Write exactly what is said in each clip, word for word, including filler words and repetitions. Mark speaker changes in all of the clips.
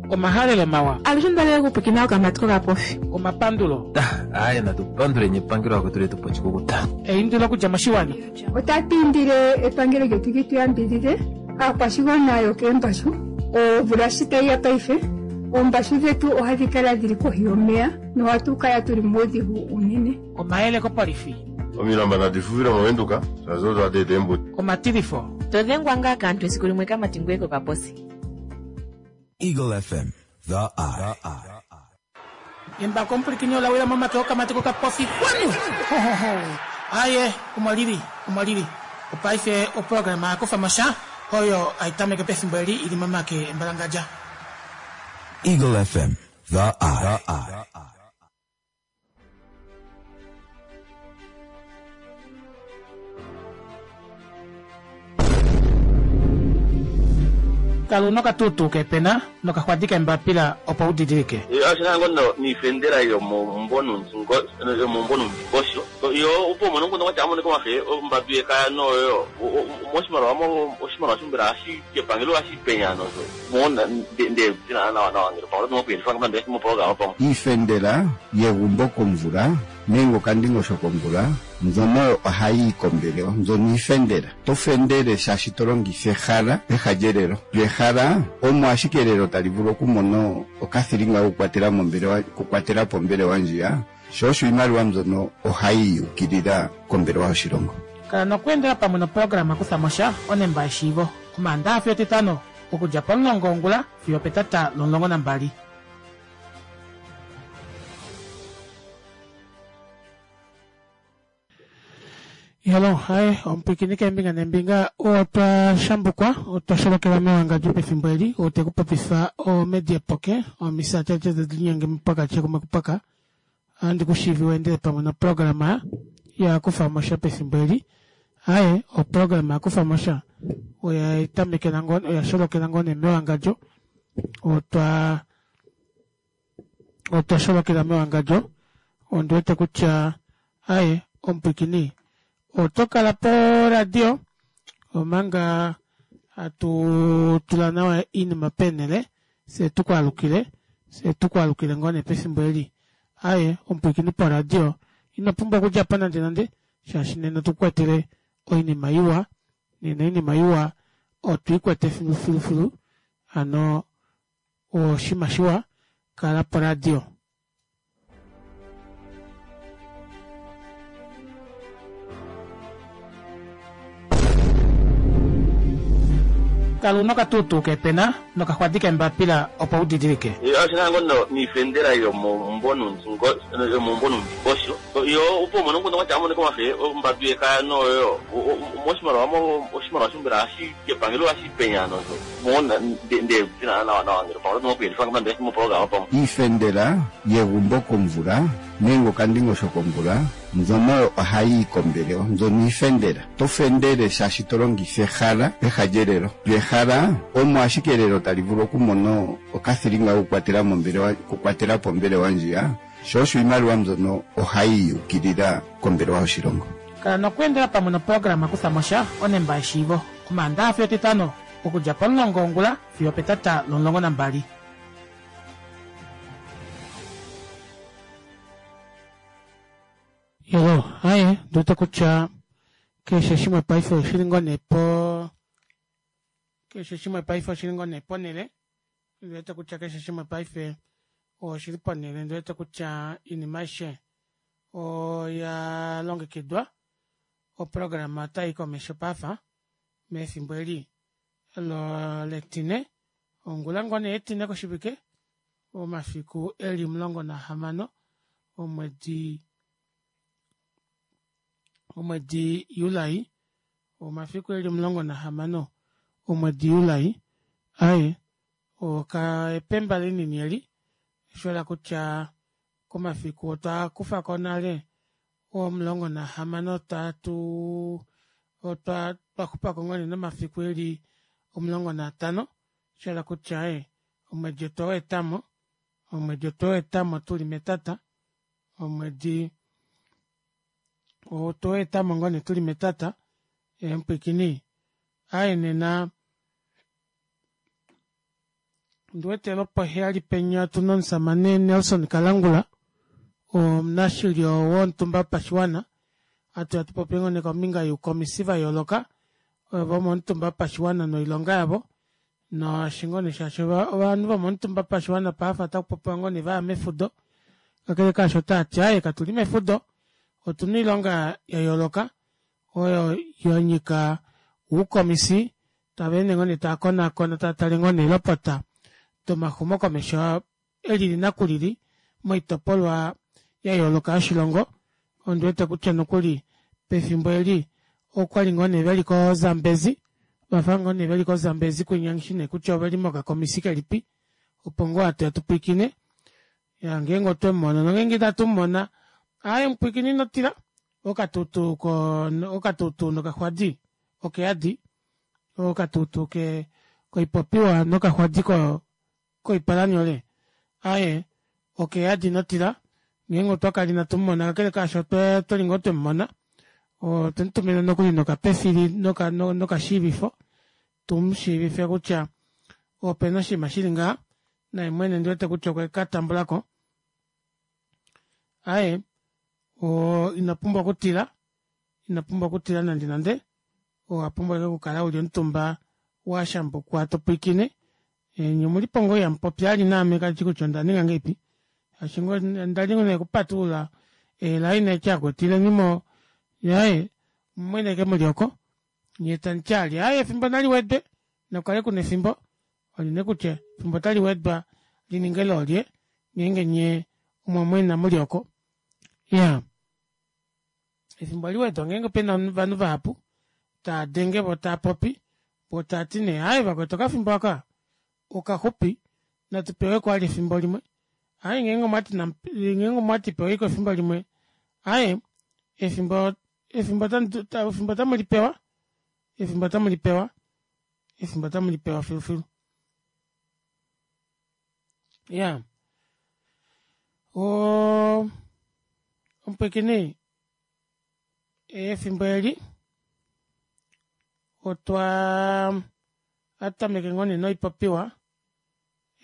Speaker 1: Omahalelo mawa.
Speaker 2: Alushe ndalele okupwikina okamati kokapofi.
Speaker 1: Omapandulo.
Speaker 3: Aaye natupanduleni epangelo lakwetu letu oshikukuta.
Speaker 1: Eindilo okudja moshiwana.
Speaker 4: Otatu indile epangelo lyetu li tu yambidhidhe aakwashigwana yokeembashu. Omvula shi tayi ya paife, oombashu dhetu ohadhi kala dhili kohi yomeya nohatu kala tuli muudhigu uunene.
Speaker 1: Omayele kopolifi.
Speaker 5: Omilamba nadi fufile mOvenduka, shaashi odo hadi eta eembuto.
Speaker 1: Omatilifo.
Speaker 6: To dhengwa ngaa kaantu esiku limwe kamati ngoye kokaposi.
Speaker 7: Eagle F M, The Eye.
Speaker 1: Embako omupulikini ola wila momake okamati kokapofi kwanu. Ho, ho, ho. Aye, omo lili, omo lili. Opaife oprograma ya kufa mo sha, oyo hai tameke pefimbo eli ili momake embalangadja.
Speaker 7: Eagle F M, The Eye.
Speaker 1: Kalu nokatutu kepena nokaxwadi kembapila opo u didilike.
Speaker 8: Oshina ngo niifendela yomomumvo nomundingosho yo opo umone nguno kwatya amone komafe ombadu yekaya noyo moshimaliwa oshimaliwa shombela shepangelo ohashi penya nozo mona nde nawa nawa ngele pamwe oto mokuyendifa ngamba moprograma pamwe.
Speaker 9: Iifendela yegumbo komvula nenge okandingosho komvula mbyono ohayi yi kombelewa, mbyono iifendela. To fendele shaashi to longitha ehala, eha lyelelo. Lyo ehala omo ashike elelo tali vulu okumona okathilinga kokukwatela mombelewa, okukwatela po ombelewa ndjiya, sho osho iimaliwa mbyono ohayi yukilila kombelewa yoshilongo.
Speaker 1: Kala nokweendela pamwe noprograma kutha mo sha onemba yeshiivo. Omaandaxa fiyo Etitano okudja pomulongo wongula fiyo opetata lomulongo nambali. Hello, hi, omupwikini keembinga neembinga, otwa shambukwa, otwa sholokela mewangadjo pefimbo eli, ote kupopifa omedia poke, omisa tete tedilinyange mupaka chekumwe kupaka, andi kushivi wendele pamwe noprograma ya kufa mo sha pefimbo eli. Aye, oprograma ya kufa mo sha oya tamekela ngoo, oya sholokela ngoo nee mewangadjo, otwa otwa sholokela mewangadjo, ondi wete kutya aye, omupwikini oto kala po radio omanga hatu tula nawa iinima penele se tukwaalukile se tukwaalukile ngoo nee pefimbo eli. Aye, omupwikini po radio ino pumbwa okudja po nande nande shaashi nena otukwetele oinima iwa, nena oinima iwa otwiikwete filu filu filu, hano oshima shiwa kala po radio. Kalu nokatutu kepena nokaxwadi kembapila opo u didilike.
Speaker 8: Oshina ngo niifendela yomomumvo nomundingosho yo opo umone nguno kwatya amone komafe ombadu yekaya noyo moshimaliwa oshimaliwa shombela shepangelo ohashi penya nozo mona nde nawa nawa ngele pamwe oto mokuyendifa ngamba moprograma pamwe.
Speaker 9: Iifendela yegumbo komvula nenge okandingosho komvula mbyono ohayi yi kombelewa, mbyono iifendela. To fendele shaashi to longitha ehala, eha lyelelo. Lyo ehala omo ashike elelo tali vulu okumona okathilinga kokukwatela mombelewa, okukwatela po ombelewa ndjiya, sho osho iimaliwa mbyono ohayi yukilila kombelewa yoshilongo.
Speaker 1: Kala nokweendela pamwe noprograma kutha mo sha onemba yeshiivo. Omaandaxa fiyo Etitano okudja pomulongo wongula fiyo opetata lomulongo nambali. Hello, aye, nduwete kutya keshe shimwe paife oshili ngoo nee po, keshe shimwe paife oshili ngoo nee ponele. Nduwete kutya keshe shimwe paife oshili ponele, nduwete kutya iinima aishe oya longekidwa. Oprograma otai komesho pafa mefimbo eli letine, ongula ngoo nee etine koshivike, omafiku eli omulongo nahamano omwedi omwedi Julai, omafiku eli omulongo nahamano omwedi Julai. Aye, oka epemba linini eli, oshola kutya komafiku otwa kufa ko nale omulongo nahamano tatu otwa twaxupa ko ngoo nee nomafiku eli omulongo naatano, oshola kutya e omwedi otwa weetamo, omwedi otwa weetamo tuli metata, omwedi otwa weetamo ngoo nee tuli metata, emupwikini aye nena Ondiwete lwopoheyali penya otuna omushamane Nelson Kalangula omunashilyo womutumba wopashiwana hatuya tupopye ngoo nee kombinga youkomisi vayooloka vomomutumba wopashiwana noilonga yavo naashi ngoo nee shaashi ovanhu vomomutumba wopashiwana paife otakupopiwa ngoo nee vaya mefudo kakele kaasho otaati aaye katuli mefudo otuna oilonga yayooloka oyo yanyika oukomisi taveende ngoo nee taakonaakona taatale ngoo nee eelopota domaxumokomesho elili nakulili moitopolwa yayooloka yoshilongo ondiwete kutya nokuli pefimbo eli okwali ngoo nee veli ko zambezi ovafa ngoo nee veli ko zambezi kwinya nghishi nee kutya oveli mokakomisi kelipi opo ngoo hatuya tupwiikine iyaa ngeenge otwemumono nongenge ina tumumona aaye mupwiikini inotila okatutu okatutu nokaxwadi okeyadi okatutu koipopiwa nokaxwadi koipalanyole aaye okeyadi inotila ngeenge otwakala ina tumumona kakele kaasho otwali ngoo twemumona otwemutumina nokuli nokapefili nokashiivifo tumushiivife kutya opena oshinima shili ngaha naye mwene ondiwete kutya okwekatambulako aaye oo inopumbwa okutila inopumbwa okutila nande nande owapumbwa ashike okukala uli omutumba washambukwa topwiikine nyee omulipo ngoo ihamupopi vali naame kandishi kutya ondaninga ngahelipi shaashi ondali nee okupatulula ee line haiti vakwetu ilenimo aaye omumwene ashike muli oko nyee tamuti vali aaye efimbo naliwedwe nakukale kuna efimbo oli nee kutya efimbo otaliwedwa lininge loolye ngeenge nyee omwamwena muli oko iyaa efimbo ohaliwedwa ngeenge pena ovanhu vahapu taadenge voo taapopi voo taati nee aaye vakwetu okafimbo aaka okaxupi natupeweko vali efimbo limwe aaye ngeenge omwati ngeenge peweiko efimbo limwe aaye efimbo efimbo efimbo otamulipewa efimbo otamulipewa efimbo otamulipewa filufilu iyaa oo omupwiikini efimbo eli otwaa ohatutameke ngoo nee noipopiwa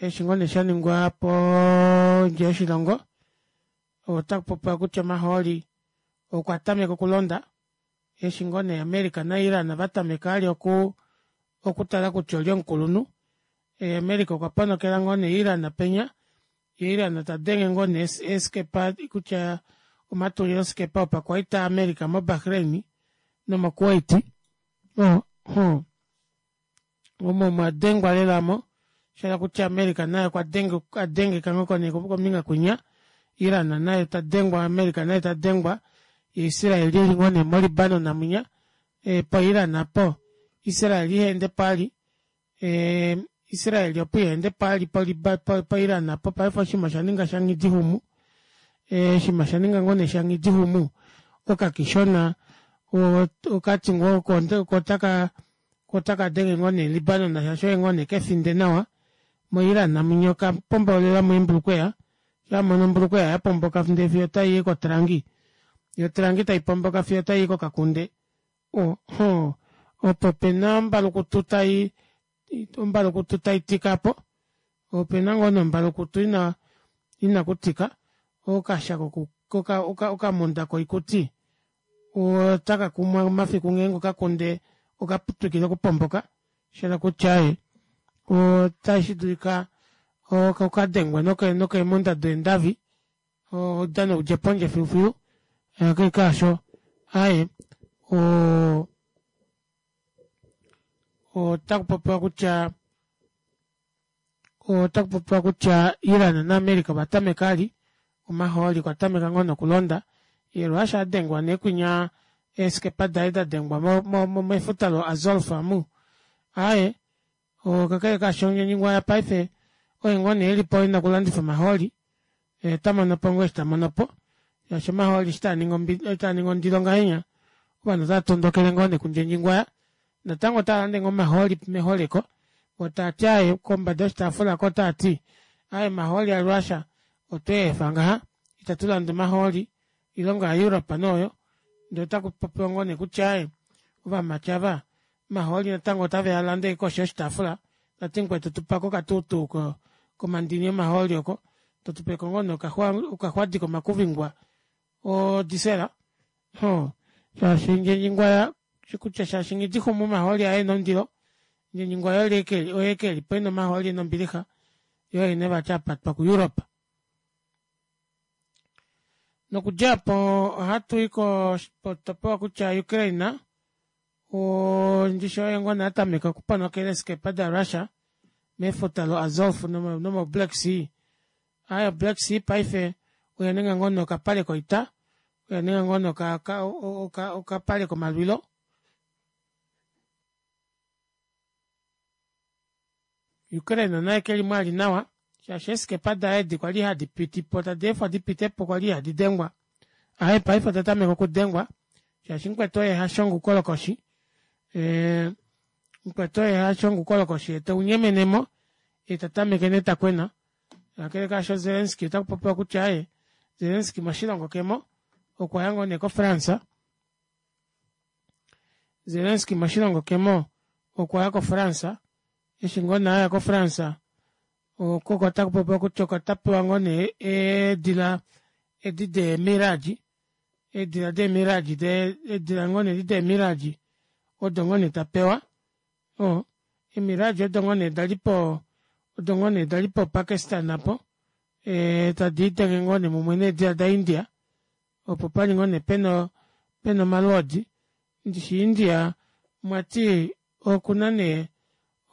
Speaker 1: eshi ngoo nee shaningwa pondje yoshilongo otakupopiwa kutya omahooli okwa tameka okulonda eshi ngoo nee america na iran vatameka vali okuu okutala kutya olye omukulunhu america okwa ponokela ngoo nee iran penya yee iran tadenge ngoo nee eeskepa kutya omatulilo skepa opakwaita a america mo bahrain nomo kuwait omo mwadengwa lela aamo shahala kutya america naye okwadengeka ngoo nee kombinga kwinya iran naye tadengwa america naye tadengwa yee israel eli ngoo nee mo libanon mwinya po iran aapo israel ihaendepo vali israel opo ihaendepo vali po iran aapo paife oshinima oshaninga shanghidixumu oshinima oshaninga ngoo nee shanghidixumu okakishona okati ngoo oko otaka otakadenge ngoo nee libanon shaashi oye ngoo nee kefinde nawa mo iran mwinya okapombaulilamo eembulukweya shaa amono ombulukweya yapomboka ndee fiyo otayii kotrangi yoo otrangi taipomboka fiyo otayi kokakunde ohoo opo pena ombalukutu tai ombalukutu taitika aapo opena ngoo nee ombalukutu ina inakutika okashako okamunda koikuti otakakumwa mafiku ngeenge okakunde okatwikile okupomboka shahala kutya aaye otashidulika okadengwe nokeemunda deendavi oudano udje pondje filufilu kakele kaasho aaye oo otakupopiwa kutya otakupopiwa kutya iran na america ovatameka vali omahooli okwa tameka ngoo nee okulonda yee russia adengwa nee kwinya eeskepa daye dadengwa mefuta lo azolf amu aaye kakele kaasho ndjendjingwaya paife oye ngoo nee elipo ena okulandifa omahooli otamonopo ngoo eshi tamonopo shaashi omahooli eshi taaningi ondilo ngahenya ovanhu otava tondokele ngoo nee kundjendjingwaya natango otaalande ngoo omahooli meholeko voo taati aaye kombada yoshitaafula aako otaati aaye omahooli a russia otweefa ngaha ita tulande omahooli oilongo ya europe nee oyo ndee otakupopiwa ngoo nee kutya aaye ovamati aava omahooli natango otavealande ashike koshi yoshitaafula Tati mukwetu tupako okatuutuu komandini omahooli oko totupeko ngoo nee okaxwadi komakuvingwa odisela hoo shaashi ndjendjingwaya kutya shaashi nghidixume omahooli aaye ena ondilo ndjendjingwaya oye ashike elipo ena omahooli ena ombilixa yoo oye nee vati apatwa ku europe. Nokudja aapo ohatui koshitopolwa kutya ukraine oo ndishi oye ngoo nee atameka okuponokela eeskepa da russia mefuta lo azov nomo black sea. Aaye o black sea paife oyaninga ngoo nee okapale koita oyaninga ngoo nee okapale komalwilo. Ukraine naye kelimo ali nawa shaashi eeskepa daye edi kwali hadi pitipo tadeefwa dipitepo kwali ihadi dengwa aaye paife oda tameka okudengwa shaashi mukwetu oye hashongo oukolokoshi ee mukwetu oye hashongo oukolokoshi yee teunyemenemo yee tatameke nee takwena kakele kaasho zelenski otakupopiwa kutya aaye zelenski moshilongo kemo okwaya ngoo nee ko france zelenski moshilongo kemo okwaya ko france eshi ngoo nee aya ko france oko otakupopiwa kutya oko tapewa ngoo nee eedila edi dee mirage eedila dee mirage eedila ngoo nee edi dee mirage odo ngoo nee tapewa oo eemirage odo ngoo nee dalipo odo ngoo nee dali po pakistan aapo ee tadiidenge ngoo nee mumwe needila da india opo pali ngoo nee pena pena omalwoodi ndishi india mwati okuna nee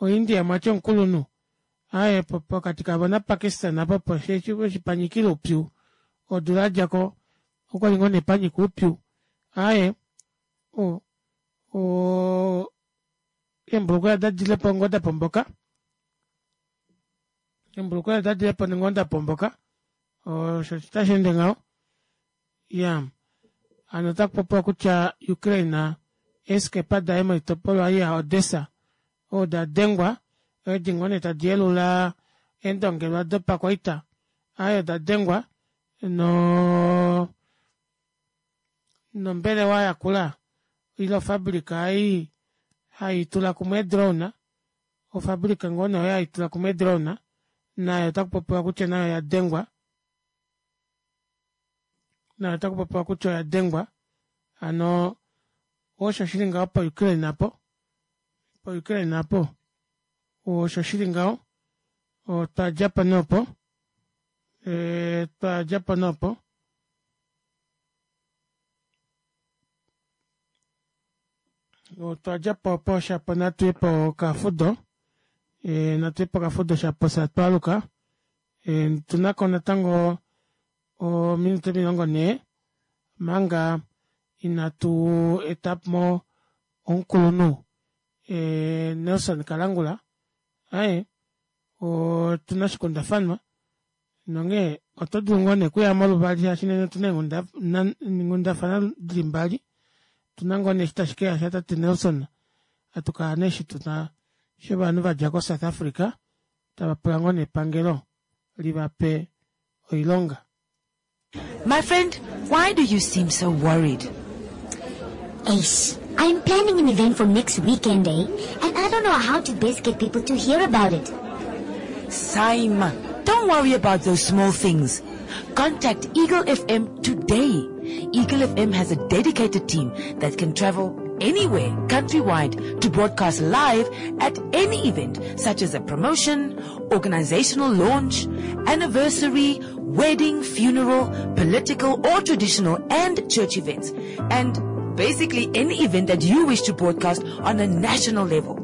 Speaker 1: o india mwati omukulunhu aaye pokati kavo na pakistan aapo opo eshi panyikila oupyu odula yadjako okwali ngoo nee panyika oupyu aaye o oo eembulukwela dadilepo ngoo dapomboka eembulukwela dadilepo ngoo dapomboka osho osho tasheende ngaho iyaa hano otakupopiwa kutya ukraine eeskepa daye moitopolwa ei ya odessa odo dengwa edi ngoo nee tadi yelula eendongelwa dopakwaita aaye odadengwa noo nombelewa yakula ile ofabrika ei haitula kumwe ee drone ofabrika ngoo nee oyo haitula kumwe ee drone nayo otakupopiwa kutya nayo oyadengwa nayo otakupopiwa kutya oyadengwa hano osho shili ngaho po ukraine aapo po ukraine aapo osho shili ngaho otwadjapo nee opo twadjapo nee opo otwadjapo opo shapo natuye pokafudo natuye pokafudo shapo fyee hatwaaluka otunako natango ominute omilongo nhee omanga inatu etamo omukulunhu nelson kalangula aaye otuna oshikundafanwa nonghee oto dulu ngoo nee okuyamo luvali shaashi nena otuna eenghundafana dili mbali otuna ngoo nee eshi tashi keya sha tate nelson hatukala nee eshi tuna shovanhu vadja ko south africa tava pula ngoo nee epangelo livape oilonga.
Speaker 10: My friend, why do you seem so worried?
Speaker 11: Ace, I'm planning an event for next weekend, eh? And I don't know how to best get people to hear about it.
Speaker 10: Saima, don't worry about those small things. Contact Eagle F M today. Eagle F M has a dedicated team that can travel anywhere countrywide to broadcast live at any event, such as a promotion, organizational launch, anniversary, wedding, funeral, political or traditional and church events, and basically any event that you wish to broadcast on a national level.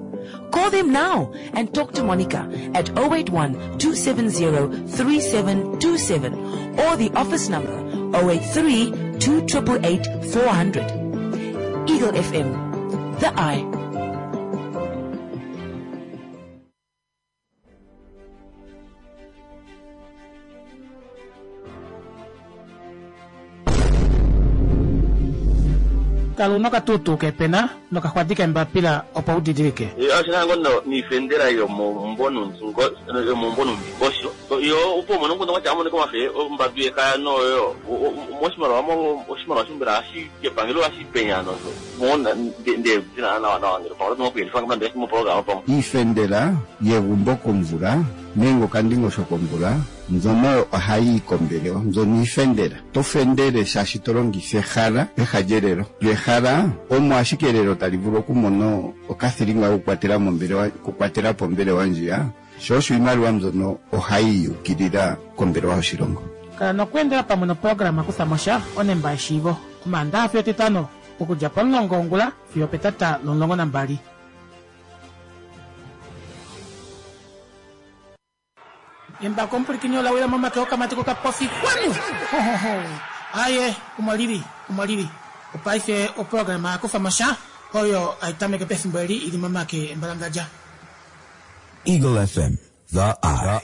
Speaker 10: Call them now and talk to Monica at oh eight one, two seven zero, three seven two seven or the office number oh eight three, two triple eight, four hundred. Eagle F M, the eye.
Speaker 1: Kala una okatuutuu kepena nokaxwadi kembapila opo u didilike.
Speaker 8: Oshina ngo niifendela yomomumvo yomumvo numvingosho. Yo opo mono ngono wacha amone komafe ombadu yekaya noyo moshimaliwa mo oshimaliwa shumbela ashi kepangelo ashi penya no mona nde ndina na na ngelo pamwe no kuyelifa ngamba mo program pamwe
Speaker 9: Iifendela yegumbo komvula nenge okandingosho komvula mbyono ohayi yi kombelewa mbyono iifendela. To fendele shaashi to longitha ehala peha lyelelo. Lyo ehala omo ashike elelo tali vulu okumona okathilinga kokukwatela mombelewa okukwatela po ombelewa ndjiya sho osho iimaliwa mbyono ohayi yukilila kombelewa yoshilongo.
Speaker 1: Kala nokweendela pamwe noprograma Kutha mo sha onemba yeshiivo Omaandaxa fiyo Etitano okudja pomulongo wongula fiyo opetata lomulongo nambali. Embako omupwilikini ola wila momake okamati kokapofi kwanu! Hohoho! Aye, omo lili, omo lili. Opaife oprograma ya kufa mo sha oyo hai tameke pefimbo eli i li momake embalangadja.
Speaker 7: Eagle F M, The Eye.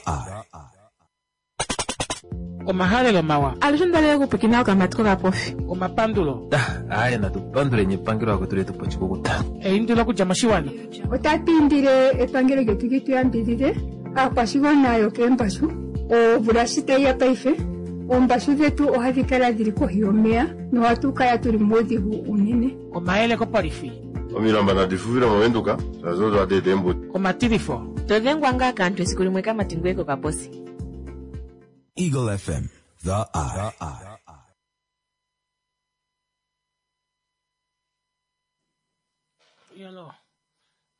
Speaker 1: Omahalelo mawa.
Speaker 2: Alushe onda okupwilikina okamati kokapofi.
Speaker 1: Omapandulo.
Speaker 3: Aye, natu panduleni epangelo lakwetu letu po oshikukuta.
Speaker 1: Eindilo okudja moshiwana.
Speaker 4: Otatu indile epangelo lyetu li tu yambidhidhe aakwashigwana yokeembashu. Omvula shi tayi ya paife, oombashu dhetu ohadhi kala dhili kohi yomeya nohatu kala tuli muudhigu uunene.
Speaker 1: Omayele kopolifi.
Speaker 5: Omilamba nadi fuvile mOvenduka shaashi odo hadi eta eembudi.
Speaker 1: Omatilifo.
Speaker 6: To dhengwa ngaa kaantu esiku limwe kamati ngoye kokaposi.
Speaker 7: Eagle F M, The Eye.
Speaker 1: Yolo.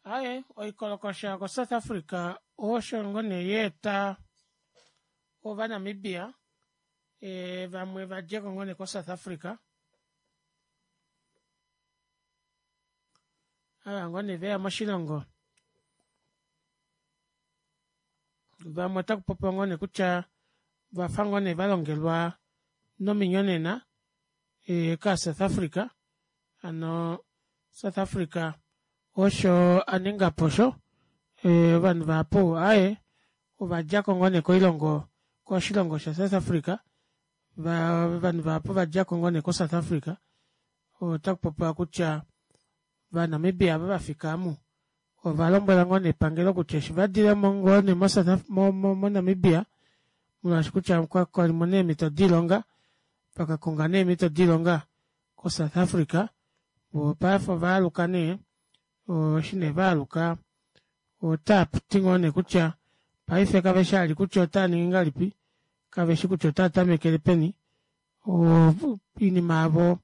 Speaker 1: Aye, oikolokosha koSouth Africa osho ngo nee ya eta Ovanamibia e, vamwe va dje ko ngo nee koSouth Africa. Ava ngoo nee veya moshilongo vamwe otaku popiwa ngoo nee kutya vafa ngoo nee valongelwa nominyonena e, kaaSouth Africa hano South Africa osho a ninga po osho e, ovanhu vahapu aaye ovadjako ngoo nee koilongo koshilongo shaSouth Africa va ovanhu vahapu vadjako ngoo nee koSouth Africa otaku popiwa kutya vaNamibia ava vafika omu ovalombwela ngoo nee epangelo kutya eshi vadilemo ngoo nee moNamibia molwaashi kutya kwalimo neemhito doilonga vakakonga neemhito doilonga koSouth Africa voo paife ovaaluka nee eshi nee vaaluka otavati ngoo nee kutya paife kaveshi vali kutya otaaningi ngahelipi kaveshi kutya otaatamekele peni oinima yavo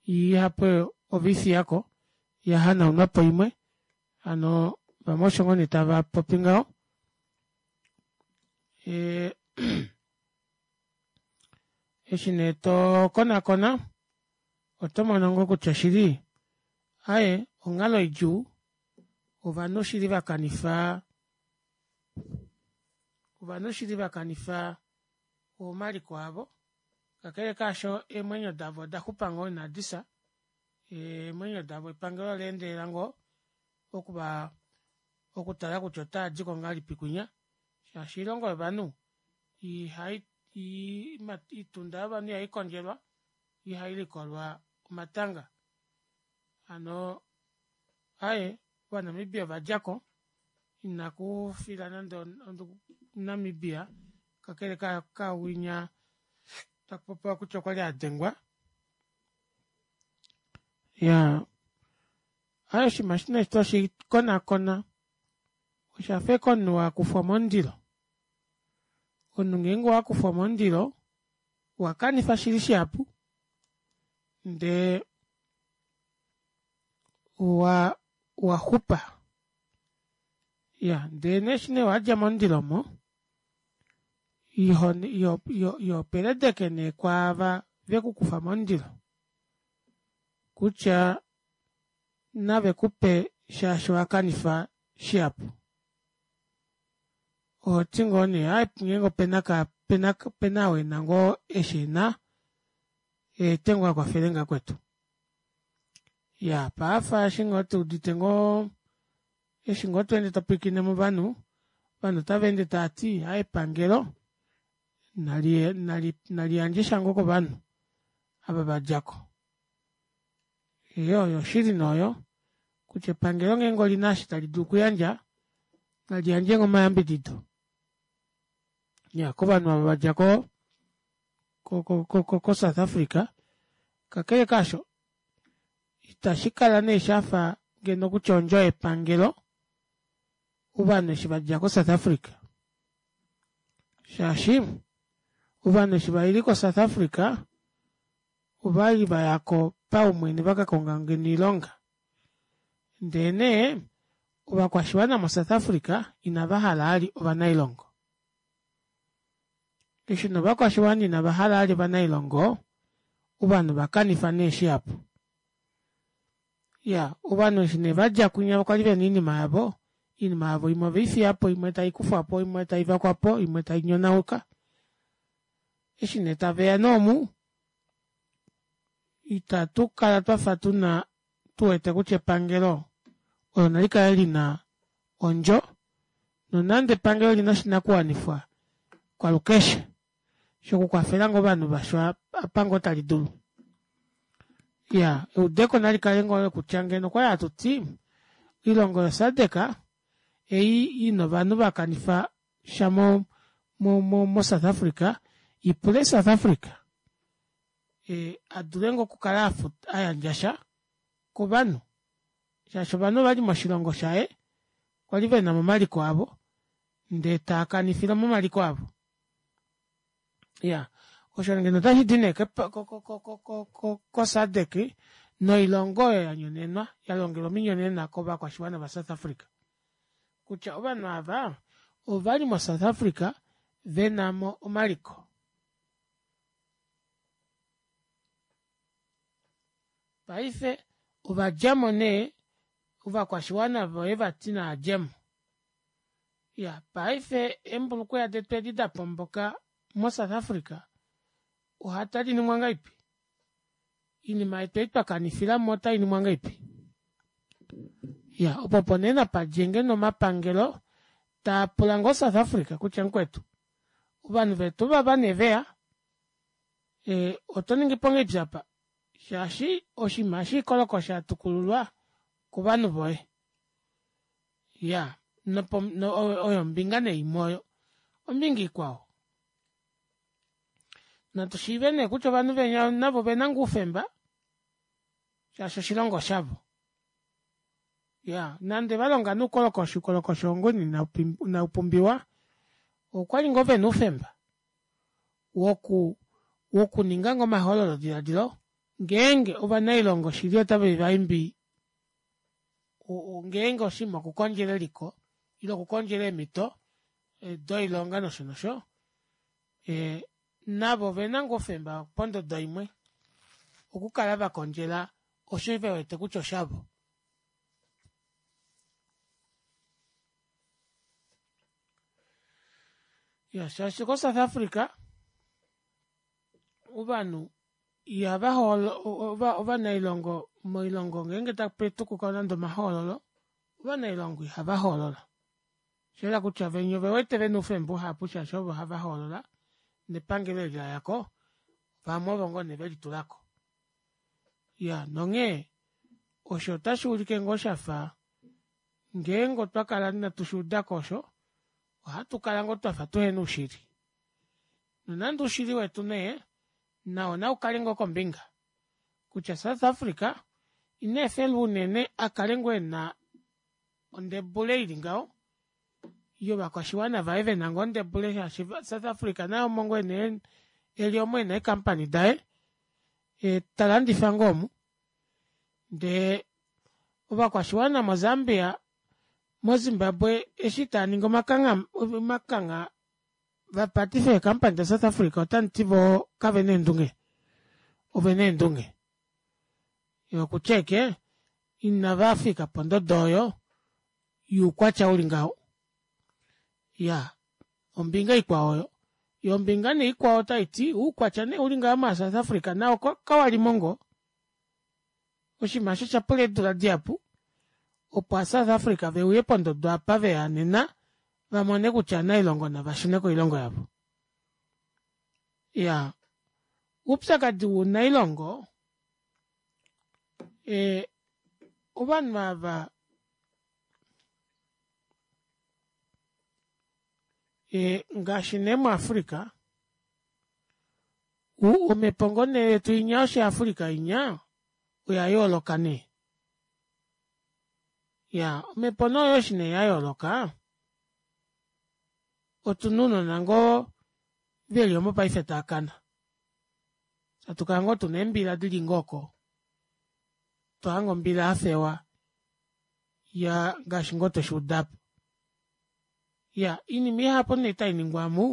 Speaker 1: ihapu oveifiyako yahanaunwapo imwe hano vamwe osho ngoo nee tavapopi ngaho eshi nee tokonakona oto mono ngoo kutya shili aaye onghalo idjuu ovanhu shili vakanifa ovanhu shili vakanifa omaliko avo kakele kaasho eemwenyo davo odaxupa ngoo inadifya eemwenyo davo epangelo oleendelela ngoo okuva okutala kutya otaadiko ngahelipi kwinya shaashi oilongo yovanhu ihai oitunda yovanhu ihaikondjelwa ihailikolwa omatanga hano aaye ovanamibia ovadjako inakufila nande omuNamibia kakele kawinya takupopiwa kutya okwali adengwa iyaa aaye oshinima eshi nee toshikonakona oshafa ashike omunhu wakufwa momundilo omunhu ngeenge owakufwa momundilo owakanifa shili shihapu ndee owa owaxupa iya ndee nee eshi nee wadja momundilo omo iho peledeke nee kwaava vekukufa momundilo kutya navekupe shaashi owakanifa shihapu ohoti ngoo nee aaye ngeenge opena opena ou ena ngoo eshi ena eete ngoo akwafelenge vakwetu. Iyaa paife eshi ngoo tuudite ngoo eshi ngoo tweende topwilikine movanhu ovanhu otavaende taati aaye epangelo nali naliyandjesha ngoo kovanhu ava vadjako. Iyoo oyo oshili nee oyo kutya epangelo ngeenge olina eshi tali dulu okuyandja naliyandje ngoo omayambidido. Iya kovanhu ava vadja ko ko ko South Africa kakele kaasho itashikala nee shafa ngeno kutya ondjo yepangelo ovanhu eshi vadja ko South Africa shaashi ovanhu eshi vaile ko South Africa ovali vayako paumwene vakakonga ngeno oilonga ndee nee ovakwashiwana mo South Africa inavahala vali ovanailongo eshi nee ovakwashiwana inavahala vali ovanailongo ovanhu ovakanifa nee shihapu iyaa ovanhu eshi nee vadja kwinya kwali vena oinima yavo oinima yavo imwe oveifiyapo imwe taikufwapo imwe taivakwapo imwe tainyonauka eshi nee taveya nee omu ita tukala twafa tuna tuwete kutya epangelo olo nalikale lina ondjo nonande epangelo olina oshinakuwanifwa kwalukeshe shokukwafela ngoo ovanhu vasho apa ngoo talidulu iyaa eudeko nalikale ngoo olo kutya ngeno okwali hatuti oilongo yo sadc ei ina ovanhu vakanifa sha mo mo South Africa ipule South Africa adule ngoo okukala ayandjasha kovanhu shaashi ovanhu ovali moshilongo shaye kwali venamo omaliko avo ndee taakanifile momaliko avo iyaa osho ngeno otashidi nee ko sadc noilongo oyo yanyonenwa yalongelwa ominyonena kovakwashiwana va South Africa kutya ovanhu aava ovali mo South Africa venamo omaliko paife ovadjamo nee ovakwashiwana voye vati naadjemo iya paife eembulukweya detu edi dapomboka mo South Africa otadiningwa ngahelipi oinima yetu ei twakanifilamo otainingwa ngahelipi iya opo opo nee napadje ngeno omapangelo taapula ngoo South Africa kutya mukwetu ovanhu vetu ovava nee veya ee otoningipo ngahelipi aapa shaashi oshinima eshi oikolokosha yatukululwa kovanhu voye iyaa oyo ombinga nee imwe oyo ombinga ikwao natu shiive nee kutya ovanhu venya navo ovena ngoo oufemba shaashi oshilongo oshavo iyaa nande valonga nee oukolokoshi oukolokoshi oo ngoo nee inaupumbiwa okwali ngoo vena oufemba woku wokuninga ngoo omahololo dilaadilo ngeenge ovanailongo shili otave vaimbi ngeenge oshinima okukondjela eliko ile okukondjela eemito doilonga nosho nosho ee navo ovena ngoo oufemba pondodo imwe okukala vakondjela osho vewete kutya oshavo iya shaashi ko South Africa ovanhu ihava hoolola ovanailongo moilongo ngeenge taputukuka nande omahoololo ovanailongo ihava hoolola oshayela kutya venya ovewete vena oufemba uhapu shaashi ovo hava hoolola nepangelo eli layako vamwe ovo ngoo nee velitulako iyaa nonghee osho otashuulike ngoo shafa ngeenge otwakala ina tushuudako osho ohatukala ngoo twafa tuhena oushili nonande oushili wetu nee nao naukale ngoo kombinga kutya South Africa ineefelwa unene akale ngoo ena ondebule ili ngaho yovakwashiwana vaye vena ngoo ondebule shaashi South Africa naye omo ngoo eli omo ena eecompany daye talandifa ngoo omu ndee ovakwashiwana mo Zambia mo zimbabwe eshi taaningi omakangha vapatife ee company da south Africa otamuti voo kavena eendunge ovena eendunge okutya ashike inavafika pondodo oyo youkwatya uli ngaho iyaa ombinga ikwao oyo yoo ombinga nee ikwao otaiti oukwatya nee uli ngaho maa south Africa nao kawalimo ngoo oshinima aasho oshapula eedula dihapu opo a south Africa veuye pondodo apa veya nena vamone kutya ovanailongo navashune koilongo yavo iyaa oupyakadi wounailongo ee ovanhu ava Ee ngaashi nee mu africa omepo ngoo nee yetu inya yoshi africa inya oyayooloka nee iyaa omepo nee oyo eshi nee yayooloka otuna ounona ngoo veli omo paife taakana hatukala ngoo tuna eembila dili ngoo oko tohange ombila yafewa iyaa ngaashi ngoo tweshuuda aapo iyaa oinima ihapu nee tainingwa omu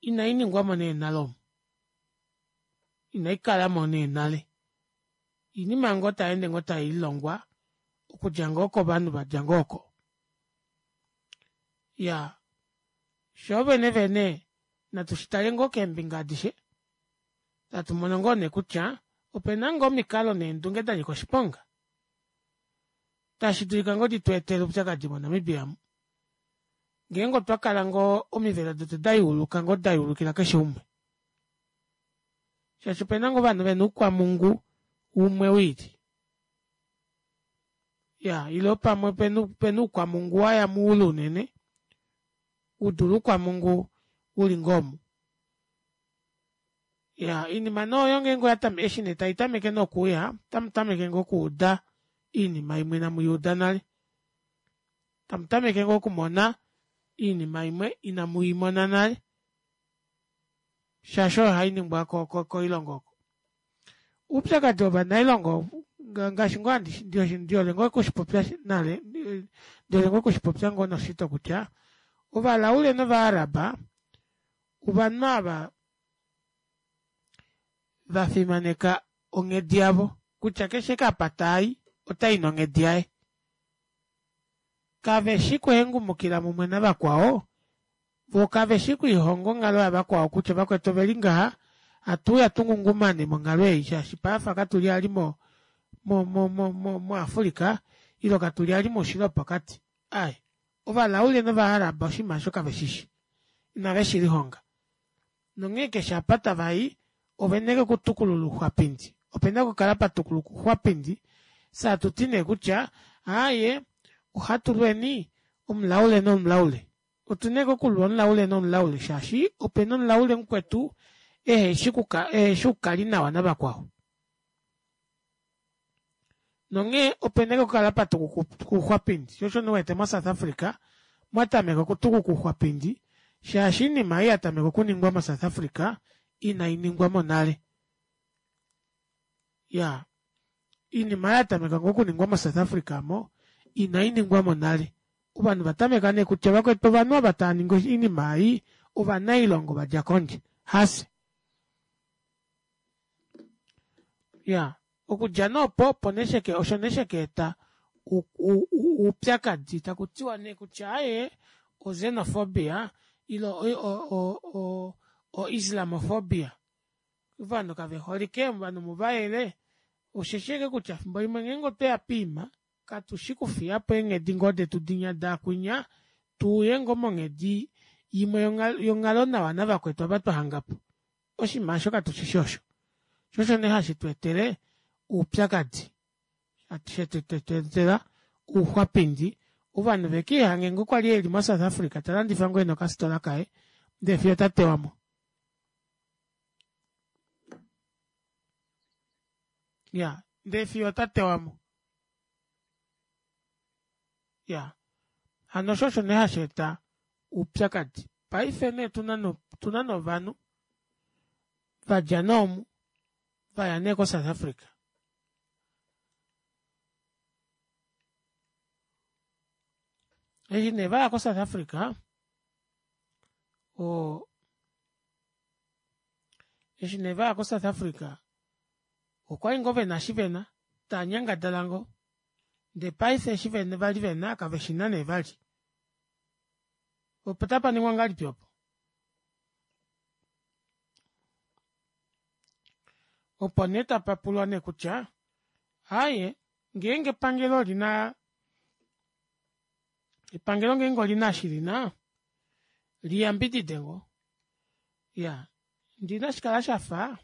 Speaker 1: inainingwamo nee nale omu inaikalamo nee nale oinima ngoo tayeende ngoo tayiilongwa okudja ngoo kovanhu vadja ngoo oko iyaa shoovene vene natu shitale ngoo keembinga adishe hatumono ngoo neekutya opena ngoo omikalo neendunge danyika oshiponga tashi dulika ngoo ditweetele oupyakadi mo namibia omu ngeenge otwakala ngoo omivelo detu dayuuluka ngoo dayuulukila keshe umwe shaashi opena ngoo ovanhu vena oukwamhungu umwe wiili iyaa ile pamwe opena oukwamhungu waya moule unene udule oukwamhungu uli ngoo omu iyaa oinima nee oyo ngenge oyatameke eshi nee taitameke nee okuuya otamutameke ngoo okuuda oinima imwe inamuyiuda nale tamutameke ngoo okumona oinima imwe inamuimona nale shaashi oyo hainingwa koilongo oko oupyakadi wovanailongo ngaashi ngoo ndihole ngoo okushipopya nale ndihole ngoo okushipopya noshito kutya ovalaule nova arab ovanhu aava vafimaneka onghedi yavo kutya keshe ashike apa tayi otayi nonghedi yaye kaveshi kuhengumukila mumwe navakwao voo kaveshi okulihonga onghalo yavakwao kutya vakwetu oveli ngaha hatuuya tungungumane monghalo ei shaashi paife katuli vali mo- mo- mo- mo africa ile katuli vali moushilo wopokati aaye ovalaule nova arab oshinima aasho kaveshishi inave shilihonga nonghee keshe apa tavai ovena ashike okutukulula ouxwapindi opena okukala patukuluka ouxwapindi fyee hatuti nee kutya aaye ohatulweni omulaule nomulaule otuna ashike okulwa omulaule nomulaule shaashi opena omulaule mukwetu eheshi okukala nawa navakwao nonghee opena ashike okukala patukuka ouxwapindi shoo osho nee uwete mo south africa mwatameka okutukuka ouxwapindi shaashi oinima ei yatameka okuningwa mo south africa inainingwamo nale iyaa oinima aayo yatameka ngoo okuningwa mo south africa aamo inainingwamo nale ovanhu ovatameka nee kutya vakwetu ovanhu ava tavaningi oinima ei ovanailongo vadja kondje hafye iyaa okudja nee opo opo nee osho nee shakaeta oupyakadi takutiwa nee kutya aaye o xenophobia ile o- o- o islamophobia ovanhu kaveholike ovanhu muvayele osheshi ashike kutya efimbo limwe ngeenge otweya poima katushi okufiyapo eenghedi ngoo detu dinya daakwinya tuuye ngoo monghedi imwe yonghalonawa navakwetu ava twahangapo oshinima aasho katushishi osho shoo osho nee hashi tweetele oupyakadi shetweetela ouxwapindi ovanhu vekiihange ngoo kwali eli mo south africa talandifa ngoo ena okafitola kaye ndee fiyo otatewamo iyaa ndee fiyo otatewamo iyaa hano osho osho nee hasheeta oupyakadi paife nee otuna nee ovanhu vadja nee omu vaya nee ko south africa eshi nee vaya ko south africa oo eshi nee vaya ko south africa okwali ngoo vena eshi vena taanyangadala ngoo ndee paife eshi vali vena kaveshina nee vali opo otapaningwa ngahelipi opo opo nee tapapulwa nee kutya aaye ngeenge epangelo olina epangelo ngeenge olina eshi lina liyambidide ngoo iyaa ndee inashikala shafa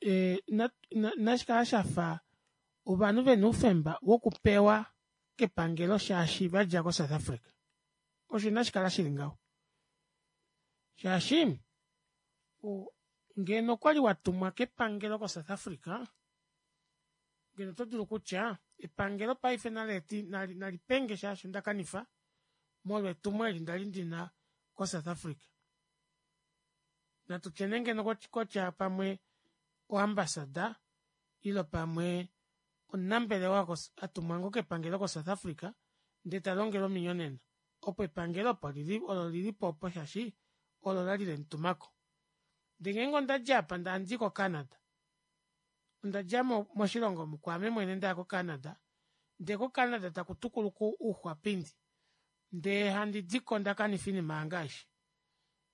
Speaker 1: ee inashikala shafa ovanhu vena oufemba wokupewa kepangelo shaashi vadja ko south africa osho inashikala shili ngaho Shaashi ngeno okwali watumwa kepangelo ko south Africa ngeno oto dulu kutya epangelo paife naleete nalipenge shaashi ondakanifa molwo etumo eli ndali ndina ko south Africa. Natutye nee ngeno kutya pamwe o ambassador ile pamwe omunambelewa atumwa ngoo kepangelo ko south Africa ndee talongelwa ominyonena opo epangelo opo lili olo lilipo opo shaashi olo lali lemutumako ndee ngeenge ondadja aapa ndee handii ko canada ondadja moshilongo omu kwaame mwene ndaya ko canada ndee ko canada taku tukuluka ouxwapindi ndee handi diko ndakanifa oinima yange aishe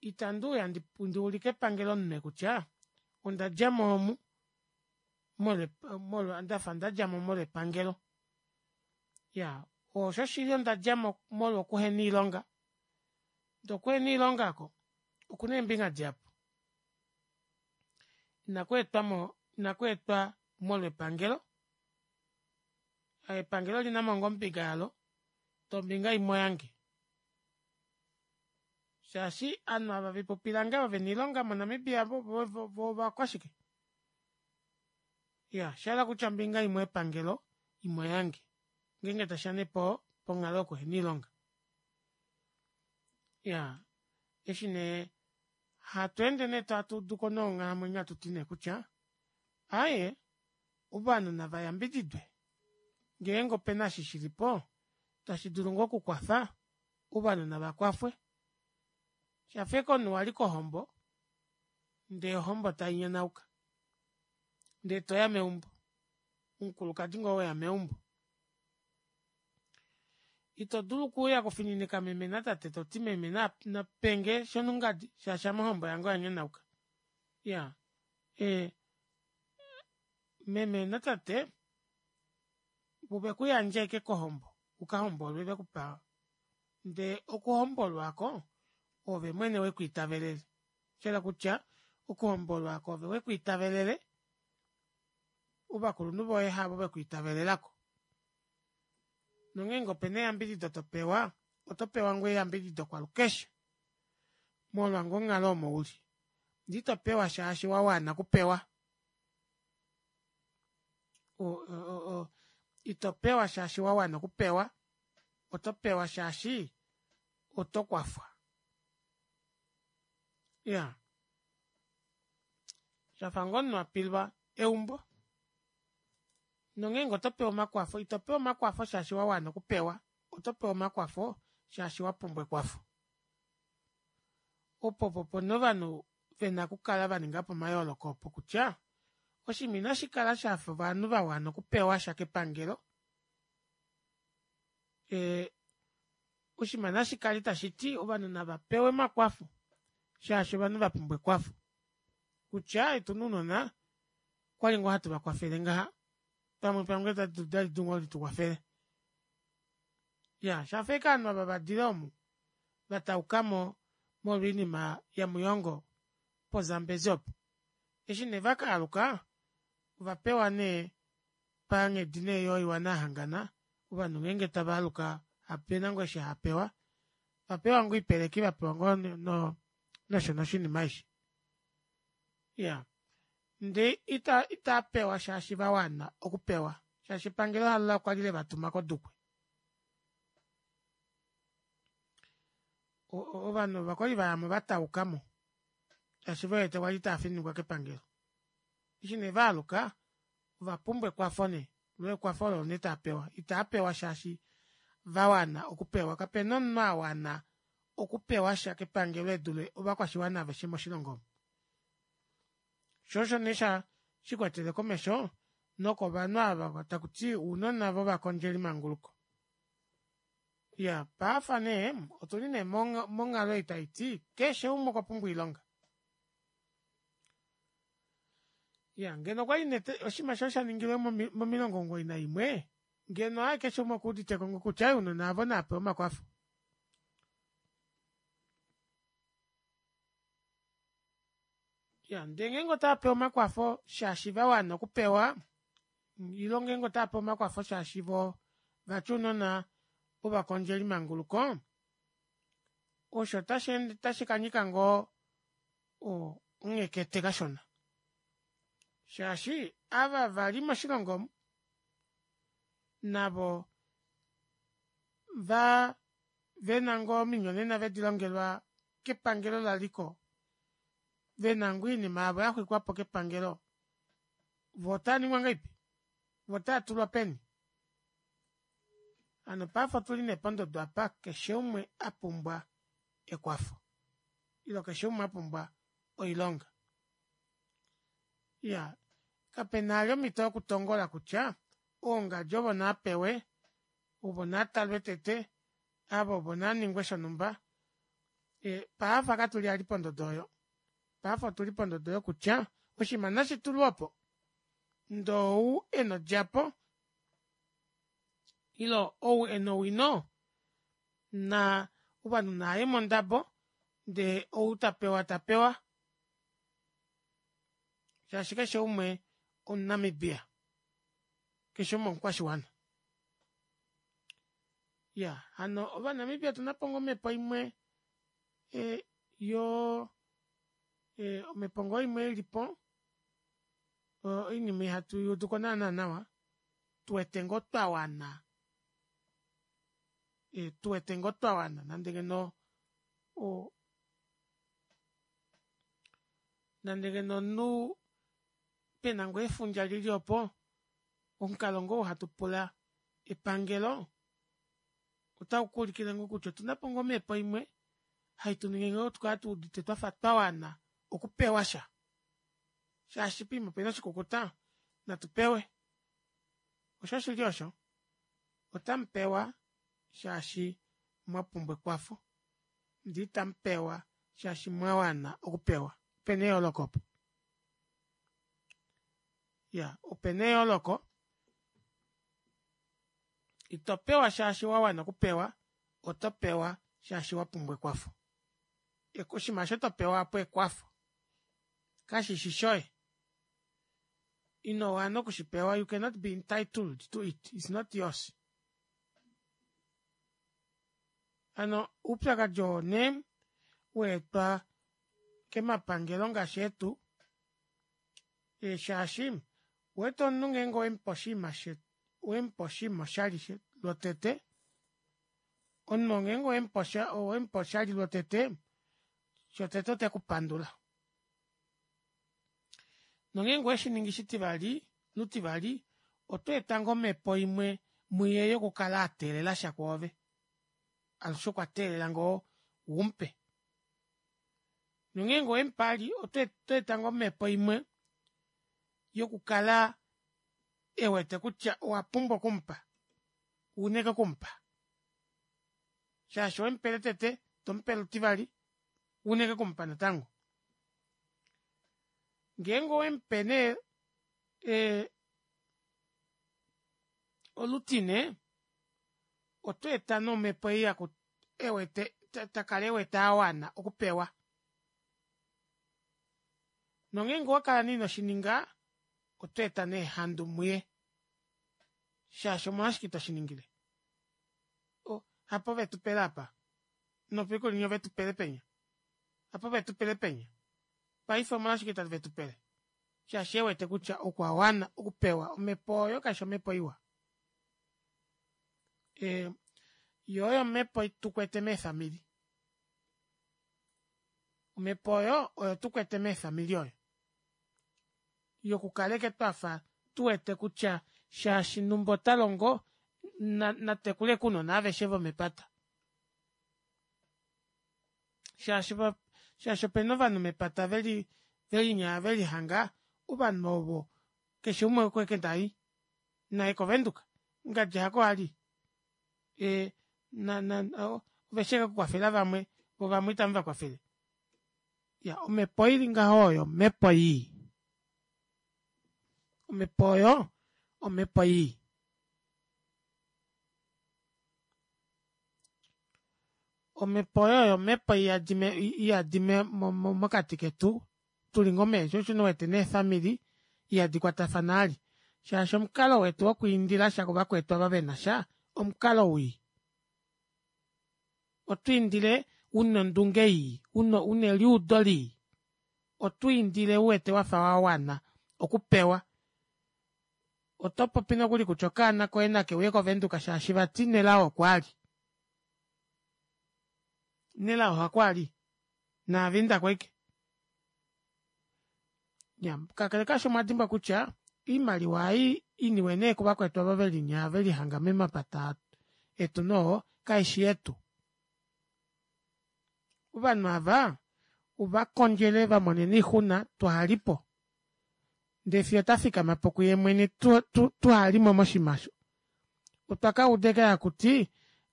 Speaker 1: ita nduuya nduulike epangelo omunwe kutya ondadjamo omu molwa ndafa ndadjamo molwa epangelo iyaa oshoshili ondadjamo molwo kuhena oilonga ndee okuhena oilonga aako okuna eembinga dihapu ina kweetwamo ina kweetwa molwo epangelo epangelo olinamo ngoo ombinga yalo ndee ombinga imwe oyange shaashi ovanhu ava vepupi lange ava vena oilonga mo namibia voo ovakwashike iyaa oshahala kutya ombinga imwe oyepangelo imwe oyange ngeenge tashiya nee ponghalo yokuhena oilonga iyaa eshi nee hatweende nee hatuuduko nonghalamwenyo hatuti nee kutya aaye ovanhu nava yambididwe ngeenge opena eshi shilipo tashi dulu ngoo okukwafa ovanhu navakwafwe oshafa ashike omunhu wali kohombo ndee ohombo tainyanauka ndee toya meumbo omukulukadi ngoo weya meumbo ito dulu okuuya okufininika meme natate toti meme napenge shonungadi shaashi ame ohombo yange oyanyanauka iyaa ee meme natate ovekuyandja ashike kohombo ukahombolwe vekupa ndee okuhombolwa aako oove mwene wekwiitavelele oshahala kutya okuhombolwa aako oove wekwiitavelele ovakulunhu voye havo vekwiitavelelako nongeenge opena eyambidido topewa otopewa ngoo eyambidido kwalukeshe molwa ngoo onghalo omo uli ndee itopewa shaashi wawana okupewa o- o- o itopewa shaashi wawana okupewa otopewa shaashi otokwafwa iyaa shafa ngoo omunhu apilwa eumbo nongeenge otopewa omakwafo itopewa omakwafo shaashi wawana okupewa otopewa omakwafo shaashi wapumbwa ekwafo opo opo nee ovanhu vena okukala vaningapo omayooloko opo kutya oshinima inashikala shafa ovanhu vawana okupewasha kepangelo ee oshinima nashikale tashiti ovanhu navapewe omakwafo shaashi ovanhu vapumbwa ekwafo kutya aaye otuna ounona okwali ngoo hatu vakwafele ngaha pamwe epangelo otali dulu ngoo litukwafele iyaa oshafa ashike ovanhu ava vadile omu vataukamo molwo oinima yamuyongo po zambezi opo eshi nee vakaaluka ovapewa nee panghedi nee yoiwana yahangana ovanhu ngeenge tavaaluka opena ngoo eshi haapewa ovapewa ngoo oipeleki vapewa ngoo nosho nosho oinima aishe iyaa ndee itaapewa shaashi vawana okupewa shaashi epangelo halo kwali levatuma kodukwe ovanhu ava okwali vayamo vataukamo shaashi vewete kwali taafininikwa kepangelo eshi nee vaaluka ovapumbwa ekwafo nee loo ekwafo olo nee taapewa itaapewa shaashi vawana okupewa kapena omunhu awana okupewasha kepangelo edule ovakwashiwana aveshe moshilongo omu shoo osho nee shikwatele komesho nokovanhu ava takuti ounona vovakondjeli manguluko iyaa paife nee otuli nee monghalo ei taiti keshe umwe okwapumbwa oilonga iyaa ngeno okwali nee oshinima eshi oshaningilwe momilongo omugoyi naimwe ngeno aaye keshe umwe okuuditeko ngoo kutya aaye ounona aavo naapewe omakwafo iyaa ndee ngeenge otaapewa omakwafo shaashi vawana okupewa ile ngeenge otaapewa omakwafo shaashi voo vati ounona vovakondjeli manguluko osho ota shikanyika ngoo Onghekete kashona shaashi ava vali moshilongo omu navo vaa vena ngoo ominyonena vedilongelwa kepangelo laliko vena ngoo oinima yavo yaxwikwapo kepangelo voo otaaningwa ngahelipi voo otaatulwa peni hano paife otuli nee pondodo aapa keshe umwe apumbwa ekwafo ile keshe umwe apumbwa oilonga iyaa kapena vali omito yokutongola kutya oo ngadi ovo naapewe ovo naatalwe tete ava ovo naaningwe shonumba paife katuli vali pondodo oyo paife otuli pondodo oyo kutya oshinima nashitulweopo ndee ou ena odjapo ile ou ena owino naa ovanhu navaye mondabo ndee outapewa tapewa shaashi keshe umwe omu namibia keshe umwe omukwashiwana iyaa hano ova namibia otunapo ngoo omepo imwe yoo omepo ngoo imwe ilipo oinima ihatuyuuduko naana nawa tuwete ngoo twawana tuwete ngoo twawana nande ngeno oo nande ngeno omunhu pena ngoo efundja lili opo omukalo ngoo ou hatupula epangelo otaukuulikile ngoo kutya otunapo ngoo omepo imwe haituningi ngoo tukale tuudite twafa twawana okupewasha shaashi poima opena oshikukuta natu pewe osho shili osho otamupewa shaashi mwapumbwa ekwafo ndee itamupewa shaashi mwawana okupewa opena eyooloko opo iyaa opena eyooloko itopewa shaashi wawana okupewa otopewa shaashi wapumbwa ekwafo oshinima aasho topewa aapo ekwafo kashishi shoye inowana okushipewa you cannot be entitled to it its not yours hano oupyakadi oo nee waetwa kemapangelo ngaashi eetu shaashi ouwete omunhu ngeenge owemupe oshiima owemupe oshinima oshali lwotete omunhu oo ngeenge owemupe oshali lwotete shotete otekupandula nongeenge oweshiningi shitivali lutivali otweeta ngoo omepo imwe muye yokukala ateelelasha kwoove alushe okwa teelela ngoo umupe nongeenge owemupe vali otweeta ngoo omepo imwe yokukala ewete kutya owapumbwa okumupa ouna ashike okumupa shaashi owemupele tete tomupe lutivali ouna ashike okumupa natango ngeenge owemupe nee olutine otweeta nee omepo ei ewete takala ewete awana okupewa nongeenge owakala nee inoshininga otweeta nee ehandu muye shaashi omolwashike itoshiningile hapo vetupele aapa nopekulinya ovetupele penya hapo vetupele penya paife omolwashike itave tupele shaashi ewete kutya okwawana okupewa omepo oyo kaifi omepo iwa yoo oyo omepo tukwete meefamili omepo oyo oyo tukwete meefamili oyo yokukala ashike twafa tuwete kutya shaashi numba otalongo natekule ashike ounona aveshe vomepata shaashi shaashi opena ovanhu mepata veli velinya velihanga ovanhu ovo keshe umwe oko ashike tai naye ko venduka ngadi hako ali ee oveshi ashike okukwafela vamwe voo vamwe ita muvakwafele iyaa omepo ili ngaho oyo omepo yii omepo oyo omepo yii omepo oyo oyo omepo iyadi mokati ketu tuli ngoo mee shoo osho nee uwete neefamili ihadi kwatafana vali shaashi omukalo wetu wokwiindilasha kuvakwetu ava venasha omukalo wii otwiindile una ondunge yii una eliudo lii Otwiindile uwete wafa wawana okupewa. Oto popi nokuli kutya okaana koye nakeuye kovenduka shaashi vati Nelao okwali. Nelao hakwali naave indako ashike. Iya kakele kaasho omwadimbwa kutya oimaliwa ei iniwe nee kuvakwetu ava velinya velihanga memapata etu noo kaishi yetu. Ovanhu aava ovakondjele vamonene oixuna twahalipo ndee fiyo otafikamapo kuye mwene tuhalimo moshiima aasho. Otwa kauda ashike hakuti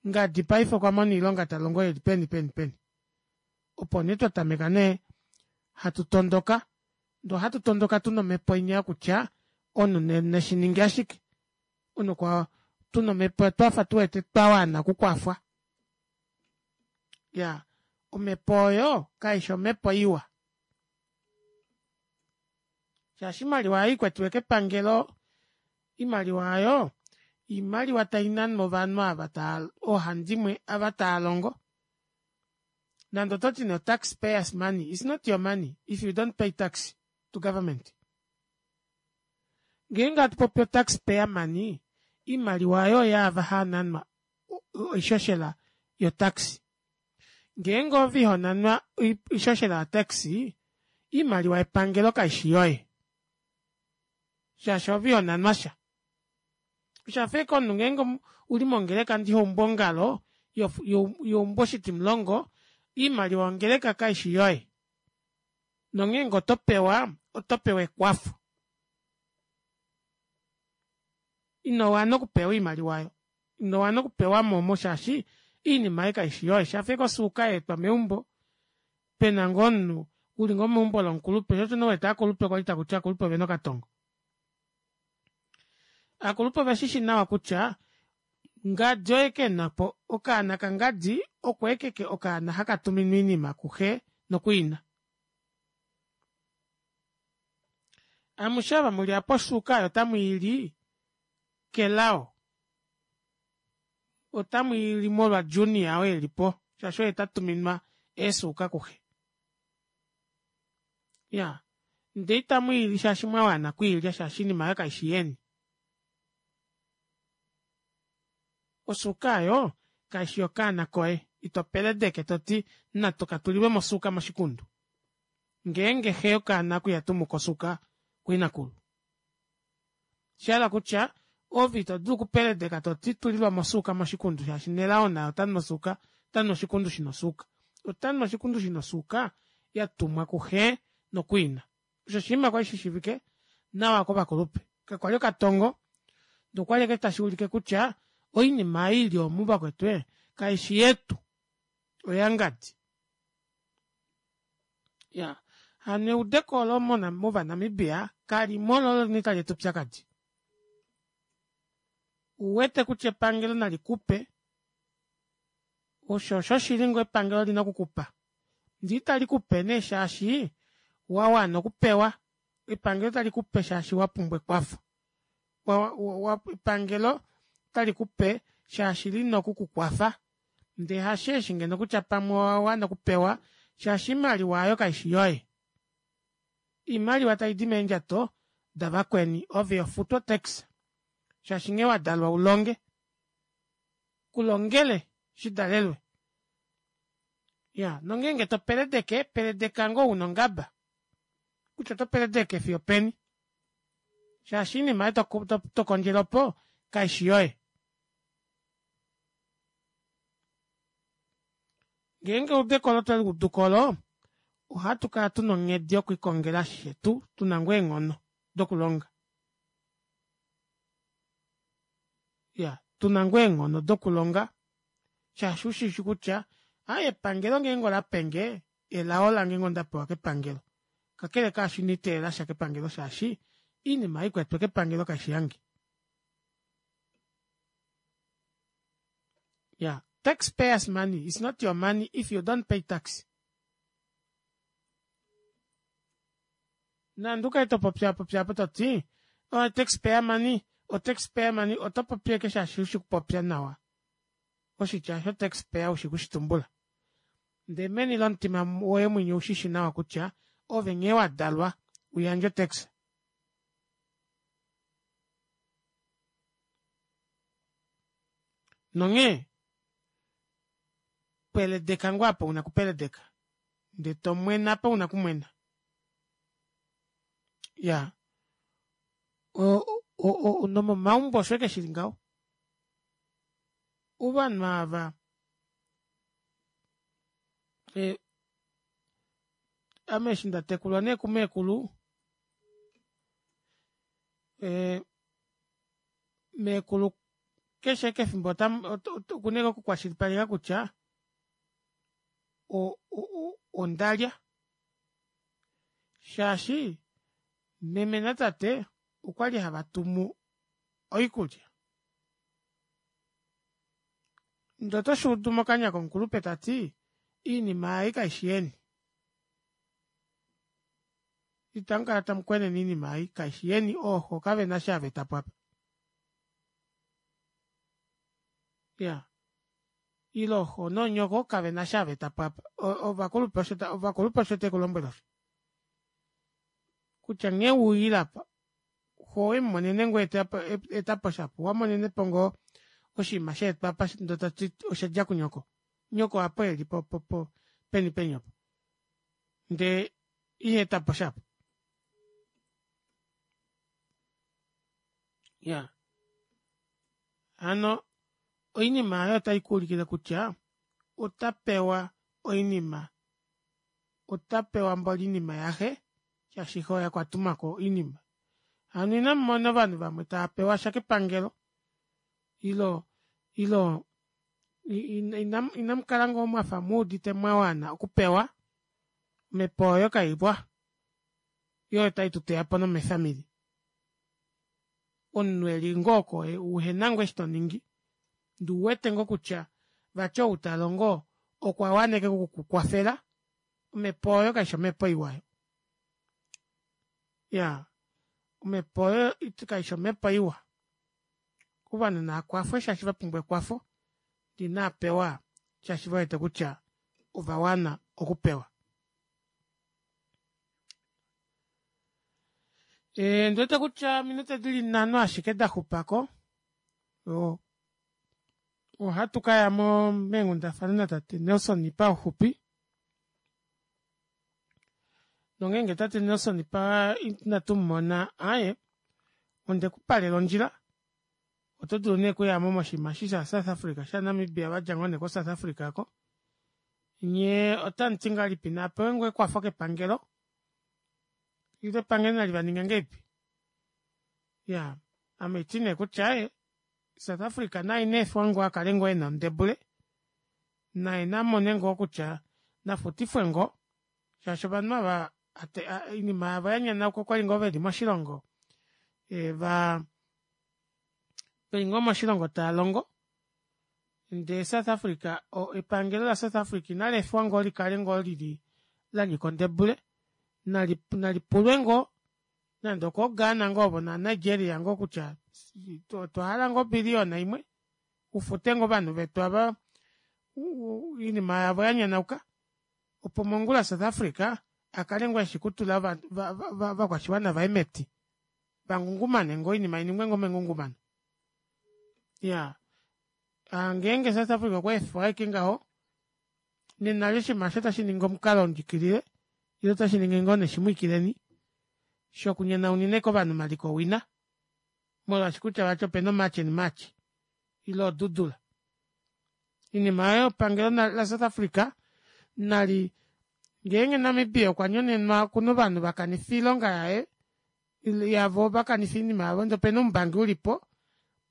Speaker 1: ngadi paife okwamona oilonga talongo eli peni peni peni. Opo nee twatameka nee hatu tondoka ndee ohatu tondoka tuna omepo inya yokutya omunhu neshininge ashike omunhu tuna omepo twafa tuwete twawana okukwafwa. Iyaa omepo oyo kaifi omepo iwa shaashi oimaliwa aayo ikwetiwe kepangelo oimaliwa aayo oimaliwa tainanwa ovanhu ava oohandimwe ava taalongo nande ototi nee o tax payers money it's not your money if you don't pay tax to government. Ngeenge hatupopi o tax payer money oimaliwa aayo oyaava haananwa oishoshela yo tax. Ngeenge ove ihonanwa oishoshela yo tax oimaliwa yepangelo kaishi yoye shaashi ove ihonanwasha. Oshafa ashike omunhu ngeenge uli mongeleka ndee ihoumbu ongalo ihoumbu oshitimulongo oimaliwa yongeleka kaishi yoye nonghee ngee otopewa otopewa ekwafo inowana okupewa oimaliwa aayo inowana okupewamo omo shaashi oinima aayo kaishi yoye oshafa ashike osuuka yaetwa meumbo pena ngoo omunhu uli ngoo meumbo lomukulupe shoo osho nee uwete ovakulupe kwali takuti ovakulupe ovena okatongo. Ovakulupe oveshishi nawa kutya ngadi oye kenapo okaana kangadi oko ashike okaana hakatuminwa oinima kuxe nokuina. Amushe ava muli aapa osuuka aayo otamwiili kelao otamwiili molwa junior oo elipo shaashi oye tatuminwa eesuuka kuxe. Iyaa ndee itamwiili shaashi mwawana okwiilya shaashi oinima aayo kaishi yeni. Osuuka aayo kaishi yokaana koye ito peledeke toti natuka tulilwemo osuuka moshikundu ngeenge xe yokaana oko ihatumuko osuuka kuinakulu. Oshahala kutya ove itodulu okupeledeka toti tulilwamo osuuka moshikundu shaashi nelao naye otanu osuuka otanu oshikundu shina osuuka. Otanu oshikundu shina osuuka yatumwa kuxe nokuina. Osho oshinima kwali shishiivike nawa kovakulupe. Kakwali okatongo ndee okwali ashike tashuulike kutya oinima ei ili omu vakwetu ee kaishi yetu oyangadi. Iyaa hano eudeko olo mova namibia kalimo loo olo nee taleeta oupyakadi. Ouwete kutya epangelo nalikupe osho oshoshili ngoo epangelo olina okukupa ndee italikupe nee shaashi wawana okupewa epangelo otalikupe shaashi wapumbwa ekwafo epangelo otalikupe shaashi lina okukukwafa ndee hasheeshi ngeno kutya pamwe owawana okupewa shaashi oimaliwa aayo kaishi yoye. Oimaliwa taidi meendjato davakweni ove ihofutu o tax shaashi nghee wadalwa ulonge kulongele shidalelwe. Iyaa nongeenge topeledeke peledeka ngoo una ongaba kutya oto peledeke fiyo openi shaashi oinima aayo tokondjele opo kaishi yoye. Ngeenge eudeko olo tweliuduko olo ohatukala tuna onghedi yokwiikongela shetu tuna ngoo eenghono dokulonga. Iyaa tuna ngoo eenghono dokulonga shaashi ushishi kutya aaye epangelo ngeenge olapenge elao lange ngoo ndapewa kepangelo kakele kaasho ina nditeelelasha kepangelo shaashi oinima ei ikwetwe kepangelo kaishi yange. Iyaa tax payers money it's not your money if you don't pay tax. Nande ukale topopyaapopya aapo toti oh tax payer money o tax payer money oto popi ashike shaashi ushi okupopya nawa oshitya osho tax payer ushi okushitumbula ndee meni lomutima woye mwinya oushishi nawa kutya Ove nghee wadalwa uyandje otax. Nonghee peledeka ngoo apa una okupeledeka ndee tomwene apa una okumwena. Iyaa o- o- nomomaumbo osho ashike shili ngaho ovanhu aava ee ame eshi ndatekulwa nee kumekulu ee mekulu keshe ashike efimbo okuna ashike okukwashilipaleka kutya o- o- ondalya shaashi meme natate okwali havatumu oikulya ndee otoshuudu mokanya komukulupe tati oinima ei kaifi yeni itamukala tamukwenene oinima ei kaifi yeni ooxo kavena eshi havaetapo aapa iyaa ile ooxo noonyoko kavena eshi havaetapo aapa ovakulupe ovakulupe osho tavekulombwele osho kutya nghee weyile aapa xoo owemumonene ngoo aetaposha aapa owamonenepo ngoo oshinima shaetwa aapa ndee toti oshadja kunyoko nyoko aapo eli po- po peni peni opo ndee ihaetaposha aapa iyaa hano oinima aayo otaikuulikile kutya otapewa oinima otapewa mboli oinima yaxe shaashi xe oye okwatumako oinima hano inamumona ovanhu vamwe taapewasha kepangelo ilo ilo inamukala ngoo mwafa muudite mwawana okupewa omepo oyo kaiwa yoo oyo taituteyapo nomee family omunhu eli ngoo oko uhena ngoo eshi toningi ndee ouwete ngoo kutya vati ou talongo okwawana ashike okukukwafela omepo oyo kaifi omepo iwa iyaa omepo oyo kaifi omepo iwa ovanhu naakwafwe shaashi vapumbwa ekwafo ndee inaapewa shaashi vewete kutya ovawana okupewa ee ondiwete kutya ominute dili nhano ashike daxupako oo ohatu kaya meenghundafana natate Nelson pauxupi nongenge tate Nelson ina tumumona aaye ondeku palela ondjila oto dulu nee okuyamo moshinima eshi sha south africa sha namibia vadja ngoo nee ko south africa aako nyee otamuti ngahelipi naapewe ngoo ekwafo kepangelo ile epangelo nali vaninge ngahelipi iyaa ame haiti nee kutya aaye south africa naye ineefiwa ngoo akale ngoo ena ondebule naye namone ngoo kutya nafutifwe ngoo shaashi ovanhu ava oinima yavo yanyanauka okwali ngoo veli moshilongo vaa veli ngoo moshilongo taalongo ndee south africa epangelo la south africa inaleefiwa ngoo likale ngoo lili lanyika ondebule nali nalipulwe ngoo nande okoo ghana ngoo ovo na nigeria ngoo kutya otwahala ngoo obillion imwe ufute ngoo ovanhu vetu aava oinima yavo yanyanauka opo mongula south africa akale ngoo eshi okutula ovakwashiwana vaye meti vangungumane ngoo oinima iningwe ngoo mengungumano iyaa ngeenge south africa okwaefa ashike ngaho nena eli oshinima aasho otashiningi omukalo wondjikilile ile otashiningi ngoo nee shimwiikileni shoku nyonaunina ashike ovanhu omaliko owina molwaashi kutya vati opena o march and march ile odudula oinima aayo epangelo la south africa nali ngeenge namibia okwa nyonenwa okuna ovanhu vakanifa oilonga yaye yavo vakanifa oinima yavo ndee opena oumbangi ulipo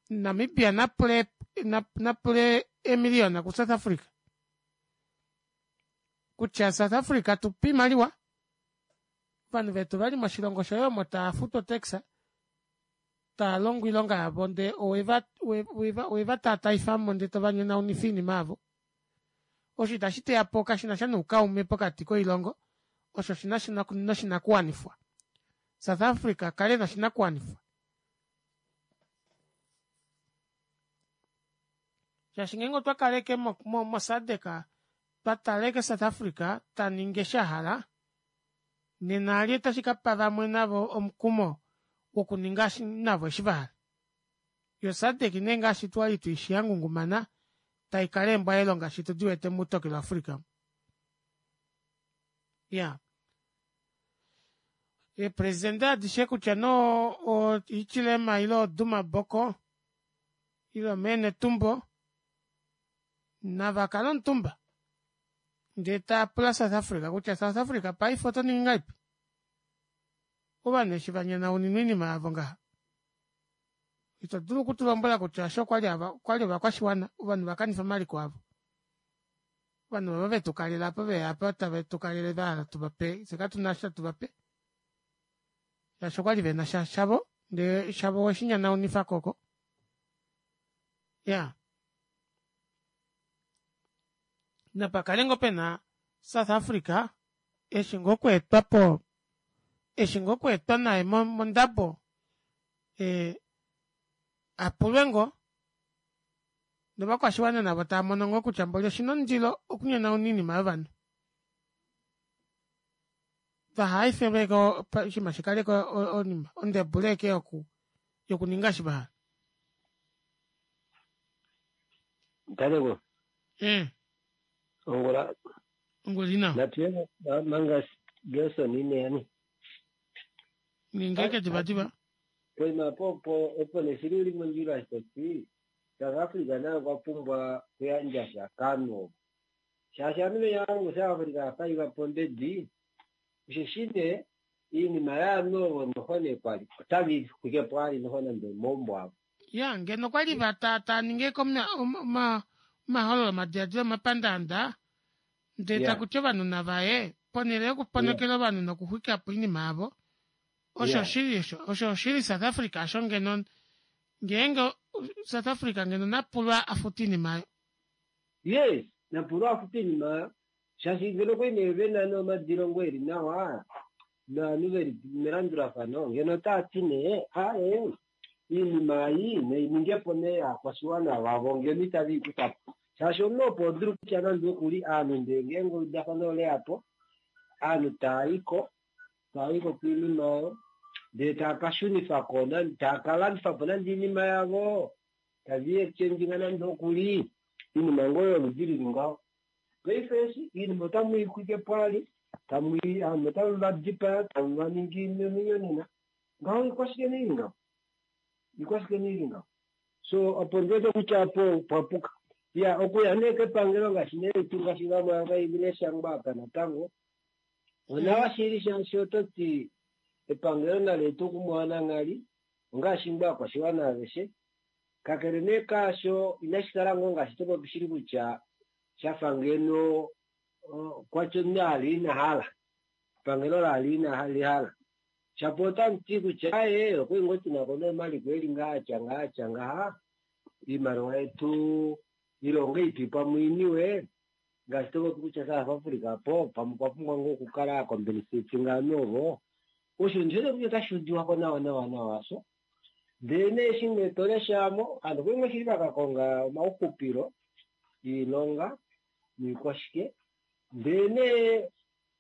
Speaker 1: namibia napule napule eemiliona ku south africa kutya south africa tupa oimaliwa ovanhu vetu ovali moshilongo shoye omo taafutwa o tax taalongo oilonga yavo ndee oweva oweva tataifamo ndee tovanyonaunifa oinima yavo osho ita shiteyapo kashinasha noukaume pokati koilongo osho oshinasha noshinakuwanifwa south africa akale ena oshinakuwanifwa shaashi ngeenge otwakala ashike mo sadc twatala ashike south africa taningi eshi ahala Nena ali otashi kapa vamwe navo omukumo wokuninga navo eshi vahala. Yo SADC nee ngaashi twali tuishi yangungumana taikala eembwa elo ngaashi tudiwete muutokelo Africa. Ya. Eepresidente adishe kutya noo oHichilema ile oDuma Boko ile mee Netumbo navakale omutumba ndee taapula South Africa kutya South Africa paife oto ningi ngahelipi ovanhu eshi vanyanauninwa oinima yavo ngaha ito dulu okutulombwela kutya osho okwali okwali ovakwashiwana ovanhu vakanifa omaliko avo ovanhu ovo vetukalela apo veya apa tave tukalele vahala tuvape fye katuna eshi hatu shaashi okwali vena sha shavo ndee shavo weshinyanaunifa koko ya napakale ngoo pena South Africa eshi ngoo okweetwapo eshi ngoo okweetwa naye mondabo ee apulwe ngoo novakwashiwana navo taamono ngoo kutya mboli oshina omundilo okunyanauna oinima yovanhu vahaefelweko oshinima shikaleko onima ondebule ashike yoku yokuninga eshi vahala.
Speaker 12: Ntaleko.
Speaker 1: Mm.
Speaker 12: Ongula.
Speaker 1: Ongula ina.
Speaker 12: Natuye manga Gerson ine yani.
Speaker 1: Ningeke diva diva.
Speaker 12: Poima po po opo neshili uli mondjila toti South Africa nayo okwa pumbwa kuyandja sha kano. Shaashi ovanhu veya South Africa afaiva pombedi osheshi nee iinima yaanhu ovo noho nee kwali otavi xwike po ali noho nande omaumbo avo.
Speaker 1: Ya ngeno kwali va ta ta ninge omahololo omadiladilo omapandaanda ndee takuti ovanhu navaye ponhele yokuponokela ovanhu nokuxwika po oinima yavo osho oshili osho osho oshili South Africa osho ngeno ngeenge South Africa ngeno napulwa afute oinima ayo.
Speaker 12: Yes, napulwa afute oinima ayo shaashi ngeno kwali nee vena nee omadilongo eli nawa novanhu veli melandulafano ngeno otaati nee aaye iinima ei nainingepo nee yaakwashiwana vavo ngeno itave ikufapo shaashi omunhu opo odulu kutya nande okuli aanhu ndee ngeenge eudafano oleyapo aanhu taayiko taayiko koinima oyo ndee taakashunifako taakalandifapo nande oinima yavo tavi exchange nande okuli iinima ngoo yoludi lili ngaho. Paife eshi iinima otamuixwike po ali tamui aanhu otamu vadipaya tamu vaningi ominyonena ngaho ikwashike neili ngaho ikwashike neili ngaho so opo ndiwete kutya apo pwapuka ya okuya nee kepangelo ngaashi nee ngaashi vamwe ava ileshangwa apa natango onawa shili shaashi ototi epangelo nali etu kumwe wananghali ongaashi ngoo aakwashiwana aveshe kakele nee kaasho inashi kala ngoo ngaashi topopi shili kutya shafa ngeno kwatyo omunhu ali ina hala epangelo lali ina lihala shapo otamuti kutya aye okwali ngoo tunako nee omaliko eli ngaha atya ngaha atya ngaha iimaliwa yetu ilongo ipi pamwe iniwe ngaashi topopi kutya South Africa po pamwe okwa pumbwa ngoo okukala compensate ngaanhu ovo osho ndiwete kutya otashi udiwako nawa nawa nawa sho ndee nee eshi nee toleshamo aanhu okwali ngoo shili vakakonga omauxupilo iilonga noikwashike ndee nee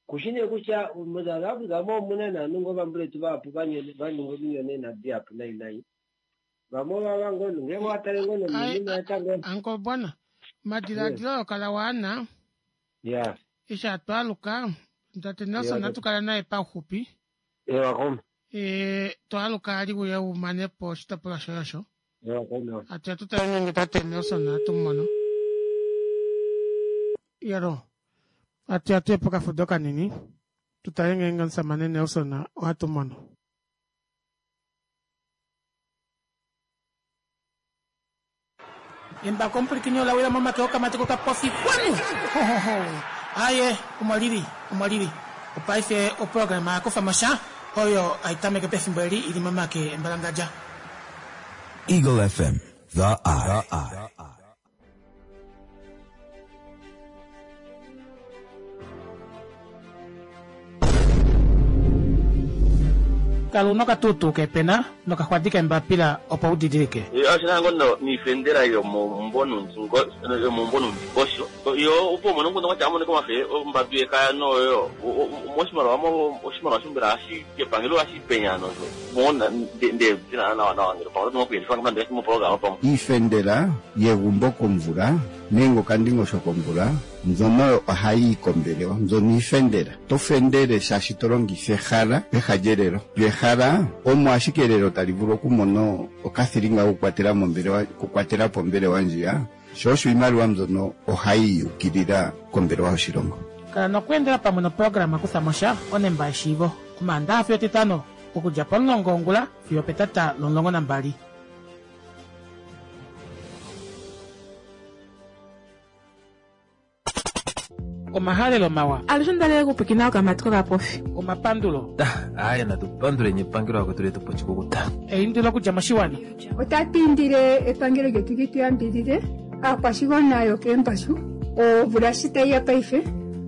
Speaker 12: kushi nee kutya moSouth Africa mo omuna naanhu ngoo vambuletu vahapu vaninga ominyonena dihapu nai nai vamwe ovava ngoo ngeenge owatale ngoo nominima natango
Speaker 1: Uncle Bona omadiladilo oyo kala waana
Speaker 12: ya
Speaker 1: eshi atwaaluka tate Nelson
Speaker 12: Yeah.
Speaker 1: atukala naye pauxupi
Speaker 12: ewa koma
Speaker 1: e twaaluka ali uye umanepo oshitopolwa shoye osho
Speaker 12: ewa koma
Speaker 1: ati atutale nenge tate Nelson atumumono yero ati atuye pokafudo kanini tutale ngeenge omusamane Nelson ohatumono. Embako omupulikini olawila momake okamati kokapofi kwanu hohoho aye omolili omolili opaife oprograma yakufa oyo aitameke pefimbo eli ili momake embalangadja.
Speaker 7: Eagle F M, the Eye.
Speaker 1: Kala una okatuutuu keepena nokaxwadi keembapila opo u didilike.
Speaker 8: Ashina ngono niifendela yomomumvo yomomumvo nuundingosho yo opo umone nguno kwatya amone komafe ombadu yekaya noyo moshimaliwa mo oshimaliwa shombela hashi kepangelo hashi penya nozo mona nde dina nawa nawa ngelo pamwe nokuyelifa ngomba moprograma pamwe
Speaker 9: Iifendela yegumbo komvula nenge okandingosho komvula mbyono ohayi yi kombelewa mbyono iifendela. To fendele shaashi to longitha ehala peha lyelelo. Lyo ehala omo ashike elelo tali vulu okumona okathilinga kokukwatela mombelewa okukwatela po ombelewa ndjiya sho osho iimaliwa mbyono ohayi yukilila kombelewa yoshilongo.
Speaker 1: Kala nokweendela pamwe noprograma Kutha mo sha onemba yeshiivo Omaandaxa fiyo Etitano okudja pomulongo wongula fiyo opetata lomulongo nambali. Omahalelo mawa.
Speaker 2: Alushe ondalele okupwiikina okamati kokapofi.
Speaker 1: Omapandulo.
Speaker 3: Aaye natu panduleni epangelo lakwetu letu po oshikukuta.
Speaker 1: Eindilo okudja moshiwana.
Speaker 4: Otatu indile epangelo lyetu li tu yambidhidhe aakwashigwana yokeembashu omvula shi tayi ya paife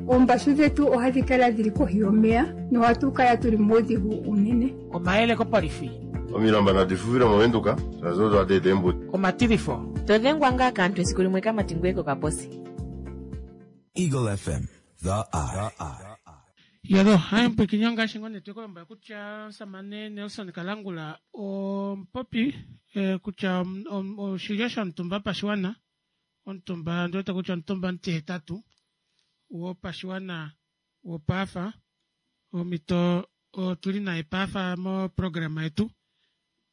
Speaker 4: oombashu dhetu ohadhi kala dhili kohi yomeya nohatu kala tuli muudhigu unene.
Speaker 1: Omayele kopolifi.
Speaker 5: Omilamba nadi fuvile mOvenduka shaashi odo hadi eta eembudi.
Speaker 1: Omatilifo.
Speaker 6: To dhengwa ngaa kaantu esiku limwe kamati ngoye kokaposi.
Speaker 7: Eagle F M, The Eye.
Speaker 1: Yalo, hai mpwikinyo ngaashi ngoo nee tweku lombwela kutya omusamane Nelson Kalangula omupopi eh, kutya oshilyo shomutumba pashiwana omutumba ndiwete kutya omutumba omutihetatu wopashiwana wopaafa omito otuli naye paafa moprograma yetu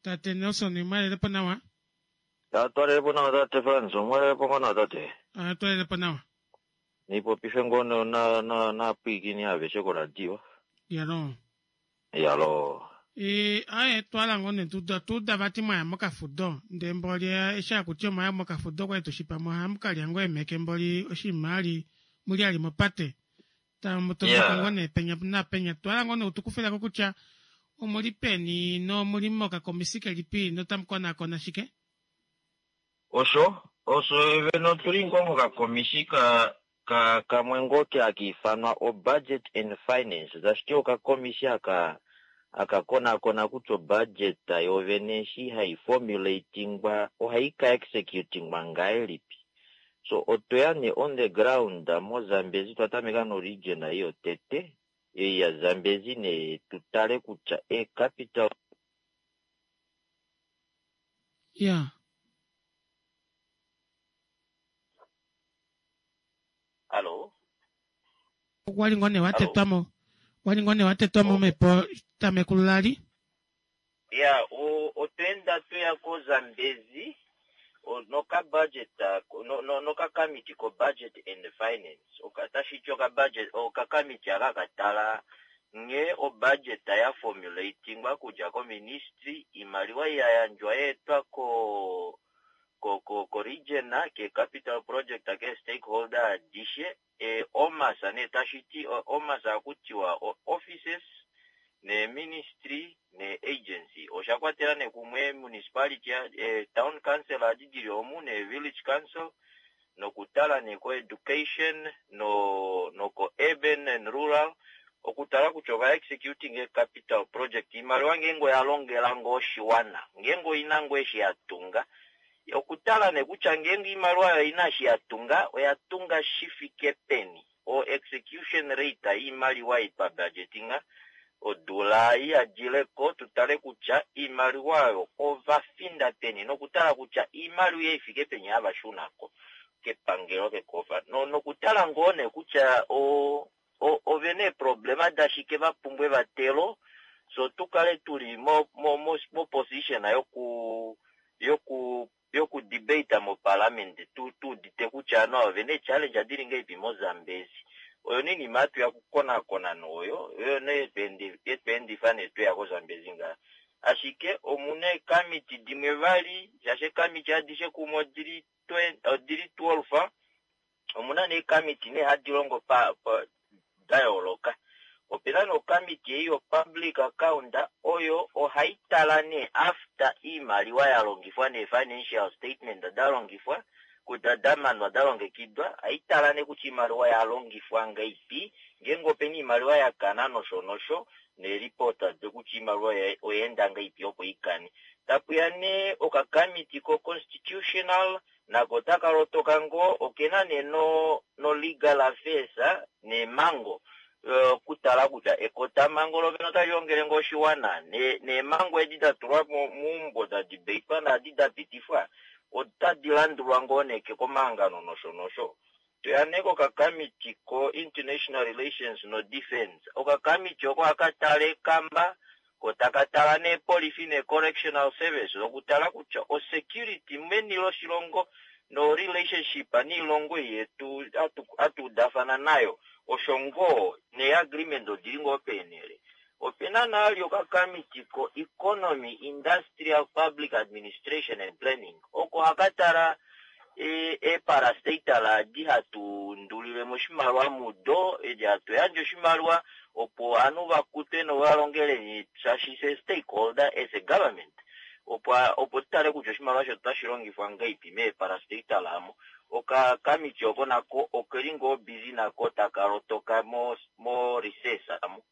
Speaker 1: tate Nelson mwalelepo nawa.
Speaker 13: Twalelepo nawa tate Frans, omwalelepo ngoo nawa tate.
Speaker 1: Twalelepo nawa.
Speaker 13: Nipopife ngoo na na naapwiikini aveshe koradio.
Speaker 1: Yalo.
Speaker 13: Yalo.
Speaker 1: E, aye twala ngoo nee tuda tuda vati mwaya mokafudo ndee mboli eshi akuti omwaya mokafudo kwali tushipa mo ohamu kalya ngoo eemeke mboli oshinima ali muli ali mopate tamu tondoka ngoo nee penya napenya twala ngoo nee utukufileko kutya omuli peni nomuli mokakomisi kelipi notamu konakona shike?
Speaker 13: Osho osho vene otuli ngoo mokakomisi ka ka kamwe ngoo ke haka ifanwa o budget and finance tashiti okakomisi aka akakonakona kutya obudget yovene eshi hai formulatingwa ohai ka executingwa ngahelipi. So otweya nee on the ground moZambezi twatameka noregion ei yotete ei yaZambezi nee tutale kutya e capital
Speaker 1: ya
Speaker 13: Hallo?
Speaker 1: Wali ngoo nee watetwamo wali ngoo nee watetwamo mepo tamekululali.
Speaker 13: Ya otweenda tweya koZambezi noka budget no noka committee ko budget and finance tashiti oka budget oka committee aka katala nghee obudget ya formulatingwa kudja ko ministry imaliwa yayandjwa yeetwa ko ko ko ko region ke capital project ke stakeholder adishe e omasa ne tashiti omasa akutiwa offices ne ministry ne agency osha kwatela ne kumwe municipality e, town council adi dili omu ne village council nokutala ne ko education no noko urban and rural okutala kutya ova executing e capital project imaliwa ngeenge oya longela ngoo oshiwana ngeenge oina ngoo eshi ya tunga okutala ne kutya ngeenge imaliwa oyo ina eshi ya tunga oya tunga shi fike peni o execution rate yiimaliwa ei twa budgetinga odula iyadileko tutale kutya iimaliwa oyo ova finda peni nokutala kutya iimaliwa ifike peni hava shunako kepangelo kekofa no nokutala ngoo nee kutya o ovena eeproblema dashike vapumbwa evatelo so tukale tuli mo mo mo, mo position yoku yoku yoku debate moparliament tu tuudite kutya no ovena ee-challenge adili ngahelipi moZambezi oyo ninima hatuya okukonakona noyo oyo nee yetweendifa nee tweya koZambezi ngaha ashike omuna eekamiti dimwe vali shaashi eekamiti adishe kumwe odili odili twelve omuna nee eekamiti nee hadi longo pa, pa da yooloka opena nokamiti ei yo public account oyo ohaitala nee after iimaliwa ya longifwa nee financial statement da longifwa Kutya damanwa dalongekidwa haitala nee kutya iimaliwa yalongifwa ngaipi ngeenge opena iimaliwa yakana nosho nosho neeripota dokutya iimaliwa oyaenda ngaipi opo ikane. Tapuya nee okakamiti ko constitutional nako takalotoka ngoo okena nee no, no legal affairs neemhango okutala kutya ekotamhango lovene otali longele ngoo oshiwana neemhango edi datulwa meumbo dadibeitwa naadi dapitifwa otadi landulwa ngoo nee komahangano nosho nosho. Toya nee kokakamiti ko international relations no defense. Okakamiti oko ohaka tala ekamba ko taka tala neepolifi ne correctional service okutala kutya osecurity meni loshilongo no relationship niilongo yetu atuudafana nayo osho ngoo nee-agreement odili ngoo peenele. Opena nali okakamiti ko economy, industrial, public administration and planning oko haka tala eeparastatal adi hatu ndulilemo oshimaliwa mudo, edi hatu yandje oshimaliwa opo ovanhu vakutwe novalongele shaashi se stakeholder as a government opo opo tutale kutya oshimaliwa shetu otashi longifwa ngaipi meeparastatal amo. Okakamiti oko nako okeli ngoo busy nako taka lotoka mo, mo recess amo.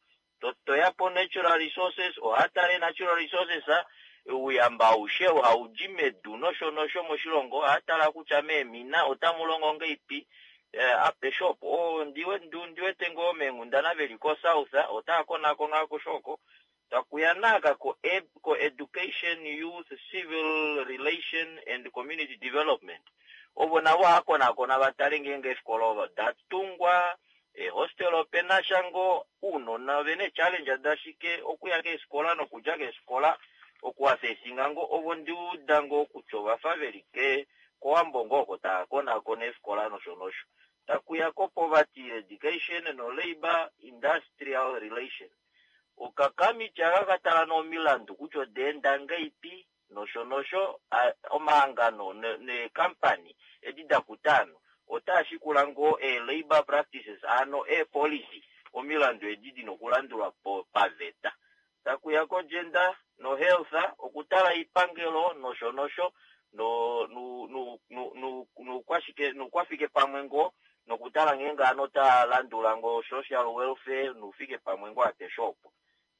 Speaker 13: Toya po natural resources, ohatale natural resources ouyamba aushe haudi medu nosho nosho moshilongo, ohatala kutya meemina otamu longo ngaipi apeshe opo. Ndiwete ngoo meenghundana veli ko South otaya konakona akushe oko. Takuya naaka ko, ko education, youth, civil relation and community development. Ovo navo ohava konakona vatale ngeenge eefikola odatungwa, eehostel opena sha ngoo, ounona ovena ee-challenge dashike okuya keefikola nokudja keefikola okuasesinga ngoo. Ovo ndiuda ngoo kutya ovafa veli kOwambo ngoo oko tava konakona eefikola nosho nosho. Takuya ko poverty eradication no labour industrial relation. Okakamiti aka katala nomilandu kutya odaenda ngaipi nosho nosho omahangano neekampani edi dakuta ovanhu otaa shikula ngoo ee-labour practices ano ee-policy omilandu edi dina okulandulwa paveta. Takuya ko gender no health okutala oipangelo nosho nosho noukwashike pamwe ngoo nokutala ngeenge ovanhu otava landula ngoo social welfare noufike pamwe ngoo apeshe opo.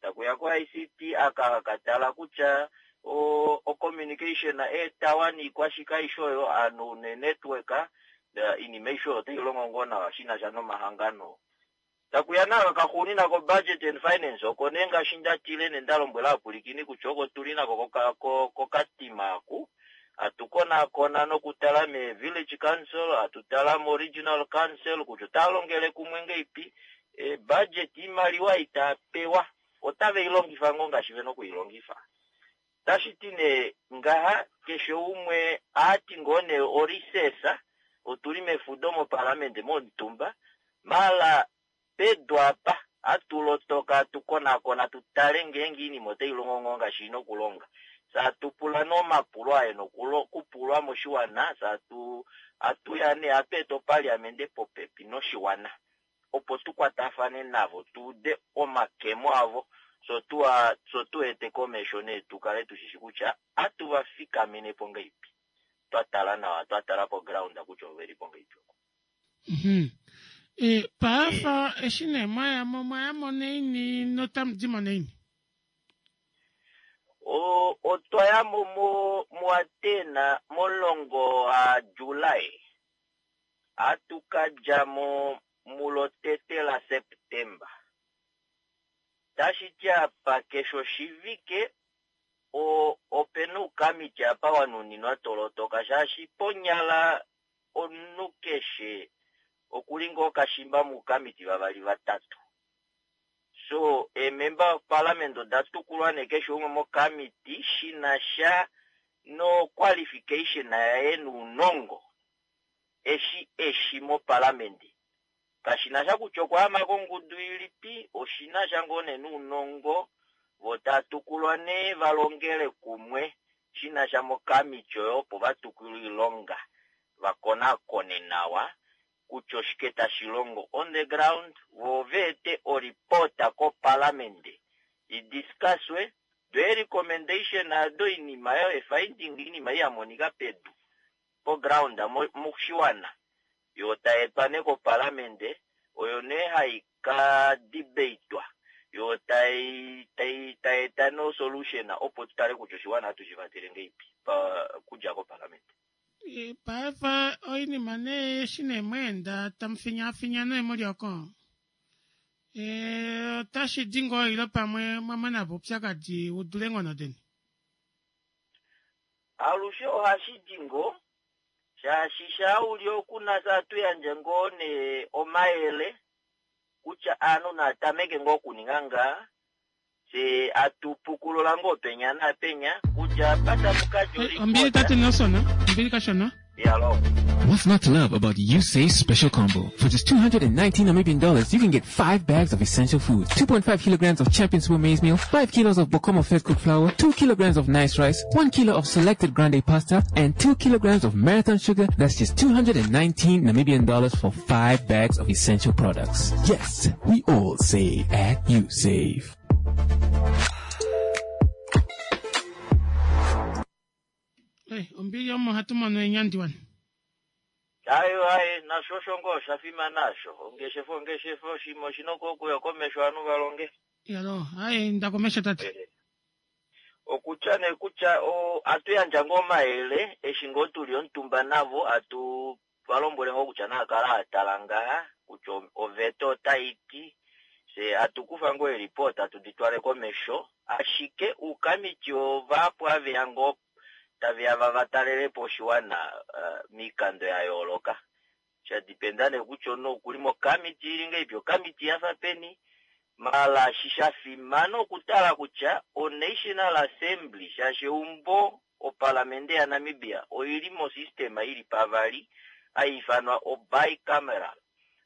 Speaker 13: Takuya ko I C T aka katala kutya o communication eetawa niikwashike aishe oyo ovanhu ne-network iinima aishe oyo otai longo ngoo nawa shinasha nomahangano. Takuya naaka kaxuunina ko budget and finance oko nee ngaashi ndatile nendalombwela ovapwilikini kutya oko tuli nako kokatima aku hatu konakona nokutala me village council, hatu tala mo regional council kutya otava longele kumwe ngaipi, e budget iimaliwa itapewa otave ilongifa ngoo ngaashi vena okuilongifa. Tashiti nee ngaha keshe umwe aati ngoo nee orecess otuli mefudo mopalamende momutumba mala pedu apa atulotoka atukonakona tutale ngeenge iinima otai longo ngoo ngaashi ina okulonga. Satupula nee omapulo aye nokupulwa moshiwana satu atuya nee atu eta opaliamende popepi noshiwana opo tukwatafane navo tuude omakemo avo so tuwa so tu ete komesho nee tukale tushishi kutya atuvafikamene po ngaipi twatala nawa twatala po ground kutya oveli po ngaipi.
Speaker 1: Mm -hmm. E, paafa eshi nee mwayamo mwayamo neini notamu dimo neini?
Speaker 13: Otwa yamo mo muAtena momulongo waJulai atukadjamo mulotete laSeptemba. Tashiti apa keshe oshivike opena uukamiti apa wanuninwa tolotoka shaashi ponyala omunhu keshe okuli ngoo kashimba muukamiti vavali vatatu. So eemember of parliament oda tukulwa nee keshe umwe mokamiti shinasha no qualification yaye nounongo eshi eshi mopalamende. Kashinasha kutya okwaama kongudu ilipi oshinasha ngoo nee nounongo vo tatukulwa nee valongele kumwe shinasha mokamiti oyo opo vatukulwe oilonga vakonakone nawa kutya oshike tashi longo on the ground vo veete oripota kopalamende idiscusswe do recommendation ado iinima yo efinding iinima ei yamonika pedu. poground moshiwana yo tayi etwa nee kopalamende oyo nee hai ka debatwa yo tai tai tai eta no solution opo tutale kutya oshiwana hatu shi vatele ngeipi pa kudja kopalamende.
Speaker 1: E, paife oinima nee eshi nee mweenda tamu finyaafinya nee muli oko e, otashi di ngoo ile pamwe mwa mona po oupyakadi u dule eenghono deni?
Speaker 13: Alushe ohashi di ngoo shaashi shaa uli okuna sa atu yandje ngoo nee omayele kutya aanhu naatameke ngoo okuninga ngaa fye atupukulula ngoo penya naapenya kutya apa tamu kadja
Speaker 1: Ombili tate Nelson, ombili kashona.
Speaker 13: Yalo.
Speaker 14: What's not to love about Usave Special Combo? For just two hundred and nineteen Namibian dollars, you can get five bags of essential foods, two point five kilograms of Champion Super Maize Meal, five kilos of Bokomo Fed Cooked Flour, two kilograms of nice rice, one kilo of selected Grande pasta, and two kilograms of Marathon sugar. That's just two hundred and nineteen Namibian dollars for five bags of essential products. Yes, we all save at Usave.
Speaker 1: Eh, ombili omo hatu mono eenyandi wani.
Speaker 13: Ayo aye nasho osho ngoo osha fimana asho. Ongeshefa ongeshefa oshima oshina okuya komesho ovanhu va longe.
Speaker 1: Yalo, aye nda komesho tate.
Speaker 13: Okutya nee kutya o atu yandja ngoo omayele eshi ngoo tuli omutumba navo atu valombwele ngoo kutya naakala atala ngaha kutya oveta otai ti fye atu kufa ngoo eelipota atu di twale komesho ashike uukamiti ovahapu aveya ngoo taveya va talelepo oshiwana uh, miikando ya yooloka sha dipenda nee kutya omunhu okuli mokamiti ili ngeipi okamiti yafa peni mala shi sha fimana okutala kutya o-National Assembly shaashi eumbo opalamende yaNamibia oili mosystem ili pavali haifanwa o-bicameral.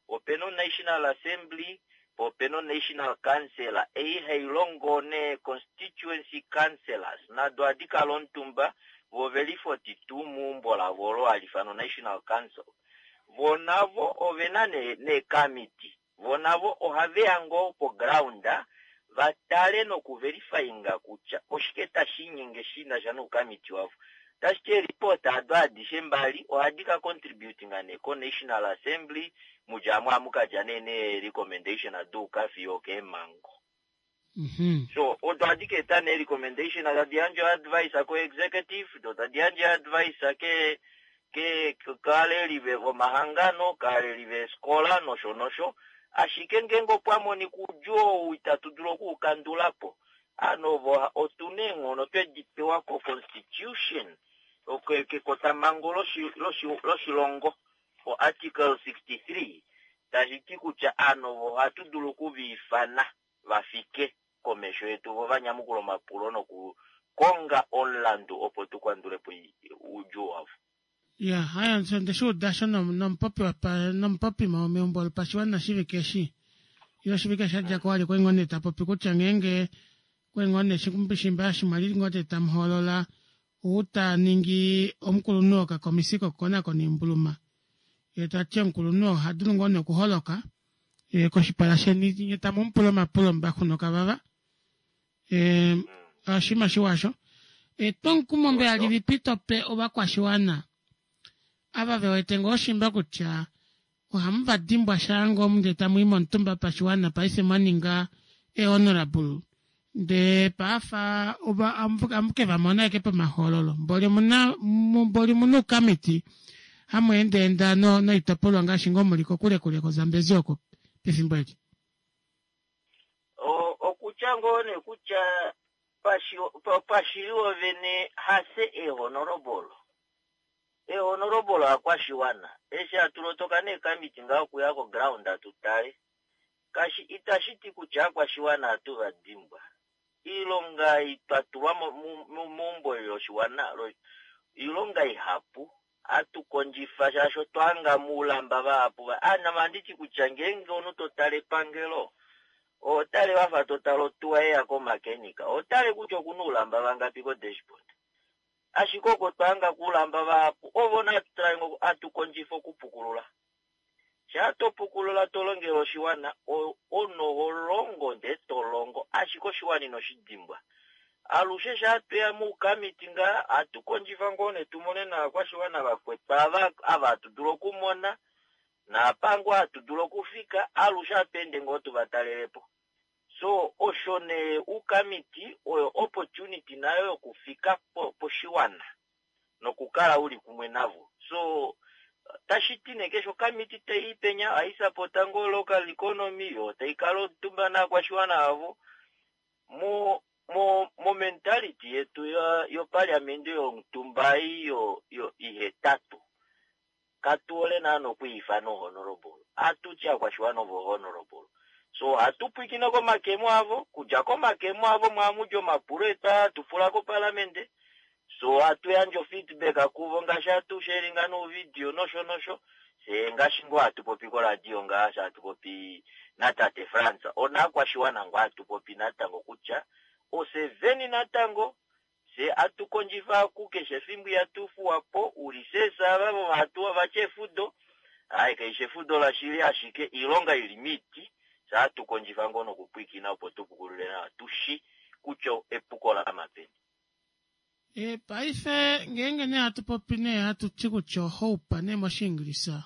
Speaker 13: Opena o-National Assembly po opena o-National Council ei hai longo nee constituency councillors nado ohadi kala omutumba vo veli forty-two meumbo lavo olo hali ifanwa National Council. Vo navo ovena neekamiti vo navo ohaveya ngoo poground vatale nokuverifyinga kutya oshike tashi inyenge shina sha noukamiti wavo. Tashi ti eelipota ado adishe mbali ohadi ka contributinga nee ko-National Assembly mudja amwe amukadja nee nee-recommendation aduuka fiyo okeemhango. So odo ohadi ka eta nee recommendation tadi yandje advice ko-executive do tadi yandje advice ke ke kaaleli vomahangano kaaleli veeskola nosho nosho ashike ngeenge opwa monika oudjuu ou itatu dulu okuukandula po ano vo otuna eenghono twedi pewa ko-constitution kekotamhango loshilongo o-article sixty-three tashi ti kutya ano vo ohatu dulu okuviifana vafike komesho yetu vo vanyamukula omapulo nokukonga omulandu opo tukandule po oudjuu wavo.
Speaker 1: Ya, haya onde shi uda sho nomupopi nomupopi meumbo lopashiwana shivike eshi ile oshivike sha dja ko wali kwali ngoo nee ta popi kutya ngeenge kwali ngoo nee shimba shimwali ngoo nee tamu hoolola ou ta ningi omukulunhu wokakomisi kokukonakona oimbuluma ye tati omukulunhu oha dulu ngoo nee okuholoka koshipala sheni nye tamu mupula omapulo mbaxunoka vava e, oshima shiwa etwomukumo mbela lilipi tope ovakwashiwana ava ve wete ngoo shimba kutya ohamu va dimbwa sha ngoo ndee tamu i momutumba pashiwana paife mwa ninga ehonorable ndee paafa amuke va mona eke pomahoololo mboli omuna mboli omuna oukamiti hamu endaenda noitopolwa ngaashi ngoo muli kokule kule koZambezi oko pefimbo eli.
Speaker 13: Okutya ngoo nee kutya pashili wovene hase ehonorable ehonorable akwashiwana eshi atulotoka neekamiti ngaa okuya koground atutale kashi itashi ti kutya akwashiwana atu va dimbwa iilonga twatulwa meumbo loshiwana iilonga ihapu atukondjifa shaashi otwahanga muulamba vahapu anama anditi kutya ngeenge omunhu totale epangelo otale wafa totala otuwa yeya komakenika otale kutya okuna oulamba vangapi ko-dashboard ashike oko twahanga kuulamba vahapu ovo natutale atukondjifa okupukulula shaa topukulula tolongele oshiwana omunhu oho longo ndee tolongo ashike oshiwana ino shi dimbwa Alushe sha tweya muukamiti ngaa atu kondjifa ngoo ne tumone naakwashiwana vakwetu ava ava hatu dulu okumona naapango hatu dulu okufika alushe hatu ende ngoo tuvatalelepo. So osho nee uukamiti oyo opportunity nayo yokufika poshiwana nokukala uli kumwe navo. So tashi ti nee keshe okamiti tai penya ohaisapota ngoo local economy yo taikala omutumba naakwashiwana avo mo mo mo mentality yetu yopaliamende yomutumba ei yo yo ihetatu katuole naana okwiifana honorable atuti akwashiwana ovo honorable. So hatu pwikine komakemo avo kudja komakemo avo mwamudja omapulo etu aa tupula kopalamende. So hatu yandja feedback kuvo ngaashi hatu sharinga nouvidio nosho nosho se ngaashi ngoo hatu popi koradio ngaashi hatu popi natate Frans onaakwashiwana ngoo hatu popi natango kutya oseveni natango se atukondjifa kukeshe efimbo ihatufuwapo ulisesa ava hatu vacha efudo ai kaishe efudo lashili ashike iilonga ili miti se atukondjifa ngoo nokupwikina opo tupukulule nawa tushi kutya epuko lamapeni.
Speaker 1: E, paife ngeenge nee hatu popi nee hatu ti kutya ohope nee moshiingilisa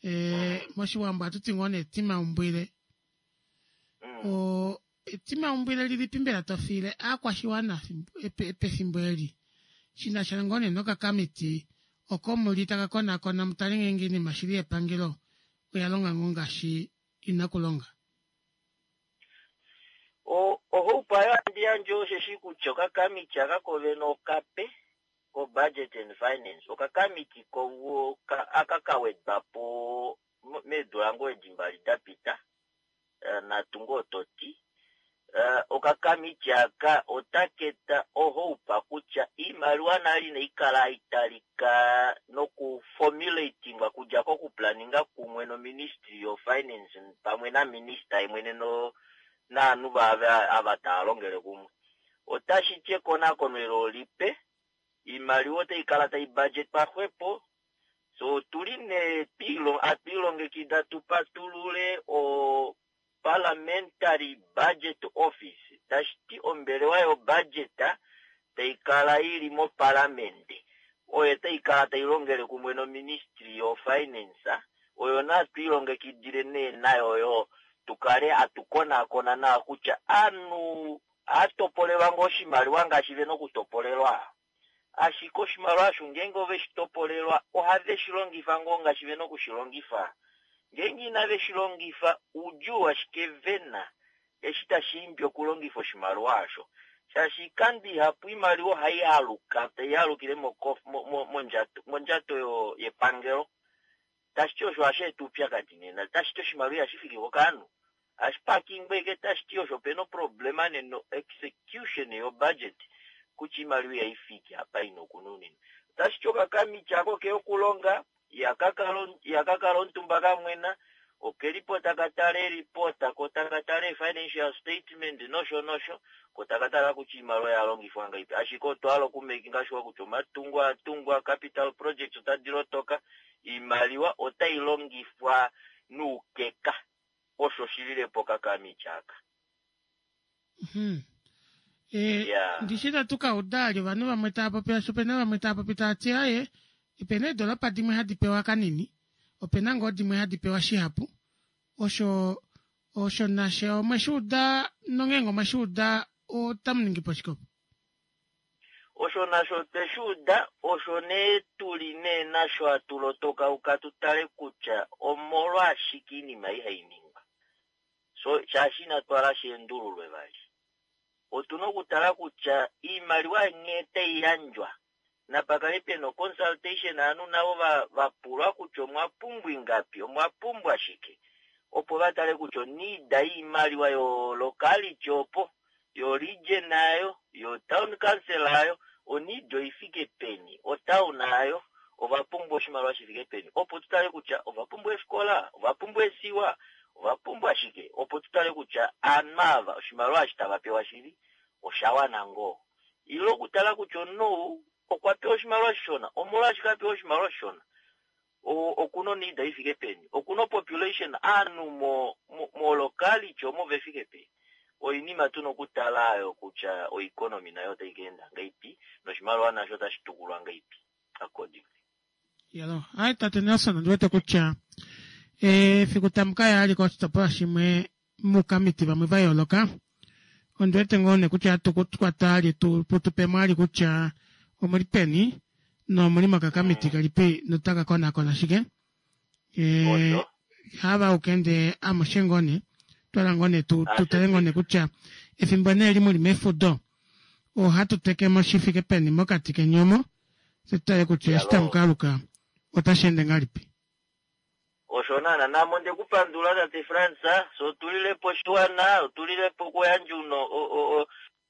Speaker 1: e, moshiwambo hatu ti ngoo nee etimaumbwile mm. o etimaumbwile lilipi mbela tofiile aakwashiwana pefimbo eli shinasha ngoo nee nokakamiti oko muli taka konakona mutale ngeenge iinima shili yepangelo oya longa ngoo ngaashi ina kulonga.
Speaker 13: Ohope ayo andi yandje osheshi kutya okakamiti aka kovene okape ko budget and finance okakamiti ko aka kawedwapo meedula ngoo edi mbali dapita natu ngoo toti okakamiti aka otaketa ohope kutya iimaliwa nali inaikala haitalika noku formulatingwa kudja kokuplaninga kumwe no ministry of finance pamwe na minister yemwene no naanhu vave ava tava longele kumwe. Otashi ti ekonakono elo lipe iimaliwa otai kala tai budget paxwepo. So tuli nee atwiilongekida tupatulule o parliamentary budget office tashi ti ombelewa yobudget tai kala ili mopalamende oyo tai kala tai longele kumwe no ministry of finance oyo natwiilongekidile nee nayo yo tukale atukonakona nawa kutya aanhu atopolelwa ngoo oshimaliwa ngaashi vena okutopolelwa. Ashike oshimaliwa osho ngeenge oveshi topolelwa ohave shi longifa ngoo ngaashi vena okushilongifa. Ngeenge inave shi longifa oudjuu ashike vena eshi tashi imbi okulongifa oshimaliwa osho. Shaashi oikando ihapu iimaliwa ohai aluka tai alukile mondjato mondjato yepangelo. Tashi ti osho hashi eta oupyakadi nena tashi ti oshimaliwa ihashi fiki kokanhu hashi pakingwa eke tashi ti osho opena oproblema neno execution yobudget kutya iimaliwa ihaifiki apa ina okununinwa. Tashi ti okakamiti ako keya okulonga ihakakala omutumba kamwena okelipo taka tala eripota ko taka tala financial statement nosho nosho ko taka tala kutya iimaliwa yalongifwa ngaipi. Ashike otwa hala okumakinga sure kutya omatungo atungwa capital projects otadi lotoka iimaliwa otai longifwa nuukeka osho shililepo okakamiti aka.
Speaker 1: Hmm. E, yeah. Ndishi tatu ka uda ali ovanhu vamwe tava popi asho opena vamwe tava popi tava ti aye opena eedolopa dimwe hadi pewa kanini opena ngoo dimwe hadi pewa shihapu osho osho nasho omweshi uda nongeenge omweshi uda otamu ningi po shikopo.
Speaker 13: Osho nasho tweshi uda osho nee tuli nee nasho hatu uka tu tale kutya omolwashike iinima ihai ningwa. So shaashi inatu hala shiendululwe vali. Otuna okutala kutya iimaliwa nghee tai yandjwa napakale pena consultation aanhu navo vapulwa kutya omwa pumbwa ingapi omwa pumbwa shike opo vatale kutya oniida yiimaliwa yo locality opo yo region ayo yo town council ayo oniida oifike peni otown ayo ova pumbwa oshimaliwa shifike peni opo tutale kutya ova pumbwa efikola ova pumbwa esiwa ova pumbwa shike opo tutale kutya aanhu ava oshimaliwa eshi tava pewa shili osha wana ngoo. Ile okutala kutya omunhu okwa pewa oshimaliwa shishona omolwashike apewa oshimaliwa shishona okuna oniida ifike peni okuna population aanhu mo mo locality omo vefike peni. Oinima tuna okutala ayo kutya oeconomy nayo otai kaenda ngaipi noshimaliwa nasho otashi tukulwa ngaipi accordingly.
Speaker 1: Yalo, ai tate Nelson ondi wete kutya efiku tamu ka ya ali koshitopolwa shimwe muukamiti vamwe va yooloka ondi wete ngoo nee kutya hatu kukwata ali tu tupemo ali kutya omuli peni nomuli mokakamiti kelipi notaka konakona shike e, hava ukende amushe ngoo nee twala ngoo nee tu tutale ngoo nee kutya efimbo nee li muli mefudo ohatu tekemo shi fike peni mokati keni omo se tutale kutya eshi tamu kaaluka otashi ende ngahelipi.
Speaker 13: Osho naana namo onde ku pandula tate Frans, so otulilepo oshiwana, otulilepo okuyandja uno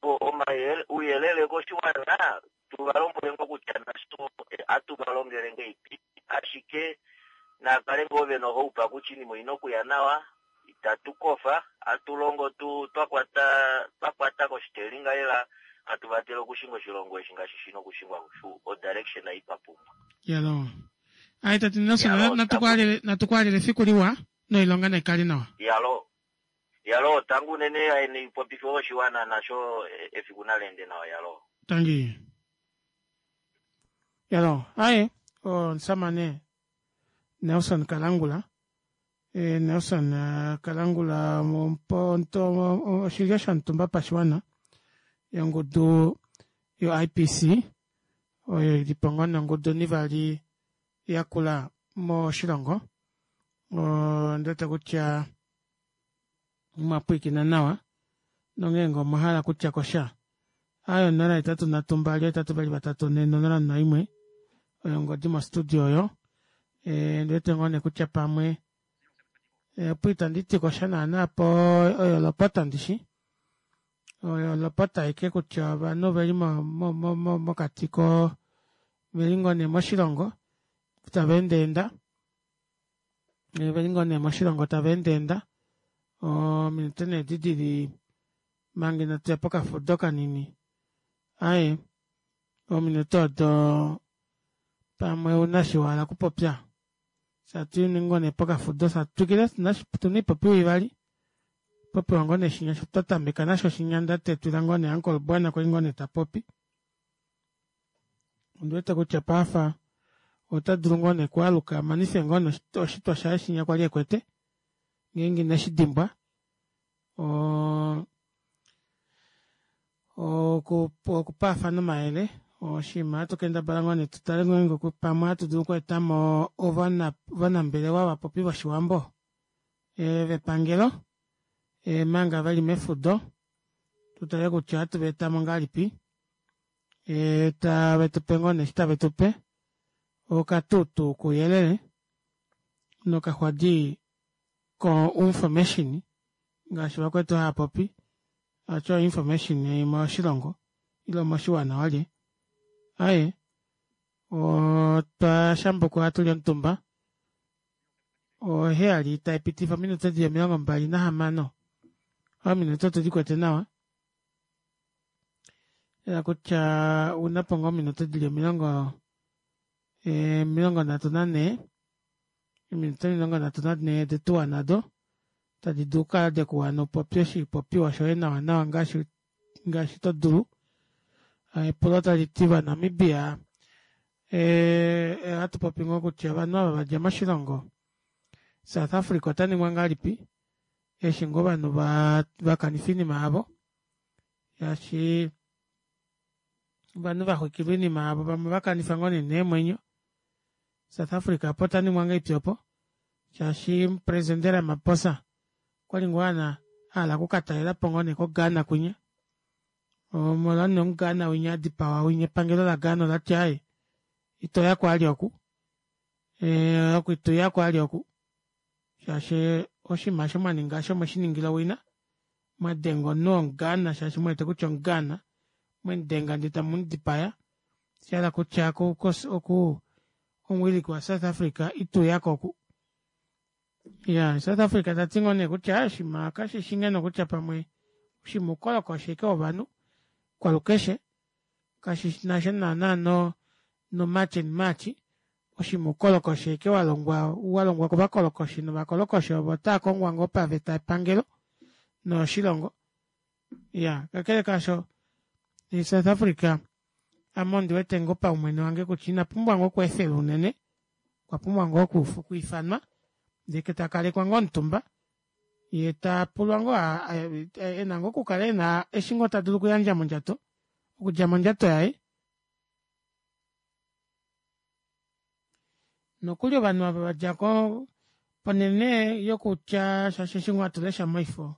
Speaker 13: omayele ouyelele koshiwana, tu va lombwele ngoo kutya nasho atu va longele ngeipi, ashike nakale ngoo vena ohope kutya oinima oina okuya nawa, itatu kofa, atu longo tu twakwata twakwata koshitelinga lela, atu vatele okushinga oshilongo eshi ngaashi shina okushingwa odirection ei twapumbwa.
Speaker 1: Yalo. Ai tate Nelson, natukwaalele natukwaalele efiku liwa noilonga naikale nawa.
Speaker 13: Yalo. Yalo, tangi unene aeni popife oshiwana nasho efiku naleende nawa yalo.
Speaker 1: Tangi. Yalo, aye omusamane Nelson Kalangula e, Nelson eh, Kalangula oshilyo shomutumba pashiwana yongudu yo-I P C oyo ili po ngoo nongudu nivali yakula moshilongo. Ondi wete kutya omwa pwiikina nawa nongeenge omwa hala kutya kosha ayo onola hetatu nhatu mbali hetatu vali vatatu nhe nonola noimwe oyo ongodi mostudio oyo. E, ndi wete ngoo nee kutya pamwe e, opo itandi ti kosha naana po oyo lopota ndishi oyo lopota aike kutya ovanhu oveli mokati ko veli ngoo nee moshilongo tava endaenda veli ngoo nee moshilongo tava endaenda ominute nee edi dili manga inatu ya pokafudo kanini aye ominute odo pamwe una shi wahala okupopya satu ngoo nee pokafudo satwikile tuna ipopiwa ivali popiwa ngoo nee shinya twa tameka nasho shinya ndatetwila ngoo nee uncle Bwana kwali ngoo nee tapopi ondiwete kutya paafa ota dulu ngoo nee okualuka amanife ngoo nee oshitwa shaye shinya kwali ekwete ngeenge ineshi dimbwa okupaafana omayele oshinima ohatu kendabala ngoo nee tutale ngeenge pamwe ohatu dulu okweetamo ovanambelewa vapopi voshiwambo vepangelo manga veli mefudo tutale kutya ohatu vaetamo ngahelipi tave tupe ngoo nee eshi tave tupe okatutu kouyelele nokaxwadi ko information ngaashi vakwetu hava popi acho information moshilongo ile moshiwana walye aye otwa shambukwa hatuli omutumba oheyali taipitifa ominute dili omilongo mbali nahamano ominute otu dikwete nawa ela kutya unapo ngoo ominute dili omilongo omilongo nhatu nanhee ominute omilongo nhatu nanhee odetuwana odo tadi dulu okukala dekuwana upopye oshipopiwa shoye nawa nawa ngaashi ngaashi to dulu. Epulo tali ti vaNamibia ohatu popi ngoo kutya ovanhu ava vadja moshilongo South Africa ota ningwa ngahelipi eshi ngoo ovanhu vakanifa oinima yavo shaashi ovanhu vaxwikilwa oinima yavo vamwe vakanifa ngoo nee neemwenyo South Africa opo ota ningwa ngahelipi opo shaashi omupresidente Ramaphosa okwali ngoo ahala okukatalelapo ngoo nee koGhana kwinya omolwa nee omuGhana winya adipawa winya epangelo laGhana olati aaye itoyako ali oku oku ituyako ali oku shaashi oshinima osho mwaninga osho mweshiningila owina mwadenga omunhu womuGhana shaashi muwete kutya omuGhana mwemudenga ndee tamumudipaya oshahala kutya oku omuwiliki wa South Africa ituyako oku iya South Africa tati ngoo nee kutya oshinima kashishi ngeno kutya pamwe oshinima oukolokoshi ashike wovanhu kwalukeshe kashinasha naana no no march and march oshinima oukolokoshi ashike walongwa walongwa kovakolokoshi novakolokoshi ovo otava kongwa ngoo paveta yepangelo noyoshilongo Ya, kakele kaasho South Africa ame ondi wete ngoo paumwene wange kutya ina pumbwa ngoo okweefelwa unene, okwa pumbwa ngoo okwiifanwa ndee takalekwa ngoo omutumba yee tapulwa ngoo ena ngoo okukala ena eshi ngoo tadulu okuyandja mondjato okudja mondjato yaye. Nokuli ovanhu ava vadja ko ponene yokutya shaashi eshi ngoo hatu lesha moifo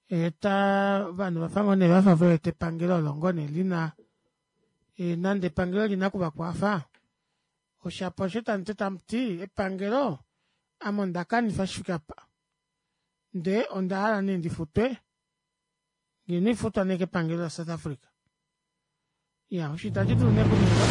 Speaker 1: eta ovanhu vafa ngoo nee vafa vewete epangelo olo ngoo nee lina nande epangelo olina okuvakwafa oshapo osho tamuti epangelo ame ondakanifa shifike apa ndee ondahala nee ndifutwe ngeno ifutwa nee kepangelo la South Africa. Ya, osho itashi dulu nee kuningwa.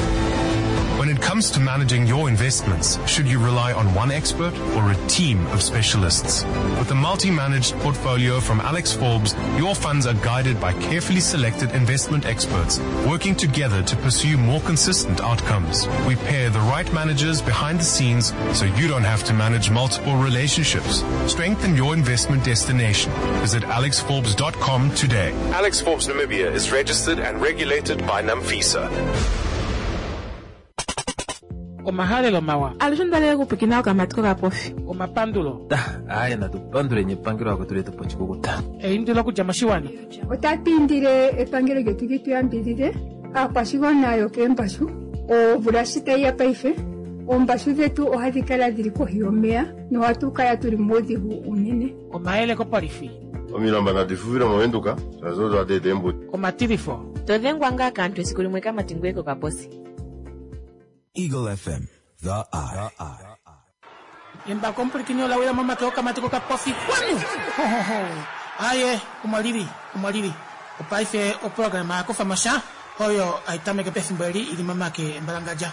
Speaker 15: When it comes to managing your investments, should you rely on one expert or a team of specialists? With a multi-managed portfolio from Alex Forbes, your funds are guided by carefully selected investment experts working together to pursue more consistent outcomes. We pair the right managers behind the scenes so you don't have to manage multiple relationships. Strengthen your investment destination. Visit alex forbes dot com today.
Speaker 16: Alex Forbes Namibia is registered and regulated by NAMFISA.
Speaker 1: Omahalelo mawa.
Speaker 2: Alushe ondalele okupwikina okamati kokapofi.
Speaker 1: Omapandulo.
Speaker 3: Aye, natu panduleni epangelo lako tuli tupo oshikukuta.
Speaker 1: Eindilo okudja moshiwana.
Speaker 4: Otatu indile epangelo lyetu li tu yambidhidhe aakwashigwana yokeembashu. Omvula shi tayi ya paife, oombashu dhetu ohadhi kala dhili kohi yomeya nohatu kala tuli muudhigu unene.
Speaker 1: Omayele kopolifi.
Speaker 5: Omilamba nadi fufile movenduka, shaashi odo hadi eta eembudi.
Speaker 1: Omatilifo.
Speaker 6: To dhengwa ngaa kaantu esiku limwe kamati ngoye kokaposi.
Speaker 7: Eagle F M, The Eye.
Speaker 1: Embako omupulikini ola wila momake okamati kokapofi kwanu. Ho, ho, ho. Aye, omwalili, omwalili. Opaife oprograma ya kufa mosha, oyo aitameke pefimbo eli ili momake embalangadja.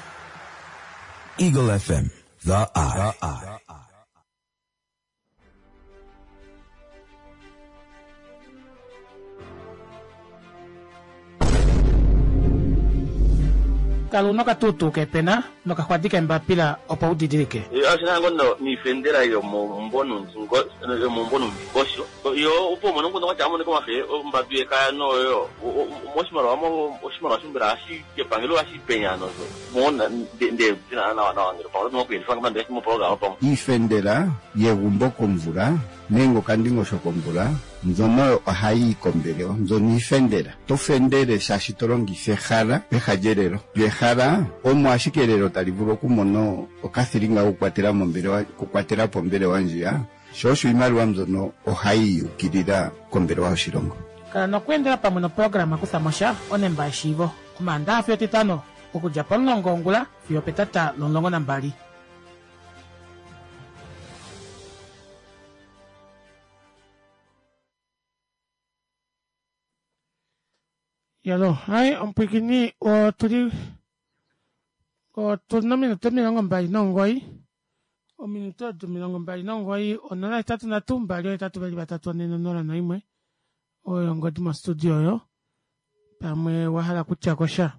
Speaker 7: Eagle F M, The Eye. The Eye.
Speaker 1: Kala nokatutu kepena nokaxwadi kembapila opo udidilike.
Speaker 8: Ashina ngono niifendela yomomumbo yomomumbo nomundingosho yo opo umone omukundu kwatya amone komafe ombadu yekaya noyo moshimaliwa oshimaliwa shombela hashi epangelo hashi penya nozo mona nde nawa nawa ngele pamwe otomakuyendifa ngamande moprograma pamwe
Speaker 9: iifendela yegumbo komvula nenge okandingosho komvula mbyono ohayi yi kombelewa, mbyono iifendela. To fendele shaashi to longitha ehala peha lyelelo. Lyo ehala omo ashike elelo tali vulu okumona okathilinga kokukwatela mombelewa, okukwatela po ombelewa ndjiya. Sho osho iimaliwa mbyono ohayi yukilila kombelewa yoshilongo.
Speaker 1: Kala nokweendela pamwe noprograma kutha mosha onemba yeshiivo omaandaha fiyo etitano okudja pomulongo wongula fiyo petata lomulongo nambali. Yalo, hai omupwikini otuli otuna ominute omilongo mbali nomugoyi. Ominute odo omilongo mbali nomugoyi onola hetatu nhatu mbali ohetatu vali vatatu ane nonola noimwe. Oyo ongodi mostudio oyo. Pamwe wahala kutya kosha.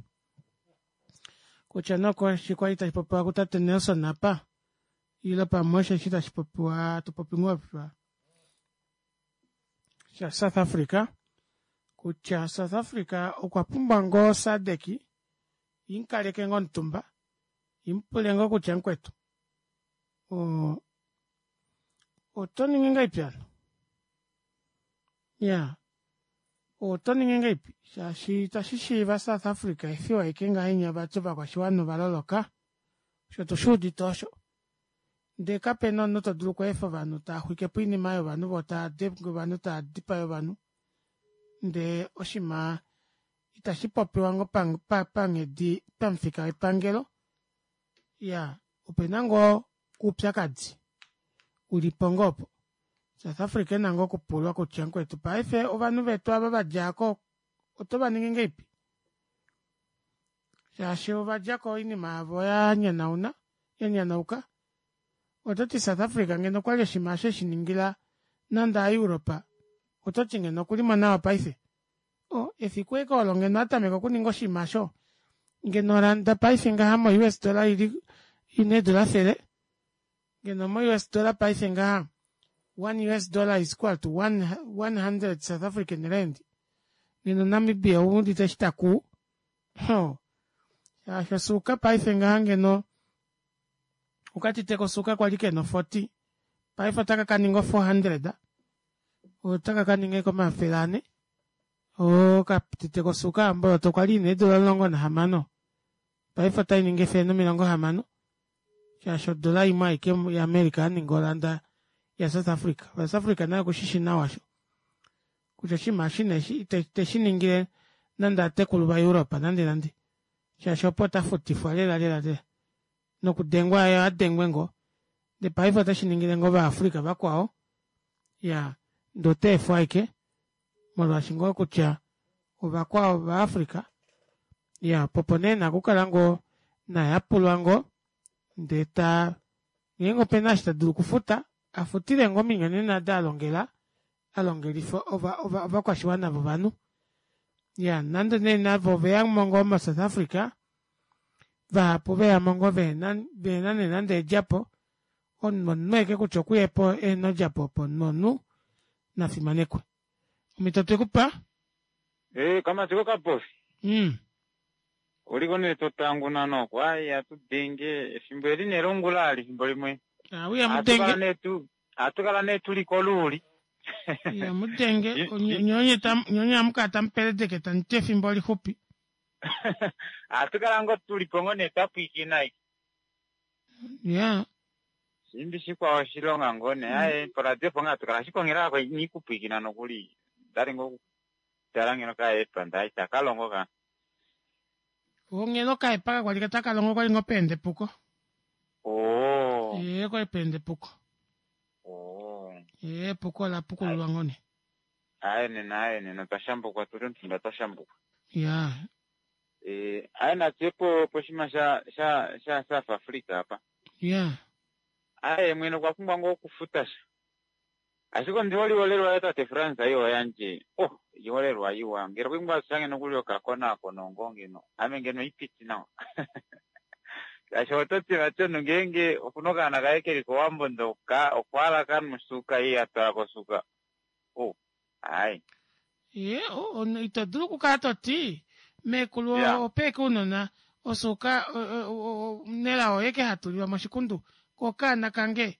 Speaker 1: Kutya noko shikwali tashi popiwa kutate Nelson apa. Ilo pamwe osheshi tashi popiwa tupopi ngoo sha South Africa. Kutya South Africa okwa pumbwa ngoo SADC inkaleke ngoo omutumba impule ngoo kutya mukwetu oto ningi ngaipi ano ya oto ningi ngaipi shaashi itashi shiiva South Africa efiwa eke ngahenya vati ovakwashiwana ovaloloka osho tushuudite osho ndee kapena omunhu to dulu okweefa ovanhu taa xwike po oinima yovanhu vo taa denge ovanhu taa dipaye ovanhu ndee oshima itashi popiwa ngoo panghedi pamufika wepangelo ya opena ngoo oupyakadi ulipo ngoo opo South Africa ena ngoo okupulwa kutya mukwetu paife ovanhu vetu ava vadjako oto vaningi ngeipi shaashi ovadjako oinima yavo ya nyanauka ototi South Africa ngeno okwali oshima osho eshiningila nande aEuropa ototi ngeno okulimo nawa paife o efiku eke olo ngeno atameka okuninga oshima osho ngeno randa paife ngaha mo U S dollar ili ine dola fele ngeno mo U S dollar paife ngaha one U S dollar is equal to one, one hundred South African rand Ngeno Namibia oudite eshi takuu. Ho. Shaashi osuuka paife ngaha ngeno okatite kosuuka kwali kena forty paife otaka kaninga four hundred otaka kaninga omafele ane okatite kosuuka omboloto kwali ina eedula omulongo nahamano paife otainingi efele nomilongo hamano shaashi odola imwe aike yaAmerica yaninga oranda ya South Africa. South Africa naye okushishi nawa sho kutya oshinima eshi neshi iteshiningile nande aatekulu vaEurope nande nande shaashi opo otafutifwa lela lela lela nokudengwa yo adengwe ngoo ndee paife otashiningile ngoo ovaAfrica vakwao ya ndee otaefwa ashike molwaashi ngoo kutya ovakwao vaAfrica ya popo nee ena okukala ngoo naye apulwa ngoo ndee ta ngeenge opena eshi tadulu okufuta afutile ngoo ominyonena odo alongela alongelifa ovakwashiwana vovanhu ya nande nee navo oveyamo ngoo mo South Africa vahapu veyamo ngoo vehena nee nande eedjapo omunhu omunhu ashike kutya okuyepo ehena odjapo opo omunhu omunhu nafimanekwe. Omhito twekupa?
Speaker 17: Eh, kamati kokapofi.
Speaker 1: Mm.
Speaker 17: Oliko nee totanguna noko ai atudenge efimbo eli nee longula ali efimbo limwe.
Speaker 1: Auya mudenge.
Speaker 17: Nee tu atukala nee tuli koluuli.
Speaker 1: Ya mudenge nyonye tam nyonye amuka tampeledeke tanite efimbo lixupi.
Speaker 17: Atukala ngo tuli pongo nee tapwikina iki.
Speaker 1: Ya.
Speaker 17: Simbi shikwao oshilonga ngoo nee aye poradio ponga atukala shikongela ko nikupwikina nokuli. Ndali ngo tala ngeno kaepa ndai takalongo ka.
Speaker 1: Ongelo kaepa kwali takalongo kwali ngo pende puko.
Speaker 17: Oh.
Speaker 1: Ye kwali pende puko.
Speaker 17: Oh.
Speaker 1: Ye puko la pukululwa ngone.
Speaker 17: Aye nena aye nena twashambukwa tuli omutumba twashambukwa.
Speaker 1: Ya.
Speaker 17: Eh, aye natyepo poshima sha sha sha South Africa apa.
Speaker 1: Ya.
Speaker 17: Aye mwene okwa pumbwa ngoo okufuta sha. Ashike ondiholelwa tate France ayo yanje. Oh, iholelwa iwa. Ngero kwingwa shange nokuli okakonakono ngoo ngeno. Ame ngeno ipiti nawa. Shaashi ototi vati ngeenge okuna okaana kaye keli kOwambo ndoka okwaala kamusuka iye atwala kosuka. Oh, ai.
Speaker 1: Ye, ito dulu okukala toti meekulu opeeke ounona osuuka nelao oyeke hatulilwa moshikundu ko okaana kange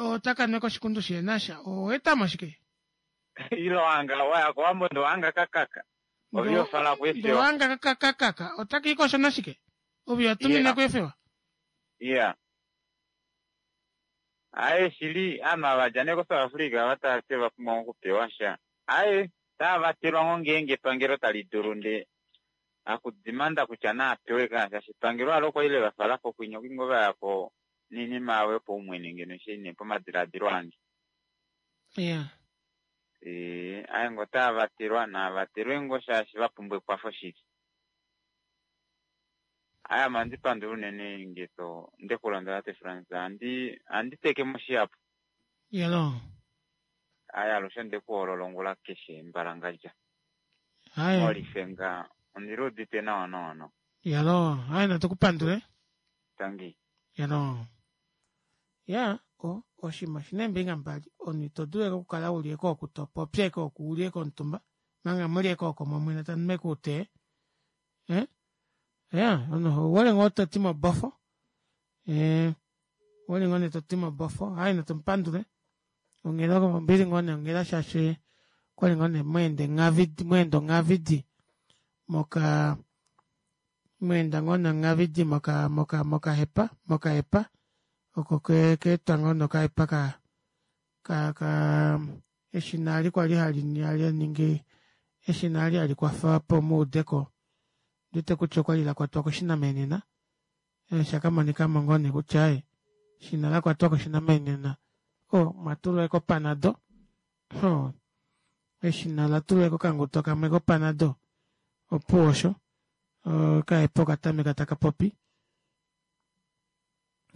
Speaker 1: otaka nweka oshikundu shihenasha oweetamo shike?
Speaker 17: Ilo wanga waya kOwambo ndo wanga kakaka. Oviofala kuefewa.
Speaker 1: Ndo wanga kakakaka otakiikosho nashike? Ovio tumina kuefewa.
Speaker 17: Yeah. Aye shili ama vadja ko South Africa vatate vapumbwa okupewa sha. Aye tavatelwa ngo ngeenge epangelo tali dulu nde akudimanda kutya naapewe ka shaashi epangelo alo kwaile vafala ko kwinya okwingo vayako niinima yawo yopaumwene ngeno shine pomadiladilo ange.
Speaker 1: Yeah.
Speaker 17: Eh, aye ngo tavatelwa navatelwe ngo shaashi vapumbwa ekwafo shili. Aya mandi pandula unene ngeto ndekulondola te France andi andi teke moshiapo.
Speaker 1: Yelo.
Speaker 17: Aya alushe ndekuholola ongula keshe mbalangadja.
Speaker 1: Aya.
Speaker 17: Molifenga ondirudite nawa nawa nawa.
Speaker 1: Yelo, aya natukupandule.
Speaker 17: Tangi.
Speaker 1: Yelo. Ya, o oshima shineembinga mbali omunhu ito dulu okukala uli eko topopya eko uli eko omutumba manga muli eko oko momwene tanume kuutee. Eh? Ya, ono owole ngoo toti mobofo. Eh, owole ngoo toti mobofo. Ai natumupandule. Onghela ombili ngoo nee onghela shaashi kwali ngoo nee mweende ngavidi mweenda ngavidi moka mweenda ngoo nee ngavidi moka moka mokahepa mokahepa oko ke keetwa ngoo nokahepa ka ka ka eshina ali kwali hali hali ningi eshina ali hali kwafa po muudeko ndite kutya okwali lakwatwa koshinamenena shakamonika mo ngoo nee kutya aye shina lakwatwa koshinamenena o mwatulwa eko panado o eshina latulwa eko kanguto kamwe kopanado opuwo osho okahepa okatameka taka popi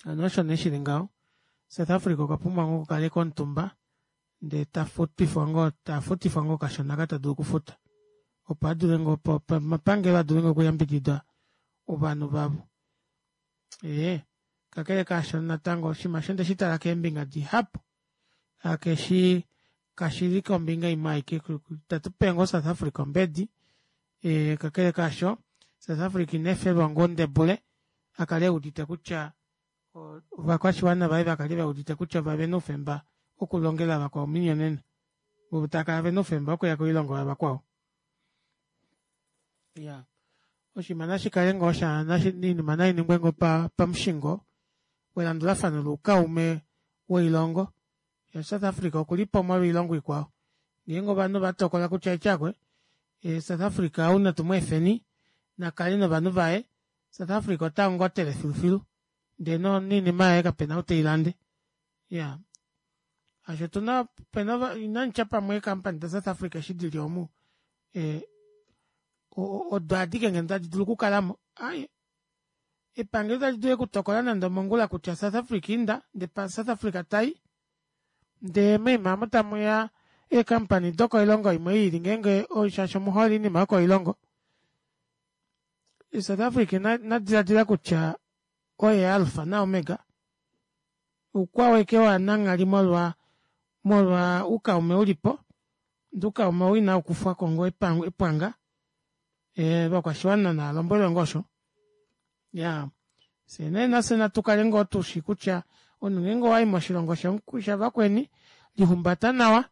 Speaker 1: ano osho nee shili ngaho. South Africa okwa pumbwa ngoo okukala omutumba ndee tafutifwa ngoo tafutifwa ngoo kashona ka tadulu okufuta opo adule ngoo omapangelo adule ngoo okuyambidida ovanhu vavo. Ee, kakele kaasho natango oshinima osho ndeshi tala keembinga dihapu akeshi Kashili kombinga imwe aike itatupe ngoo South Africa ombedi ee kakele kaasho South Africa ina efelwa ngoo ndebule akale eudite kutya ovakwashiwana vaye vakale veudite kutya ovena oufemba wokulongela vakwao ominyonena voo takala vena oufemba wokuya koilongo yavakwao. Iyaa oshinima nashikale ngoo sha oinima nainingwe ngoo pamushingo welandulafano loukaume woilongo shaashi South Africa okulipo molwo oilongo ikwao ngeenge ovanhu ovatokola kutya aye South Africa ou natu mweefeni nakale novanhu vaye South Africa otangotele filufilu ndee noinima yaye kapena ou teilande iyaa shaashi otuna opena inanditya pamwe ee company da south Africa eshi dili omu ee odo adike ngeno tadi dulu okukalamo aaye epangelo otali dulu ashike okutokola nande omongula kutya South Africa inda ndee South Africa tayi ndee moima aamo tamuya ee company dokoilongo imwe yiili ngeenge shaashi omuhole oinima yokoilongo South Africa inadilaadila kutya oye alpha na omega oukwao ashike wananghali molwa molwa oukaume ulipo ndee oukaume ou inaukufwako ngoo epwanga ee ovakwashiwana navalombwelwe ngoo osho iyaa fyee nee nafye natukale ngoo tushi kutya omunhu ngeenge owayi moshilongo shavakweni lihumbata nawa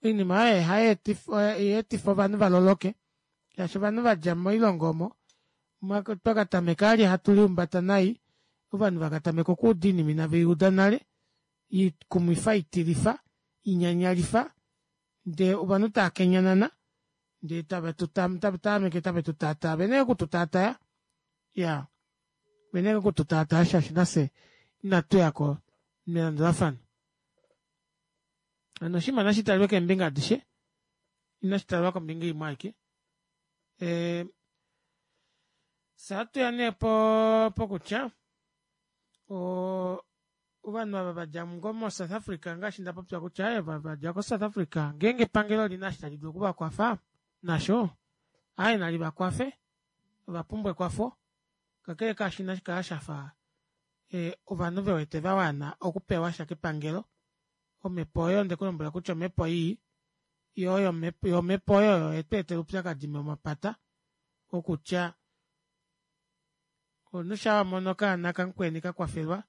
Speaker 1: oinima aayo ohayeetifa ovanhu valoloke shaashi ovanhu vadja moilongo omo twakatameka vali hatu lihumbata nai ovanhu vakatameka okuuda oinima inaveuda nale ikumwifa itilifa inyanyalifa ndee ovanhu taakenyanana ndee tave tave tutataa ovena ashike okututaataya iyaa ovena ashike okututaataya shaashi nafye inatuyako melandulafano hano oshinima nashitalwe keembinga adishe inashitalwa kombinga imwe aike ee fyee ohatuya nee pokutya oo ovanhu ava vadja ngoo mo south Africa ngaashi ndapopya kutya aaye ova vadja ko south Africa ngeenge epangelo olina eshi tali dulu okuvakwafa nasho aaye nalivakwafe ovapumbwa ekwafo kakele kaasho inashikala shafa ovanhu vewete vawana okupewasha kepangelo omepo oyo ondekulombwela kutya omepo ii yoo omepo oyo oyo yetweetela oupyakadi momapata wokutya omunhu shaa wamono okaana kamukweni kakwafelwa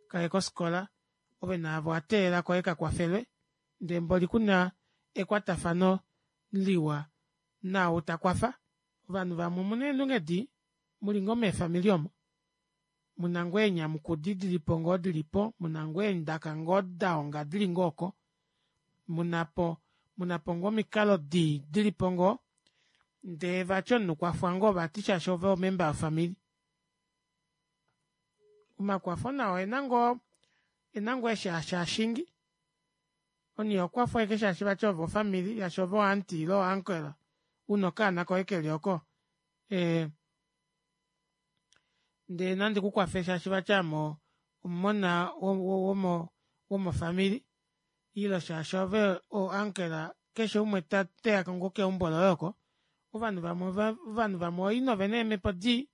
Speaker 1: kaye kofikola ove naave owateelela koye kakwafelwe ndee mboli kuna ekwatafano liwa naau takwafa ovanhu vamwe omuna eendunge dii muli ngoo meefamili omo muna ngoo eenyamukudi dilipo ngoo dilipo muna ngoo eendaka ngoo dahonga dili ngoo oko munapo munapo ngoo omikalo dii dilipo ngoo ndee vati omunhu kwafwa ngoo vati shaashi ove o member yofamili omakwafo nao okuna ngoo okuna ngoo eshi hashaashingi omunhu ihokwafwa ashike shaashi vati ove ofamily shaashi ove o auntie ile o uncle una okaana koye keli oko ee ndee nandi kukwafe shaashi vati ame omumona womo womofamili ile shaashi ove o uncle keshe umwe teya ngoo keumbo loye oko ovanhu vamwe ovanhu vamwe ooina ovena eemepo dii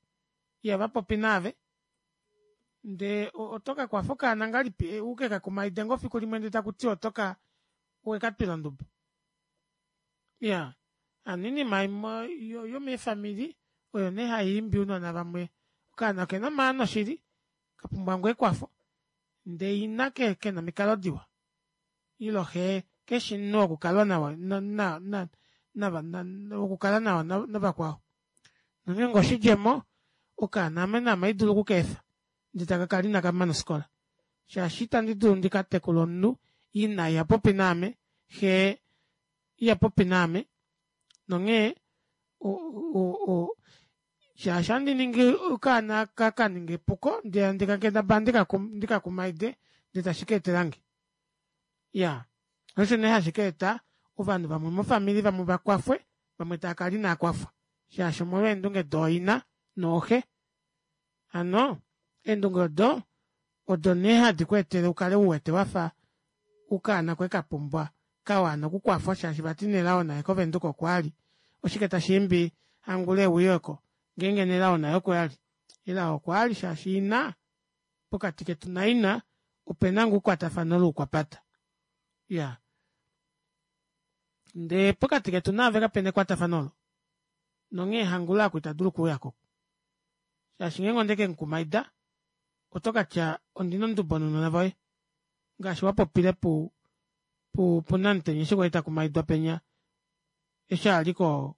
Speaker 1: ihavapopi naave ndee otokakwafa okaana ngahelipi ukekakumaide ngoo fikulimwe ndee takutiwa otoka owekatwila ondubo iyaa hano oinima imwe yomeefamili oyo nee haiimbi ounona vamwe okaana okena omaano shili kapumbwa ngoo ekwafo ndee ina kena omikalo diwa ile xee keshi omunhu wokukalwa naye wokukala nawa navakwao nongeenge oshidjemo okaana ame naame ohaidulu okukeefa ndee takakala inakamana ofikola shaashi ita ndidulu ndikatekule omunhu ina ihapopi naame xee ihapopi naame nonghee o- o- shaashi ohandiningi okaana kaninga epuko ndee handi kendabala ndikakumaide ndee tashi keetelange iyaa shoo osho nee hashi kaeta ovanhu vamwe mofamili vamwe vakwafwe vamwe taakala inaakwafwa shaashi omolwo eendunge dooina nooxe hano eendunge odo odo nee hadi kweetele ukale uwete wafa okaana koye kapumbwa kawana okukwafwa shaashi vati nelao naye ko venduka oko ali oshike tashiimbi hangula euye oko ngeenge nelao naye oko ali elao okwaali shaashi ina pokati ketu naina opena ngoo ekwatafano loukwapata iyaa Ndee pokati ketu naave kapena ekwatafano olo. Nonghee hangula aku ita dulu okuuyako. Shaashi ngeenge onde ke mukumaida, oto ka tya ondina ondubo nounona voye. Ngaashi wa popile pu pu puNamutenya eshi kwali ta kumaidwa penya eshi ali ko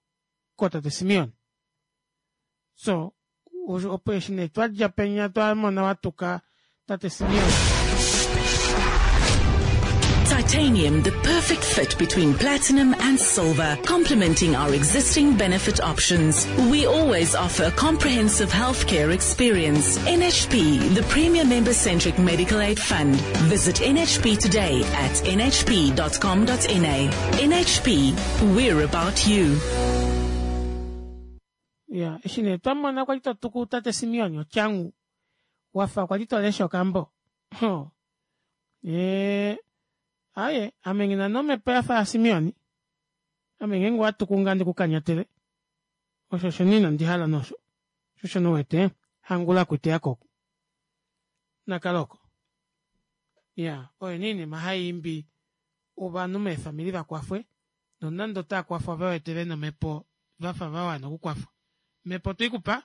Speaker 1: kootate Simeon. So opo eshi nee twadja penya twamona watuka tate Simeon.
Speaker 18: Titanium, the perfect fit between platinum and silver, complementing our existing benefit options. We always offer a comprehensive healthcare experience. N H P, the premier member-centric medical aid fund. Visit N H P today at n h p dot com dot n a. N H P, we're about you.
Speaker 1: Ya, eshi nee twamona kwali to tuku tate Simeon otyangu wafa kwali to lesha okambo. Ho. E, aye, ame ngina nomhepo yafa yaSimeon. Ame ngeenge owa tuku ngaa ndikukanyatele. Osho osho nee inandi hala nosho. Osho osho nouwete hangula kuiteya ko. Nakala oko. Ya, oyo nee oinima hai imbi ovanhu meefamili vakwafwe nonande otava kwafwa ve wete ve na omhepo vafa va wana okukwafwa. Omhepo otwe i kupa?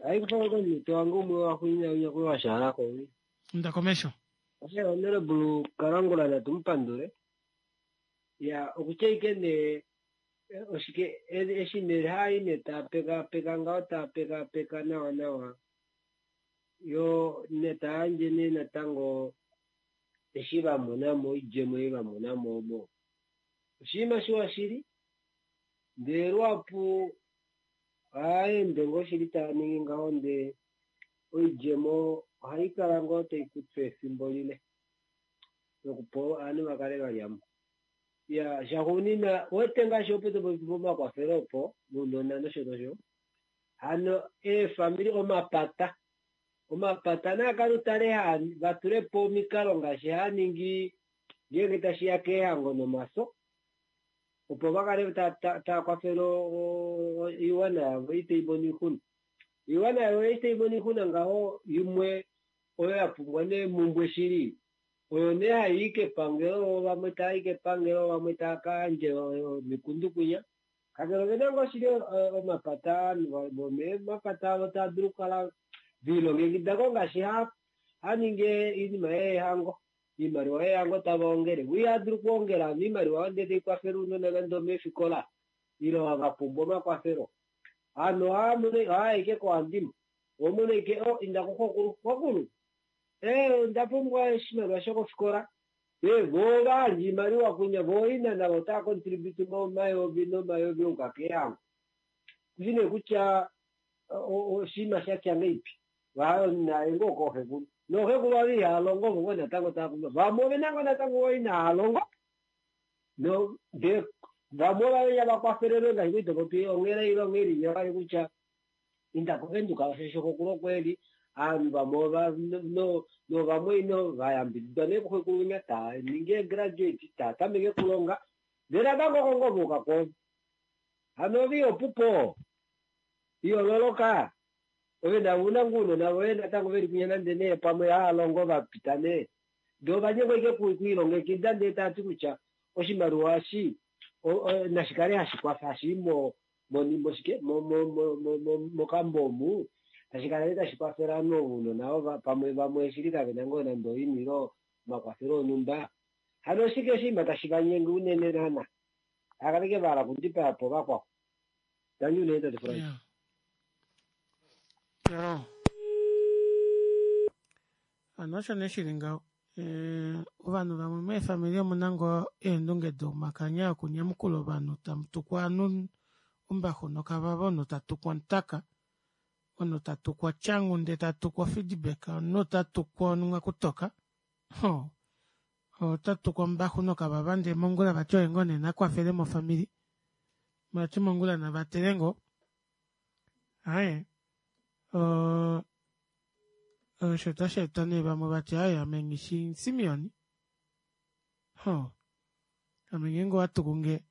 Speaker 12: Hai kufa komunhu wange umwe wa xuuninwa wa shaala ko.
Speaker 1: Inda komesho.
Speaker 12: Ashe Honorable Kalangula natu mu pandule. Ya, okutya ike nee oshike eshi nee hai nee ta peka peka ngaho ta peka peka nawa nawa. Yo ne ta yandje nee natango eshi va mona mo oidjemo ei va mona mo omo. Oshinima shiwa shili. Ndele luhapu ohaende ngoo shili taa ningi ngaho ndee oidjemo ohai kala ngoo tai kufa efimbo lile nokupa ovanhu va kale va lya mo. Ya, shaxuuninwa wete ngaashi opo topopi pomakwafelo opo nounona nosho nosho. Hano eefamili omapata omapata naa kale utale haa va tule po omikalo ngaashi haa ningi ngeenge tashi ya keehango nomaso opo va kale tava kwafele oiwana yavo ei tai mono oixuna. Oiwana yavo ei tai mono oixuna ngaho imwe oyo ya pumbwa nee mumbwe shili oyo nee hai i kepangelo, vamwe tava i kepangelo, vamwe tava ka yandje omikundu kwinya. Kakele ovena ngoo shili omapata vomemapata avo tava dulu okukala ve lilongekida ko ngaashi ha ningi oinima yeehango. Oimaliwa yeehango tava ongele. Vo ihava dulu okuongela hano oimaliwa oyo ndee tai kwafele ounona nande omeefikola ile va pumbwa omakwafelo. Hano ohaya ike kohandimwe. Omona ike o inda kuxokulu. Xokulu, ee onda pumbwa oshimaliwa shokofikola. Ee vo va yandja oimaliwa kwinya vo ina navo otava contribute omayovi nomayovi ouka keehango. Kushi nee kutya oshinima sha tya ngeipi. Naye ngoo kooxekulu. Nooxekulu ava ihava longo vo ngoo natango tava pumbwa. Vamwe ove na ngoo natango ngoo inava longo. No ndee vamwe ova va kwafelelwe ngaashi kwali topopi onghela ile onghela inya vali kutya inda koVenduka osho xokulu okweli. Ovanhu vamwe ova no novamwe ino va yambididwa nee kuxekulu winya taa ningi graduate taa tameke okulonga. Ndele natango oko ngoo vauka kwoove. Hano ove ihopupo. Ihololoka. Ove na una ngoo ounona voye natango veli kwinya nande nee pamwe hava longo va pita nee. Ndee ovanyengwa ike kuilongekida ndee tava ti kutya oshimaliwa eshi nashi kale hashi kwafa hashi i mo moshike mokambo omu tashi kala nee tashi kwafele ovanhu ounona ova pamwe vamwe shili kavena ngoo nande oini ile omakwafelo onhumba. Hano oshike oshinima tashi vanyenge unene naana. Hakaleke va hala okudipaya po vakwao. Tangi unene tate Frank.
Speaker 1: Hano osho nee shili ngaho. Ovanhu vamwe meefamili omuna ngoo eendunge domakanya okunyamukula ovanhu tamu tukwa ovanhu ombaxu nokavava, omunhu ta tukwa omutaka, omunhu ta tukwa otyangu ndee ta tukwa ofeedback, omunhu ta tukwa onwakutoka, ho ota tukwa ombaxu nokavava ndee mongula vati oye ngoo nee nakwafele mofamili, vati mongula navatele ngoo. Aaye osho tashi eta nee vamwe vati aaye ame nghishi Simeon, ho ame ngeenge owa tuku nge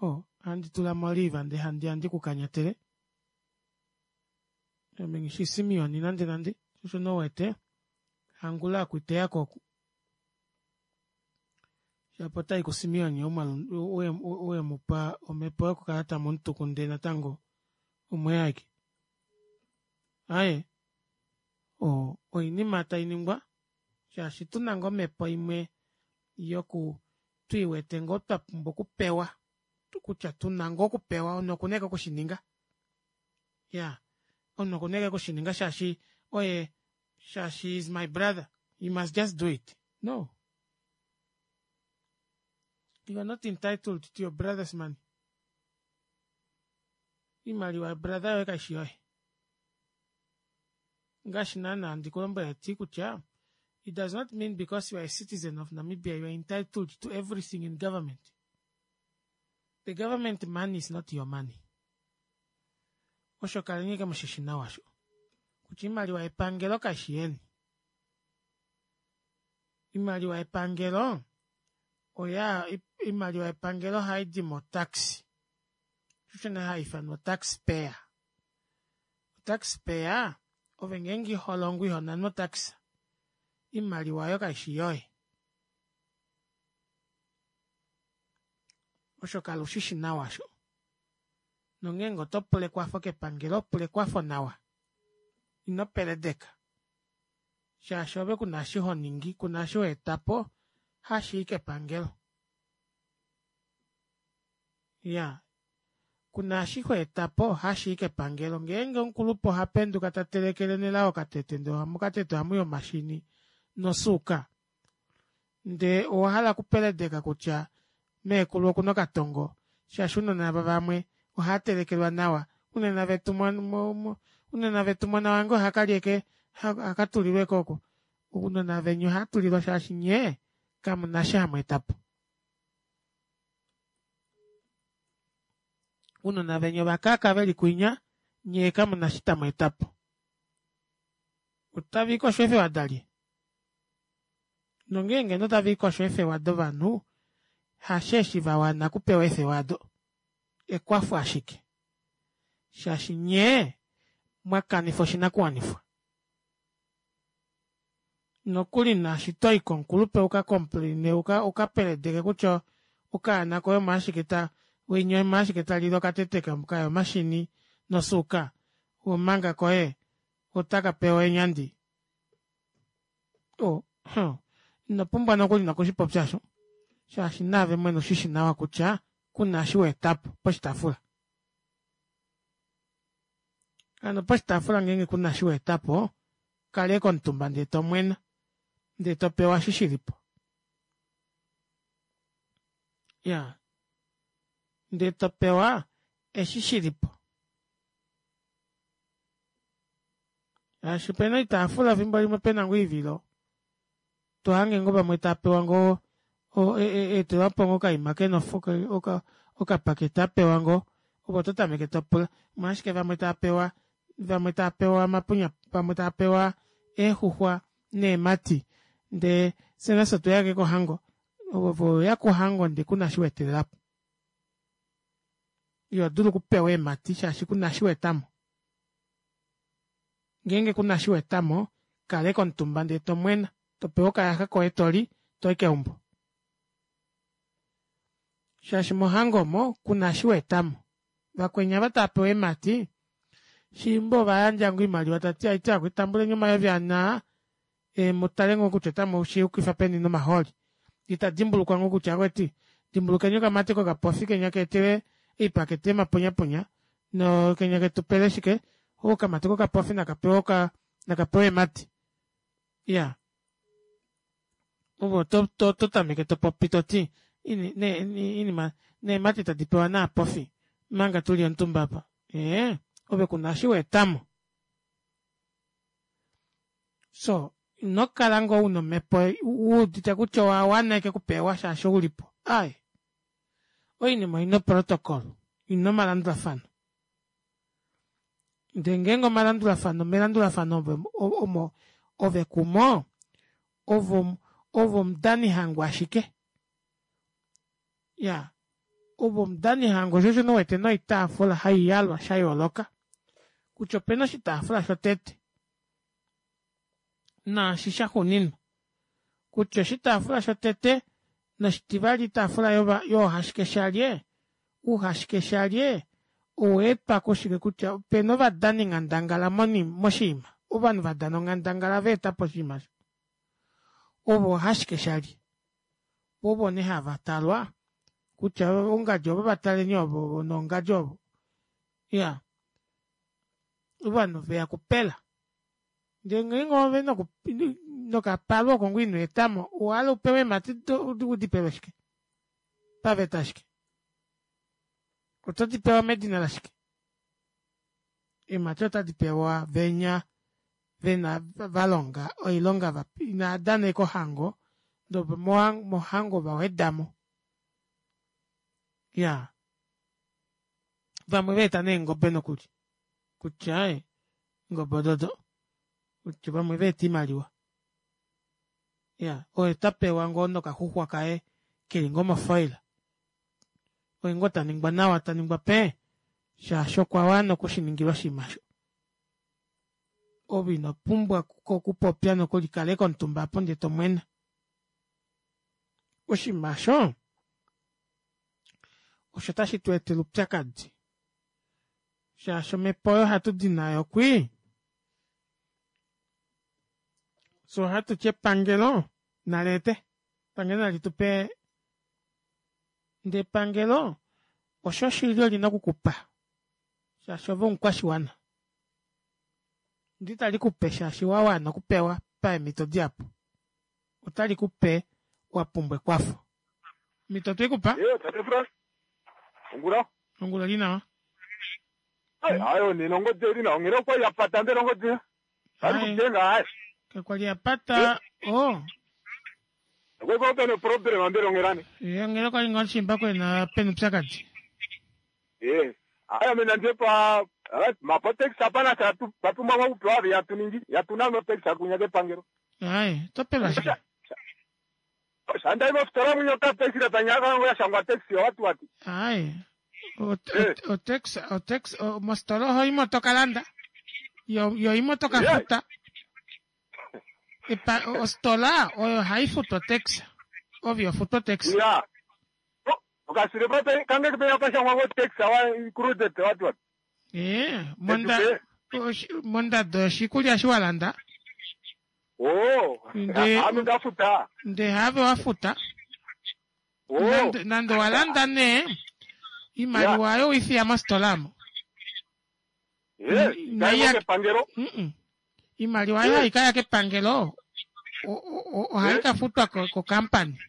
Speaker 1: o ohandi tula mo oliva ndee handi ya ndikukanyatele. Ame nghishi Simeon nande nande, osho nouwete hangula akuiteya ko oku. Shapo otai kuSimeon ou wemupa omhepo yokukala tamu mutuku ndee natango omweya ashike. Aaye oo oinima tainingwa shaashi tuna ngoo omepo imwe yoku twiiwete ngoo twapumbwa okupewa kutya tuna ngoo okupewa omunhu okuna ashike okushininga iyaa omunhu okuna ashike okushininga shaashi oye shaashi he is my brother he must just do it no you are not entitled to your brother's money oimaliwa yobrother yoye kaishi yoye ngaashi naana handi kulombwele ti kutya it does not mean because you are a citizen of Namibia you are entitled to everything in government. The government money is not your money. Osho kaleni ashike mushishi nawa osho kutya oimaliwa yepangelo kaishi yeni. Oimaliwa yepangelo oya oimaliwa yepangelo ohaidi motax. Osho nee haifanwa taxpayer. Taxpayer ove ngeenge iholongo ihonanwa otax oimaliwa aayo kaishi yoye. Osho kala ushishi nawa osho. Nongeenge otopula ekwafo kepangelo pula ekwafo nawa. Ino peledeka shaashi ove kuna eshi honingi kuna eshi hoetapo hashii kepangelo. Iyaa kuna eshi hoetapo hashii kepangelo ngeenge omukulupe ohapenduka tatelekele Nelao okatete ndee mokatete ohamwii omashini nosuuka ndee owahala okupeledeka kutya meekulu okuna okatongo shaashi ounona ava vamwe ohaatelekelwa nawa unene vetu ounona vetu mona wange ohakalya ashike ohakatulilwa ashike oku ounona veni ohaatulilwa shaashi nyee kamuna eshi hamweetapo. Ounona veni ovakaaka veli kwinya nyee kamuna eshi tamweetapo. Otaviikosho eefewa dalye? Nongeenge ngeno otaviikosho eefewa dovanhu hasheeshi vawana okupewa eefewa aado ekwafo ashike shaashi nyee mwakanifa oshinakuwanifwa. Nokuli naashi toyi komukulupe uka complaine ukapeledeke kutya okaana koye omo ashike ta winya omo ashike talile okatete kaya omashini nosuuka omanga koye otaka pewa eenyandi. Oh ino pumbwa nokuli nokushipopya osho shaashi naave mwene ushishi nawa kutya kuna eshi waetapo poshitaafula. Hano poshitaafula ngeenge kuna eshi waetapo kala ashike omutumba ndee tomwena ndee topewa eshi shilipo. Iyaa ndee topewa eshi shilipo. Shaashi opena oitaafula efimbo limwe pena ngoo oivilo tohange ngoo vamwe taapewa ngoo eetelwapo ngoo okaima kena okapakete apewa ngoo ove ototameke topula omolwashike vamwe taapewa vamwe taapewa omapunya vamwe taapewa eexuxwa neemati ndee fyee nafye otweya ashike kohango ove oweya kohango ndee kuna eshi waetelelapo. Ihodulu okupewa eemati shaashi kuna eshi waetamo. Ngeenge kuna eshi waetamo kala ashike omutumba ndee tomwena topewa okayaxa koye toli toyi keumbo. Shaashi mohango omo kuna eshi waetamo. Vakweni ava taapewa eemati shiimba ovayandja ngoo oimaliwa tati haiti akwetu tambuleni omayovi ane aa mutale ngoo kutya otamushiyukifa peni nomahooli yee tadimbulukwa ngoo kutya akwetu dimbulukeni okamati kokapofi kenya kaetelwe oipakete yomapunyapunya noo kenya ketupele shike okamati kokapofi nakapewe nakapewe eemati. Iyaa ove oto tameke topopi toti inima neemati tadi pewa naapofi omanga tuli omutumba aapa ee ove kuna eshi waetamo. Soo inokala ngoo una omepo wuudite kutya owawana ashike okupewa shaashi oulipo aaye oinima oina oprotocol oina omalandulafano. Ndee ngeenge omalandulafano melandulafano omo ove kumo ove ove omudanihango ashike. Iyaa ove omudanihango shoo osho nee uwete noitaafula haiyalwa shayooloka kutya opena oshitaafula shotete naashi shaxuuninwa kutya oshitaafula shotete Noshitivali itaafula yova yoohashikeshalye, uuhashikeshalye oweetwa kushike kutya opena ovadani nghandangala moni moshiima ovanhu vadana onghandangala vaetapo oshinima osho ovo oohashikeshalye ovo nee hava talwa kutya ongadji ovo vataleni ovo nongadji ovo iyaa ovanhu veya kupela ndee ngeenge ove nokapalwa oko ngoo inoetamo owahala upewe eemati udipelwe shike paveta ashike oto dipewa medina lashike eemati otadi pewa venya vena valonga oilonga inaadana ashike ohango ndee mohango vawedamo iyaa vamwe vaeta neengobe nokuli kutya aaye eengobe ododo kutya vamwe vaeta oimaliwa iya oye tapewa ngoo nokaxuxwa kaye keli ngoo mofoila oye ngoo taningwa nawa taningwa pee shaashi okwawana okushiningilwa oshinima aasho ove inopumbwa okupopya nokuli kala ashike omutumba aapo ndee tomwena oshinima aasho osho tashi tweetele oupyakadi shaashi omepo oyo hatudi nayo kwii fyee ohatuti epangelo naleete epangelo nalitupe ndee epangelo osho shili olina okukupa shaashi ove omukwashiwana ndee italikupe shaashi wawana okupewa paemito dihapu otalikupe wapumbwa ekwafo omito otweikupa
Speaker 19: ongula
Speaker 1: ongula oli nawa
Speaker 19: ayo nena ongodi eli nawa onghela okwali yapata mbela ongodi alikudenga hayi
Speaker 1: kakwali yapata o
Speaker 19: okwali pena problem mbela onghelani
Speaker 1: ye onghela okwali ngoo shimba kwena pena upyakadi
Speaker 19: e aya mina ndiye pa mapotaxi apana vapumbwa kupewa yatuningi yatuna mapotaxi akunya kepangelo
Speaker 1: hayi topelwa shike
Speaker 19: shandai mofitola munye okataxi latanyaka yashangwa taxi wati wati
Speaker 1: hayi otaxi otaxi mositola ohoimo tokalanda yo yo imo tokafuta epa ositola oyo haifutu otaxi ove ihofutu otaxi
Speaker 19: ya okasilepa kange penya kashangwa ngo taxi awa included wati wati
Speaker 1: ee monda mondado yoshikulya eshi walanda
Speaker 19: oh ame ndafuta
Speaker 1: ndee have wafuta nande, nande walanda nee imaliwa ayo oifiya mositola amo
Speaker 19: kepangelo
Speaker 1: imaliwa ayo haikaya kepangelo ohaikafutwa kokampani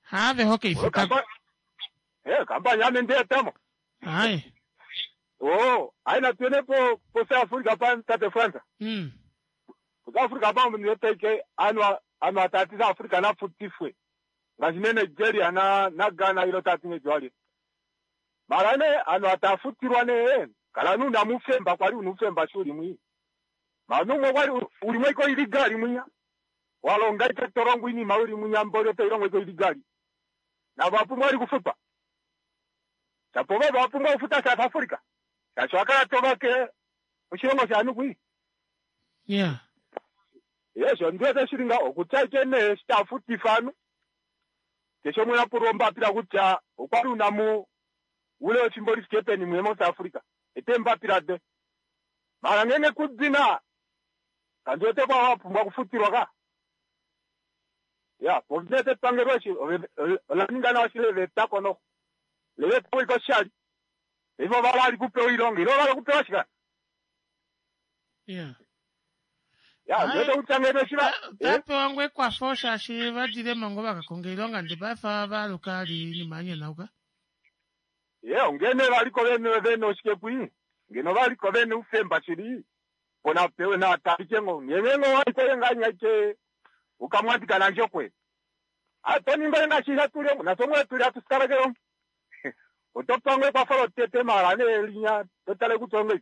Speaker 1: haave hokeifutako
Speaker 19: kampani ame ndiyetamo
Speaker 1: hayi
Speaker 19: oh hayi natuene po po South Africa pa tate Fransa
Speaker 1: mm.
Speaker 19: South Africa pa ndiyeteke anu anu atati South Africa na futifwe ngaashi ne Nigeria na na Ghana ilo tati ngejwali mara ne anu atafutirwa ne kala nuna mufemba kwali unufemba shuli mwi manumwe kwali ulimwe iko iligali mwinya walonga ite torongo ini mauli mwinya mbole te ilongo iko iligali na vapumbwa ali kufupa chapo va vapumbwa kufuta South Africa chacho akala tovake oshilongo shanu kwi
Speaker 1: yeah
Speaker 19: yesho ndiwete shilinga okutya ne shitafutifanu kesho mwena puromba pila kutya okwali unamu ule wefimbo lifike peni mwe mo South Africa ete mbapila de mara ngenge kudzina kandiwete kwa wapumbwa kufutirwa ka ya povete pangelo eshi olaningana washile kono levetako iko shali ivo valali kupewa ilonga ilo vala kupewa shika
Speaker 1: yeah
Speaker 19: ya ndiwete kutya ngene shiva
Speaker 1: tapewa ngoo ekwafo shaashi vadilemo ngoo vakakonga oilonga ndee paife valuka ali inima yanyanauka
Speaker 19: ye ongene valiko vene vene oshike kwi ngeno valiko vene ufemba shili pona pewe na talike ngo ngengo waliko yenganyaike ukamwatika nanjokwe atoninga yengashisha tulemo nasomwe tuli atusikalakelo otopangwe kwafalo tete mara ne linya totale kutonge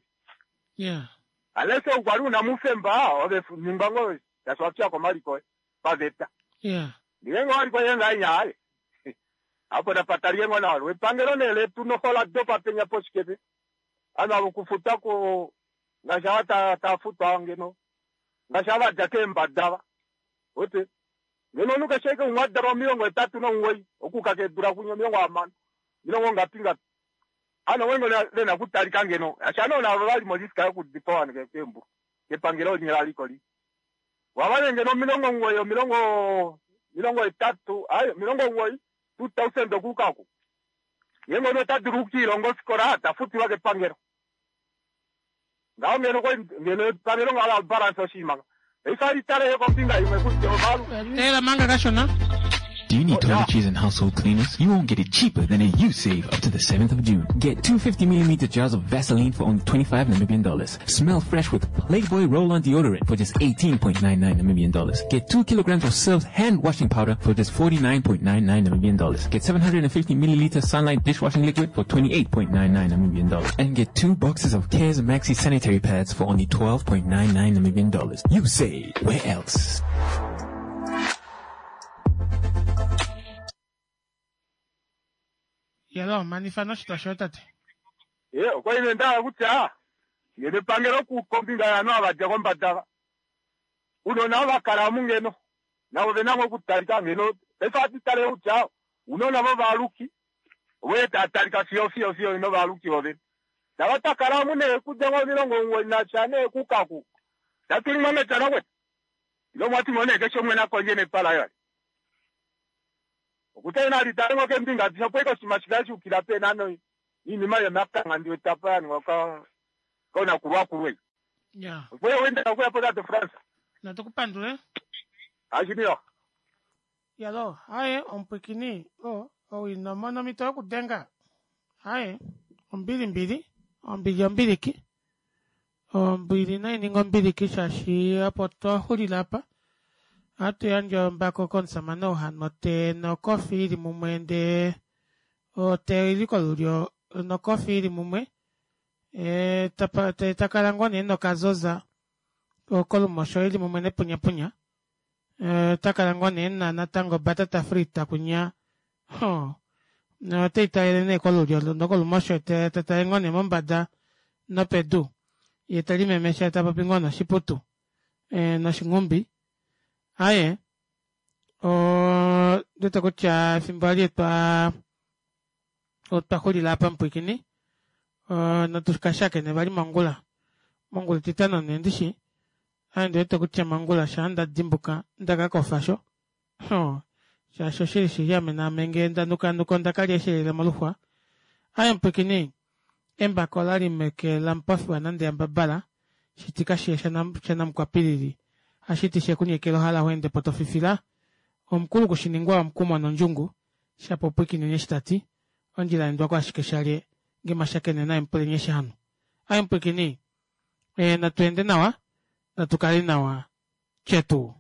Speaker 1: yeah
Speaker 19: alese ukwali una mufemba ove nimbango yaswapya kwa maliko paveta
Speaker 1: yeah
Speaker 19: ngengo waliko yenganya apo napataliengo nalo epangelo nele tunohola dopa penya poshikepe ano avo kufuta ko ngasha ta tafutwa ngeno ngasha vadya keembadava ote Ngeno omunhu keshe ashike umwe a dalwa omilongo hetatu nomuwoi okuuka keedula kunya omilongo hamano omilongo ngapi ngapi ano wengo vena okutalika ngeno shaashi ovanhu navo vali moriska yokudipawa keembulu kepangelo linya laliko li wava nee ngeno omilongo omuwoi omilongo omilongo hetatu ai omilongo omuwoi two thousand okuuka oku ngeenge omunhu ota dulu okukiilonga ofikola tafutilwa kepangelo ngaho ngeno kwali ngeno epangelo ngaho la balance oshinima paife ali tale kombinga imwe kutya ovalu
Speaker 1: Teela manga kashona.
Speaker 14: Do you need toiletries and household cleaners? You won't get it cheaper than at Usave up to the seventh of June. Get two fifty millimeter jars of Vaseline for only twenty-five Namibian dollars. Smell fresh with Playboy roll-on deodorant for just eighteen point nine nine Namibian dollars. Get two kilograms of Surf's hand washing powder for just forty-nine point nine nine Namibian dollars. Get seven hundred and fifty milliliter Sunlight dishwashing liquid for twenty-eight point nine nine Namibian dollars. And get two boxes of Cares Maxi sanitary pads for only twelve point nine nine Namibian dollars. You say, where else?
Speaker 1: Yalo, manifa noshitwa shoye tate.
Speaker 19: Ye, okwa li nee nda hala kutya ngeno epangelo kombinga yovanhu ava dja kombada unona ava kala omu ngeno navo vena ngoo okutalika ngeno paife ohatu tale kutya unona vovaaluki voye tava talika fiyo fiyo fiyo novaaluki vovene tava takala omu nee kudja ngoo omilongo omuwoi nasha nee kukaku tatu limwa mepya nakwetu ile omwati ngoo nee keshe umwe nakondje nepala laye okutya ina litale ngoo keembinga adishe opo ashike oshinima shikale shayukila peenhano iinima yomakangha ndi wete apa ya ningwa koonakulwakulwa ei.
Speaker 1: Ya.
Speaker 19: Opo ye wendela okuya po tate Frans.
Speaker 1: Natu ku pandule.
Speaker 19: Ashiniwa.
Speaker 1: Yalo, haye omupwikini o ou ino mona omhito yokudenga. Haye, ombili mbili, ombili ombiliki. Ombili nai ninge ombiliki shaashi opo twa xulila apa. Ohatu yandje ombako komusamane ou ha nu otee nokofi ili mumwe ndee otee oili kolulyo nokofi ili mumwe ee takala ngoo nee nokazoza kolumosho ili mumwe nepunyapunya ota kala ngoo nee ena natango obatata frita kunya hoo oteitalele nee kolulyo nokolumosho tatale ngoo nee mombada nopedu yee telimemesha tapopi ngoo noshiputu noshinghumbi aaye ondiwete kutya efimbo eli otwa otwa xulila aapa mupwiikini natukashakene vali mongula mongula etitano nee ndishi ame ondiwete kutya mongula shaa ndadimbuka ndakakofa sho hoo shaashi oshili shili ame naame ngee ndanukanuka ondakalya eeshelele moluxwa aaye mupwiikini embako olali meke lamupofi wanande yambabala shiti kashiye shanamukwapilili hashiti shekunyekela ohala weendepo tofifila omukulu kushiningwa omukumo nondjungu shapo pwiikineni eshi tati ondjila yaendwako ashike shalye ngee mwashakene naye mupuleni eshi hanu aaye mupwiikini natu ende nawa natu kale nawa tyetu.